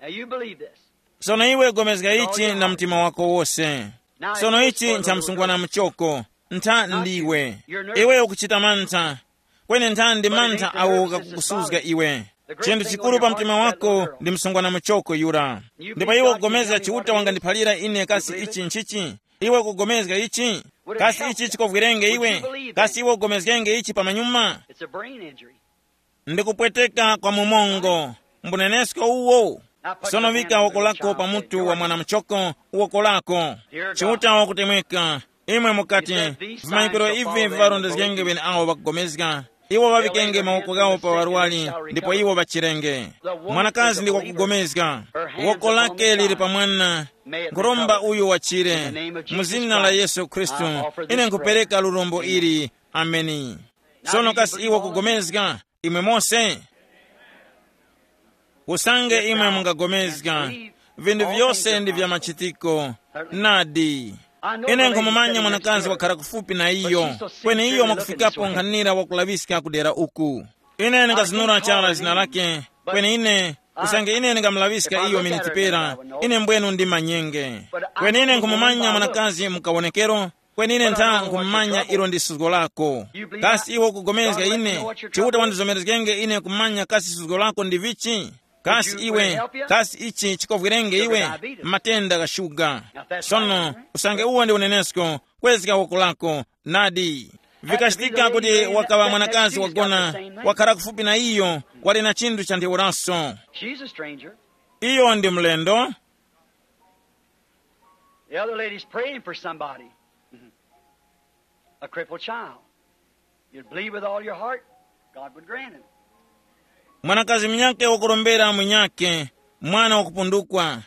Now you believe this. Sono iwe gomezga ichi na mtima wako wose. Sono ichi ncha msungwana muchoko, ntha ndiwe. Iwe ukuchita mantha, kweni ntha ndi mantha awo ghakukusuzga iwe. Chinthu chikuru pa mtima wako ndi msungwana muchoko yura. Ndipo iwe ukugomezga Chiuta wangandiphalira ine kasi ichi nchichi? Iwe ukugomezga ichi? Kasi ichi chikovwerenge iwe? Kasi iwe ukugomezgenge ichi pamanyuma? It's a brain injury. Ndikupweteka kwa mumongo, mbunenesko uwo. Sono vika woko lako pa mutu wa mwana muchoko, woko lako. Chiuta wakutemweka. Imwe mukati, vimanyikiro ivi viŵarondezgenge ŵene awo ŵakugomezga. Iwo ŵaŵikenge mawoko ghawo pa ŵarwari, ndipo iwo ŵachirenge. Mwanakazi ndi wakugomezga. Woko lake lili pa mwana. Nkhuromba uyu wachire. Mu zina la Yesu Khristu, ine nkhupereka lurombo ili. Ameni. Sono kasi iwe ukugomezga? Imwe mose? Usange imwe mungagomezga, vinthu vyose ndi vya machitiko. Nadi. Ine nkhumumanya mwanakazi wakhala kufupi na iyo, kweni iyo mwakufikapo nkhanira wakulaŵiska kudera uku. Ine ndingazinura chara zina lake, kweni ine Usange ine ndingamulaŵiska iyo miniti pera, ine mbwenu ndi manyenge. Kweni ine nkhumumanya mwanakazi mukawonekero, kweni ine ntha nkhumumanya ilo ndi suzgo lako. Kasi iwe ukugomezga ine? Chiuta wandizomerezgenge ine kumanya kasi suzgo lako ndi vichi? Kasi iwe, kasi ichi chikovwerenge iwe? Matenda gha shuga. Sono, usange uwo ndi unenesko, kwezga woko lako. Nadi. Vikachitika kuti wakaŵa mwanakazi wagona, wakhala kufupi na iyo, wali na chinthu cha ntheuraso. She's a stranger. Iyo ndi mlendo. The other lady's praying for somebody. Mhm. A crippled child. You'd believe with all your heart, God would grant it. Mwanakazi munyake wakurombera munyake, mwana wakupundukwa.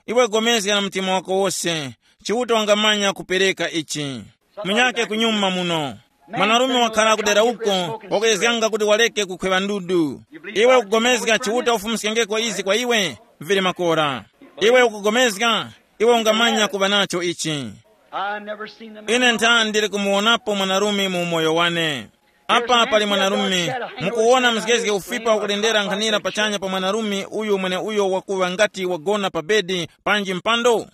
Iwe gomezga na mtima wako wose, Chiuta wangamanya kupereka ichi. Munyake kunyuma muno. Mwanarume wakhala kudera uko, wakuyezganga kuti waleke kukhweŵa ndudu. Iwe ukugomezga Chiuta ufumuskengeko izi kwa iwe? Vili makora. Iwe ukugomezga, iwe ungamanya kuŵa nacho ichi. I never seen the man. Ine ntha ndili kumuwonapo mwanarume mu umoyo wane. Apa pali mwanarume, mukuwona mzgezge ufipa ukulendera nkhanira pachanya pa mwanarume uyu mwene uyo wakuŵa ngati wagona pa bedi panji mpando. He's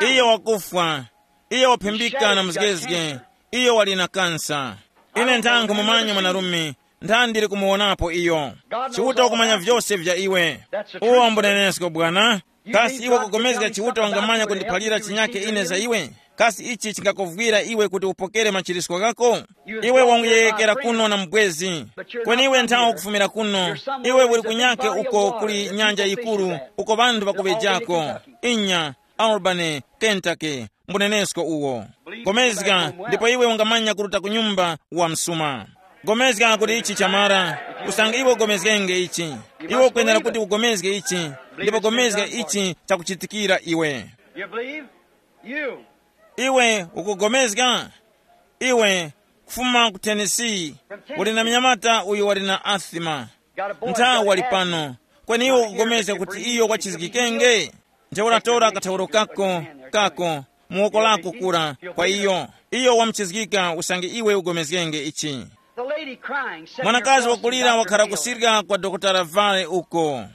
dying. Iyo wakufwa. Iyo waphimbika na mzgezge. Iyo wali na kansa. Ine ntha nkhumumanya mwanarume, ntha ndili kumuwonapo iyo. Chiuta wakumanya vyose vya iwe. Uwo mbunenesko bwana. Kasi iwe kugomezga Chiuta wangamanya kundiphalira chinyake ine za iwe? Kasi ichi chingakovwira iwe kuti upokere machirisko ghako? Iwe wanguyeyekera kuno na mubwezi, kweni iwe nthawa ukufumira kuno. Iwe uli kunyake uko kuli nyanja yikuru, uko ŵanthu ŵakuŵejako. Inya, Albany, Kentucky, mbunenesko uwo. Gomezga, ndipo iwe ungamanya kuruta ku nyumba wa msuma. Gomezga kuti ichi chamara. Usange iwe ugomezgenge ichi, iwe ukwenera kuti ugomezge ichi, ndipo gomezga ichi chakuchitikira iwe. You believe? You. Iwe ukugomezga? Iwe, kufuma ku Tennessee, uli na mnyamata uyu wali na asthma. Ntha wali pano, kweni iwe ukugomezga kuti iyo wachizgikenge? Ntheura tora kathauro kako, kako, mu woko lako kura, kwa iyo. Iyo wamuchizgika usange iwe ugomezgenge ichi. The lady crying, sitting Mwanakazi across wakulira the wakhala doctor kusirika kwa Dokotala Vale uko.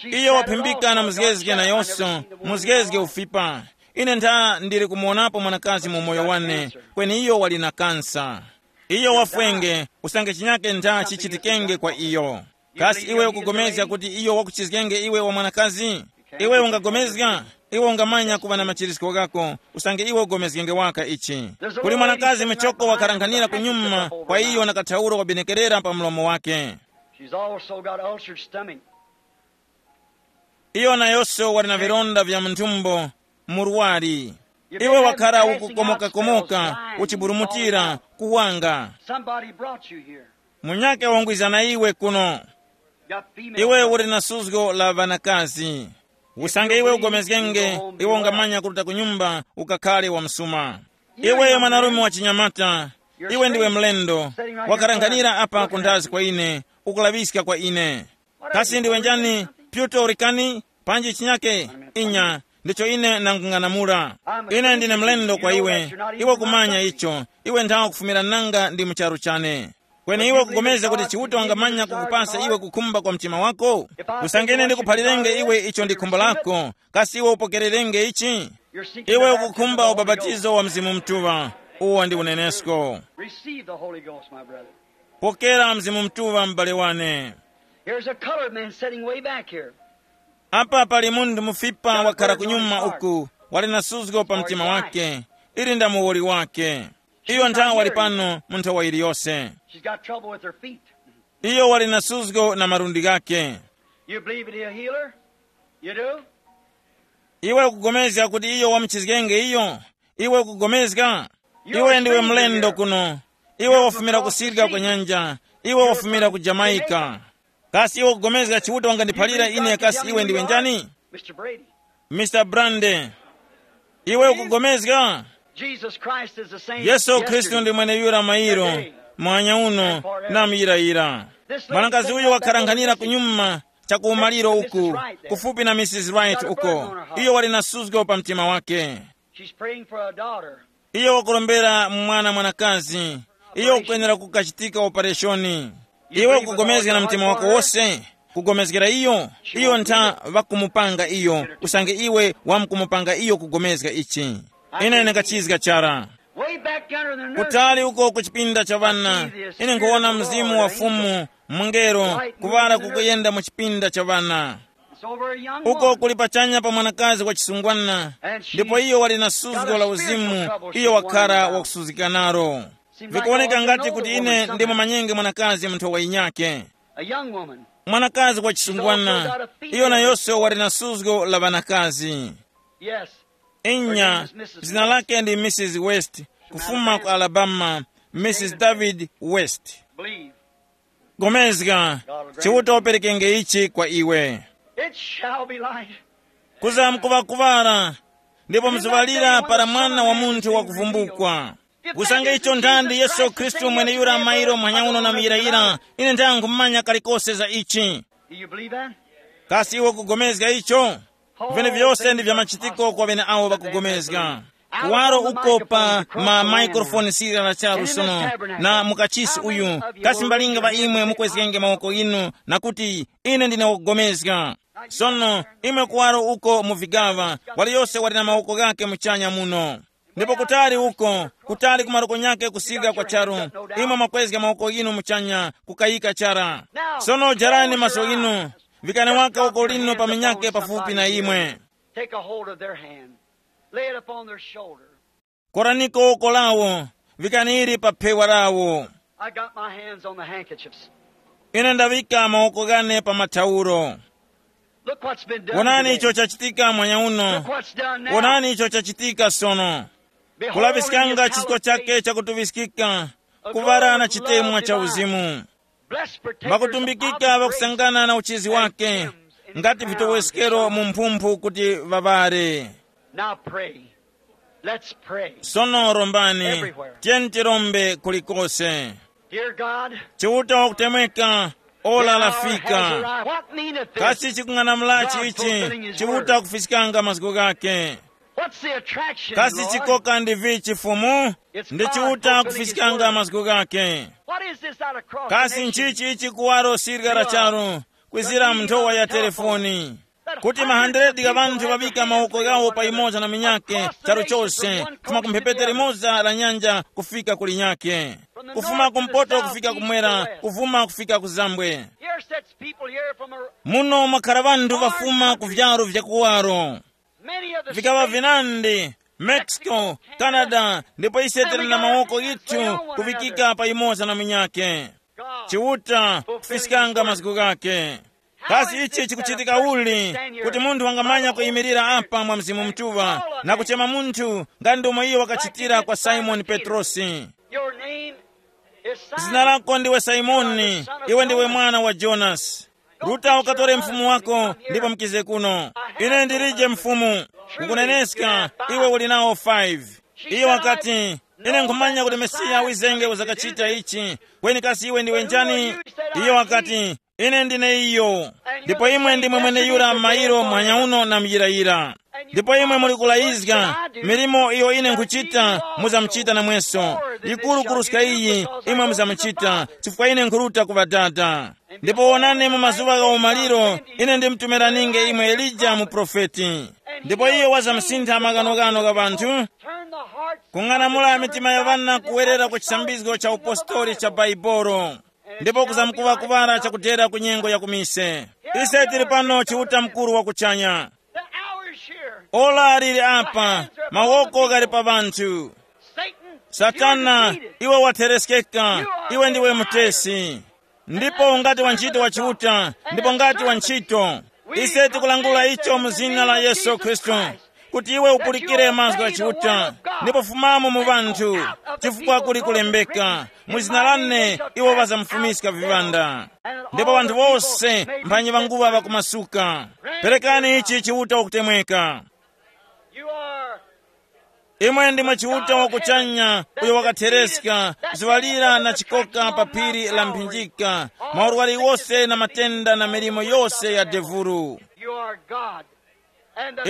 Iyo waphimbika na muzgezge nayonso, muzgezge ufipa. Ine ntha ndili kumuwonapo mwanakazi mu moyo wane, kweni iyo wali na kansa. Iyo wafwenge, usange chinyake ntha chichitikenge kwa iyo. Kasi iwe ukugomezga kuti iyo wakuchizgenge iwe wa mwanakazi? Iwe ungagomezga? Iwe ungamanya kuŵa na machirisko ghako, usange iwe ugomezgenge waka ichi. Kuli mwanakazi michoko wakharanghanira kunyuma kwa iyo na kathauro wabenekerera pa mlomo wake. She's also got ulcered stomach. Iyo nayonso wali na vilonda vya mu nthumbo, murwari. Iwe wakhara ukukomokakomoka, uchiburumutira, kuwanga. Somebody brought you here. Munyake wangwiza na iwe kuno. Got female Iwe trouble. Uli na suzgo la ŵanakazi. Usange iwe ugomezgenge, iwe ungamanya kuruta ku nyumba, ukakhale wa msuma. Iwe mwanarume wa chinyamata, iwe ndiwe mlendo, wakaranghanira apa kundhazi kwa ine, ukulaŵiska kwa ine. Kasi ndiwe njani? Puerto Ricani? Panji chinyake? Inya, ndicho ine nangung'anamula. Ine ndine mlendo kwa iwe. Iwe kumanya icho. Iwe nthawa kufumira nanga ndi mu charu chane. Kweni iwe ukupulikana kuti Chiuta wangamanya kukupasa iwe kukhumba kwa mtima wako? Usange ine ndikuphalirenge iwe icho ndi khumbo lako, kasi iwe upokererenge ichi? Iwe ukukhumba ubapatizo wa Mzimu Mutuŵa. Uwo ndi unenesko. Receive the Holy Ghost, my brother. Pokera Mzimu Mutuŵa, m'bale wane. Here's a colored man sitting way back here. Apa pali munthu mufipa wakhala kunyuma uku, wali na suzgo pa mtima wake. Ili nda muwoli wake. Iyo nthawa wali pano mu nthowa iliyose. She's got trouble with her feet. Iyo wali na suzgo na malundi ghake. You believe that he'll heal her? You do? Iwe ukupulikana kuti iyo wamuchizgenge iyo? Iwe ukupulikana? Iwe ndiwe mlendo kuno. Iwe wafumira kusirika kwa nyanja. Iwe wafumira ku Jamaica. Kasi iwe ukupulikana Chiuta wangandiphalira ine kasi iwe ndiwe njani? Mister Brady. Mister Brande, iwe ukupulikana? Jesus Christ is the same Yesu Khristu ndi mweneyura mairo, mwanya uno, na muyirayira. Mwanakazi uyu wakharanghanira kunyuma chakumaliro uku, kufupi na Missus Wright uko. Iyo wali na suzgo pa mtima wake. She's praying for a daughter. Iyo wakurombera mwana mwanakazi. Iyo ukwenera kukachitika opereshoni. Iwe ukugomezga na mtima wako wose? Kugomezgera iyo, iyo ntha ŵakumupanga iyo, usange iwe wamkumupanga iyo kugomezga ichi. Ine ndingachizga chara. Way back yonder in the nursery, kutali uko ku chipinda cha ŵana, ine nkuwona mzimu wa Fumu, mungelo, kuŵala kukuyenda mu chipinda cha ŵana. It's over a young uko woman. Kuli pachanya pa mwanakazi wa chisungwana. And she ndipo iyo wali na suzgo la uzimu. Iyo wakhala wakusuzgika nalo. Vikuwoneka ngati kuti ine ndimo manyenge mwanakazi munthu wa inyake. A young woman. Mwanakazi wa chisungwana. Iyo nayonso wali na suzgo la ŵanakazi. Yes. Inya. Zina lake ndi Mrs West, kufuma ku Alabama. Mrs David West. Believe. Gomezga. Chiuta uperekenge ichi kwa iwe. It shall be light. Kuzamkuŵakuŵala. Ndipo mziŵalira para mwana wa munthu wakuvumbukwa. Usange icho nthandi Yesu Khristu mwene yura mairo mwanyauno na muyirayira. Ine ndangumanya kalikose za ichi. Do you believe that? Kasi iwe kugomezga icho? Vene vyose ndi vya machitiko kwa bene awo ŵakugomezga. Kuwaro uko pa ma microphone sirira la charu sono, na mukachisi uyu, kasi mbalinga ŵa imwe mukwezgenge mawoko inu, na kuti, ine ndine wogomezga. Sono, imwe kuwaro uko mu vigaŵa, wali yose wali na mawoko ghakhe muchanya muno. Ndipo kutali uko, kutali ku maroko nyakhe kusika kwa charu, imwe mwakwezga mawoko inu muchanya, kukayika chara. Sono jarani maso inu, vikani waka uko lino pa minyakhe pafupi na imwe. Take a hold of their hand, lay it upon their shoulder. Koraniko woko lawo, vikani ili pa phewa lawo. I got my hands on the handkerchiefs. Ine ndaŵika mawoko ghane pa mathauro. Look what's been done. Wonani today. Icho chachitika mwanya uno. Look what's done now. Wonani icho chachitika sono. Behold, kulaŵiskanga chisko chake chakutuŵiskika, kuŵala na chitemwa cha uzimu. Makutumbikika ŵakusangana na uchizi wake, ngati vitoweskero mu mphumphu kuti ŵaŵare. Now pray. Let's pray. Sono rombani. Everywhere. Tiyeni tirombe kulikose. Dear God, chiuta wakutemweka, ora lafika. What meaneth this? Kasi chikung'anamulachi ichi? Chiuta kufiskanga mazgu gake. What's the attraction, kasi Lord? Chikoka ndi vichi Fumu? Ndi chiuta kufiskanga mazgu gake. What is this out of cross? Kasi nchichi ichi kuwaro sirga la charu kwizira mnthowa ya telefoni, kuti mahandiredi gha ŵanthu ŵaŵika mawoko ghawo pa imoza na minyake, charu chose, kufuma ku mphepete limoza la nyanja kufika ku linyake, kufuma kumpoto kufika kumwera, kufuma kufika ku zambwe. Here sits people here from a, muno mwakhara ŵanthu ŵafuma ku vyaro vyakuwaro. Many of the vikaŵa states, vinandi, Mexico, Canada, ndipo ise tili na mawoko yithu kuvikika pa imoza na minyake. Chiuta kufiskanga mazgu ghake. Kasi ichi chikuchitika uli, kuti munthu wangamanya kuyimirira apa mwa Mzimu Mutuŵa na kuchema munthu nga ndomwe iyo wakachitira kwa Simoni Petrosi? Your name is Simon. Zina lako ndiwe Simoni, iwe ndiwe mwana wa Jonasi. Ruta ukatore mfumu wako ndipo mukize kuno. Ine ndilije mfumu, kukuneneska, iwe uli nawo five. Iyo wakati, ine nkhumanya kuti Mesiya wizenge uzakachita ichi. Kweni kasi iwe ndiwe njani? Iyo wakati, ine ndine iyo. Ndipo imwe ndimwe mweneyura mairo mwanyauno na muyirayira. Ndipo imwe muli kulayizga, milimo iyo ine nkhuchita, muzamuchita namweso, yikuru kuruska iyi, imwe muzamuchita, chifukwa ine nkhuruta ku Ŵadada. Ndipo wonani, mu mazuŵa gha umaliro, ine ndimtumiraninge imwe Elija muprofeti. Ndipo iyo wazamsintha maghanoghano gha ŵanthu, kung'anamula mitima ya ŵana kuwerera ku chisambizgo cha upostori cha Baibolo, ndipo kuzamkuŵakuŵala chakudera ku nyengo ya kumise. Ise tili pano Chiuta mukuru wa kuchanya. The hour is here. Ora lili apa, mawoko ghali pa ŵanthu. Satan, satana, you're defeated. Iwe watereskeka, iwe ndiwe mutesi. Ndipo ngati wantchito wa Chiuta, ndipo ngati wantchito, ise tikulangula icho mu zina la Yesu Khristu, kuti iwe upulikire mazgu gha Chiuta, ndipo fumamo mu ŵanthu, chifukwa kuli kulembeka, mu zina lane iwo ŵazamufumiska viŵanda. Ndipo ŵanthu wose mphanyi ŵanguŵa ŵakumasuka. Perekani ichi Chiuta wakutemweka. You are, imwe ndimwe Chiuta wakuchanya, uyo wakathereska ziwalira na chikoka pa phiri la mphinjika, maurwari wose na matenda na milimo yose ya devulu. You are God.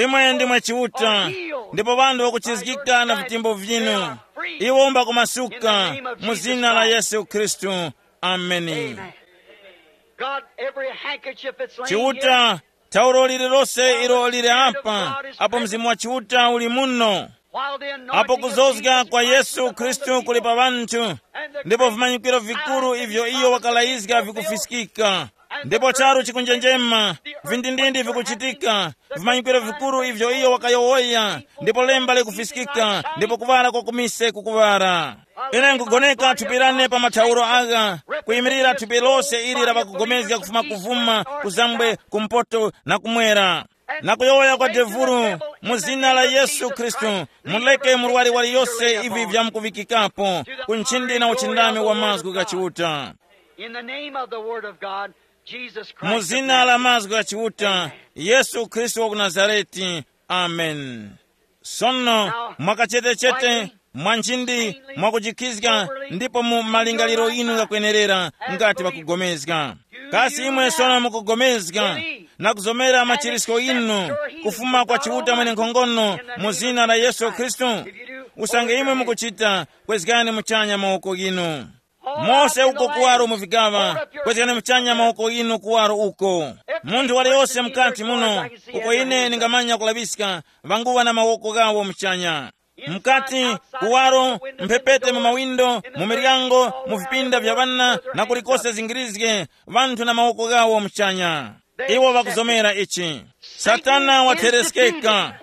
Imwe ndimwe Chiuta, ndipo ŵanthu ŵakuchizgika na vitimbo vyinu. Iwo mbakumasuka mu zina la Yesu Khristu. Ameni. Amen. God, every handkerchief that's laying here, Chiuta, thauro lililose ilo lili apa, apo Mzimu wa Chiuta uli muno. While the anointing apo of kuzozga Jesus kwa Christ Yesu is upon the Khristu kuli people, pa ŵanthu, ndipo vimanyikiro vikuru ivyo iyo wakalayizga vikufiskika, ndipo charu chikunjenjema, vindindindi vikuchitika, vimanyikiro vikuru ivyo iyo wakayowoya, ndipo lemba likufiskika, ndipo kuŵala kwa kumise kukuŵala. Ine nkugoneka thupi lane pa mathauro agha, kuyimirira thupi lose ili la ŵakugomezga kufuma kuvuma, kuzambwe, kumpoto na kumwera, na kuyowoya kwa devulu, mu zina la Yesu Khristu, muleke murwari waliyose ivi vyamkuŵikikapo ku nchindi na uchindami wa mazgu gha Chiuta. In the name of the Word of God, Jesus Christ mu of zina la Nazareth. Mazgu gha Chiuta, Yesu Khristu wa ku Nazareti. Amen. Sono, mwakachetechete, mwa nchindi, mwakujikizga, ndipo mu malingaliro yinu ghakwenerera, ngati ŵakugomezga. Kasi imwe sono mukugomezga na kuzomera machirisko inu kufuma kwa Chiuta mwenenkhongono mu zina la Yesu Khristu? Usange imwe mukuchita, kwezgani muchanya mawoko ghinu. Mose uko kuwaro mu vigaŵa, kwezgani muchanya mawoko inu kuwaro uko. Munthu waliyose mukati muno, uko ine ndingamanya kulaŵiska, ŵanguŵa na mawoko ghawo muchanya. Mukati, kuwaro, mphepete mu mawindo, mu miryango, mu vipinda vya ŵana, na kulikose zingirizge, ŵanthu na mawoko ghawo muchanya. Iwo ŵakuzomera ichi. Satana wathereskeka.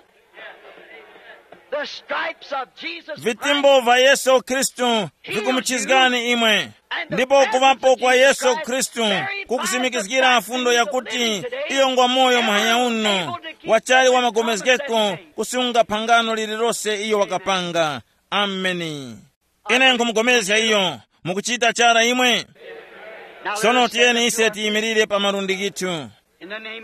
The stripes of Jesus Christ. Vitimbo vya Yesu Khristu vikumuchizgani imwe. Ndipo kuŵapo kwa Yesu Khristu kukusimikizgira fundo yakuti iyo ngwa moyo muhanya uno, wachali wa magomezgeko kusunga phangano lililose iyo wakapanga. Ameni. Ine nkhumugomezga iyo. Mukuchita chara imwe? Sono tiyeni ise tiyimirire pa malundi ghithu.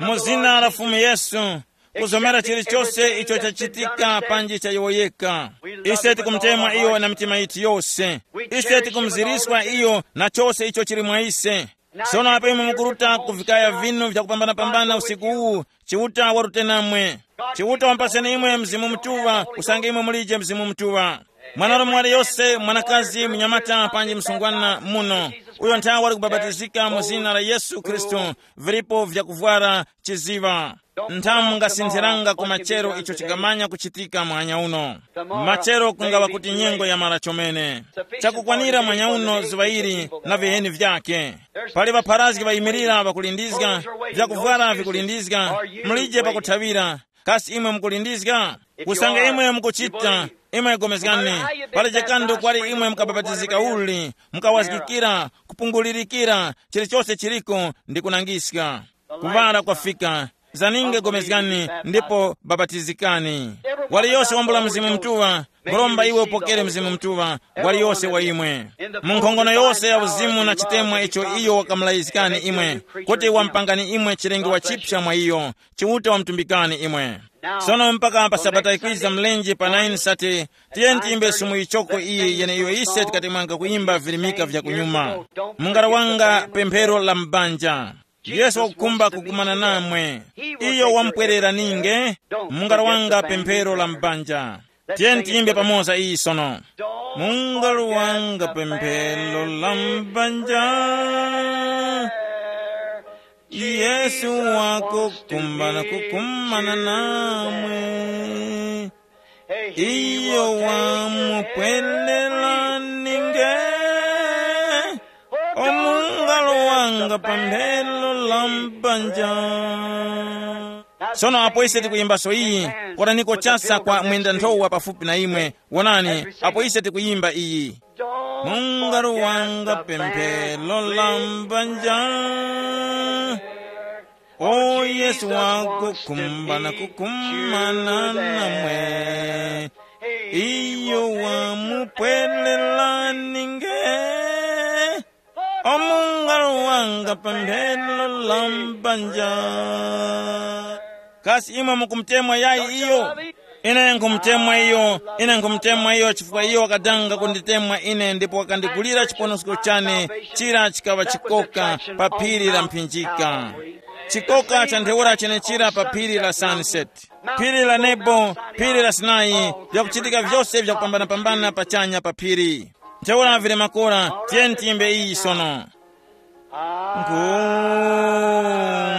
Mu zina la Fumu Yesu, kuzomera chilichose icho chachitika panji chayowoyeka. Ise tikumutemwa iyo na mitima yithu yose. Ise tikumuziriswa iyo na chose icho chili mwa ise. Sono apo imwe mukuruta ku vikaya vinu vyakupambana-pambana usiku uwu, Chiuta warute namwe. Chiuta wampaseni imwe Mzimu Mutuŵa, usange imwe mulije Mzimu Mutuŵa. Mwanarume waliyose, mwanakazi, munyamata panji msungwana muno, uyo nthawe wali kubapatizika mu zina la Yesu Khristu, vilipo vyakuvwara chiziŵa. Nthamu ngasinthiranga ku machero icho chingamanya kuchitika mwanya uno. Machero kungaŵa kuti nyengo yamara chomene. Chakukwanira mwanya uno zuŵa ili na viheni vyake. Pali ŵapharazgi ŵayimirira ŵakulindizga, vyakuvwara vikulindizga, mulije pakuthawira. Kasi imwe mukulindizga? Usange imwe mukuchita, imwe gomezgani. Pali chikando kwali imwe mukabapatizika uli, mukawazgikira, kupungulirikira, chilichose chiliko ndi kunangiska. Kuŵala kwafika. Zaninge gomezgani ndipo bapatizikani. Waliyose wambula Mzimu Mutuŵa, muromba iwe upokere Mzimu Mutuŵa, waliyose wa imwe. Mu nkhongono yose ya uzimu na chitemwa icho iyo wakamulayizgani imwe, kuti wampangani imwe chilengewa chipsa mwa iyo, Chiuta wamtumbikani imwe. Sono mpaka pa sabata ikwiza mlenje pa nine sate, tiyeni tiyimbe sumu yichoko iyi yeneiyo ise tikatemwanga kuyimba virimika vya kunyuma. Mungala wanga pemphero la mbanja. Yesu wakukhumba kukumana namwe. Iyo wamupwerera ninge. Mungala wanga pemphero la mbanja. Tiyeni tiyimbe pamoza iyi sono. Mungala wanga pemphero la mbanja. Yesu wakukhumba na kukumana namwe. Iyo wamupwelela ninge. Omungalo wanga pamphelo la mbanja. Sono apo ise tikuyimbaso iyi, koraniko chasa kwa mwenda nthowa pafupi na imwe. Wonani, apo ise tikuyimba iyi. Mungaro wanga pemphelo la mbanja. O Yesu wakukhumba na kukumana namwe. Iyo wamupwelela ninge. Omungaro wanga pamphelo la mbanja. Kasi imwe mukumutemwa yayi iyo? Ine nkhumutemwa iyo, ine nkhumutemwa iyo chifukwa iyo wakadanga kunditemwa ine ndipo wakandigulira chiponosko chane. Chira chikaŵa chikoka pa phiri la mphinjika. Chikoka cha ntheura chenechira pa phiri la Sunset. Phiri la Nebo, phiri la Sinai, vyakuchitika vyose vyakupambanapambana pachanya pa phiri. Ntheura vili makora, tiyeni tiyimbe iyi sono.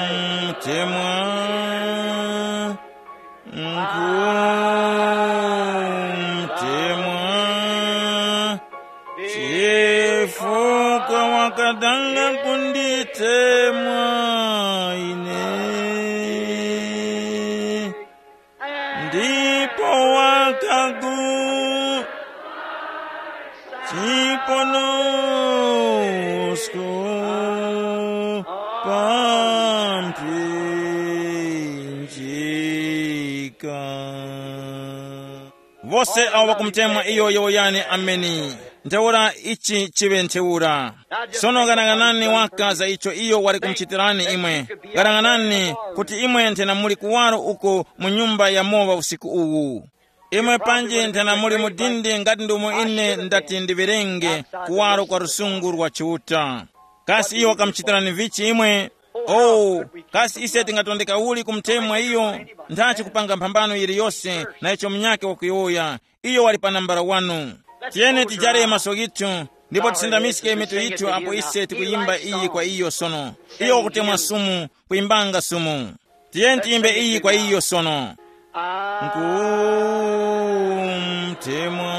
Nkhumtemwa, nkhumtemwa, chifukwa wakadanga kunditemwa ine. Ndipo wakagu chiponosko pamphinjika. Vose awo ŵakumutemwa iyo yowoyani ameni. Ntheura ichi chiŵe ntheura. Sono ghanaghanani waka za icho iyo wali kumuchitirani imwe. Ghanaghanani kuti imwe nthena muli kuwaro uko mu nyumba ya mowa usiku uwu. Imwe panji nthena muli mu dindi ngati ndumo ine ndati ndiwerenge kuwaro kwa lusungu lwa Chiuta. Kasi iyo wakamuchitirani vichi imwe? Oh, kasi ise tingatondeka uli kumutemwa iyo? Nthachi kupanga mphambano yiliyose na icho munyakhe wakuyowoya. Iyo wali pa nambala wanu. Tiyeni tijare maso ghithu ndipo tisindamiske mitu yithu apo ise tikuyimba iyi kwa iyo sono. Iyo wakutemwa sumu, kuyimbanga sumu. Tiyeni tiyimbe iyi kwa iyo sono. Nkhumtemwa,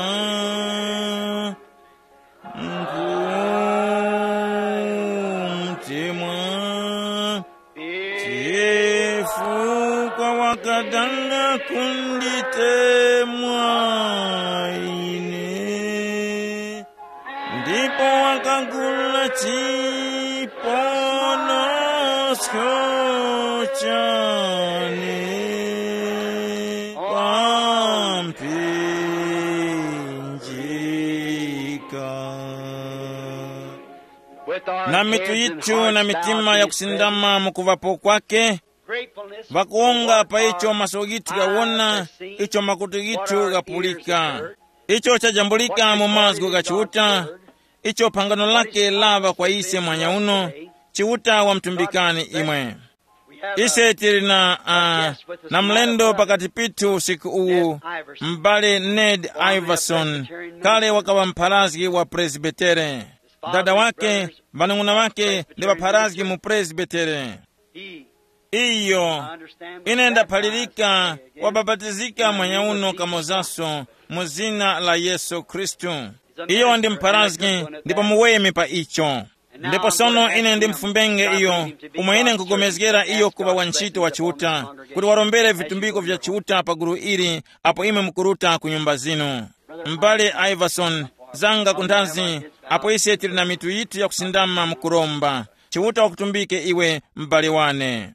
nkhumtemwa, chifukwa wakadanga kunditemwa ine. Ndipo wakagula chiponosko chane pamphinjika. Na mitu yithu na mitima yakusindama mu kuŵapo kwake, vakuwonga pa icho maso ghithu ghawona, icho makutu ghithu ghapulika. Icho chajambulika mu mazgu gha Chiuta, icho phangano lake laŵa kwa ise mwanya uno, Chiuta wamutumbikani imwe. Ise tili na, uh, na mlendo pakati pithu usiku uwu, m'bale Ned Iverson, kale wakaŵa mpharazgi wa Presbitere. Dada wake, ŵanung'una ŵake ndi ŵapharazgi mu Presbitere. Iyo, ine ndaphalirika, wabapatizika mwanya uno kamozaso mu zina la Yesu Khristu. Iyo ndi mpharazgi ndipo muweme pa icho. Ndipo sono ine ndimfumbenge iyo, umo ine nkupulikana iyo kuŵa wantchito wa Chiuta, kuti warombere vitumbiko vya Chiuta pa gulu ili apo imwe mukuruta ku nyumba zinu. M'bale Iverson, zanga kunthazi, apo ise tili na mitu yithu yakusindama mukuromba. Chiuta wakutumbike iwe, m'bale wane.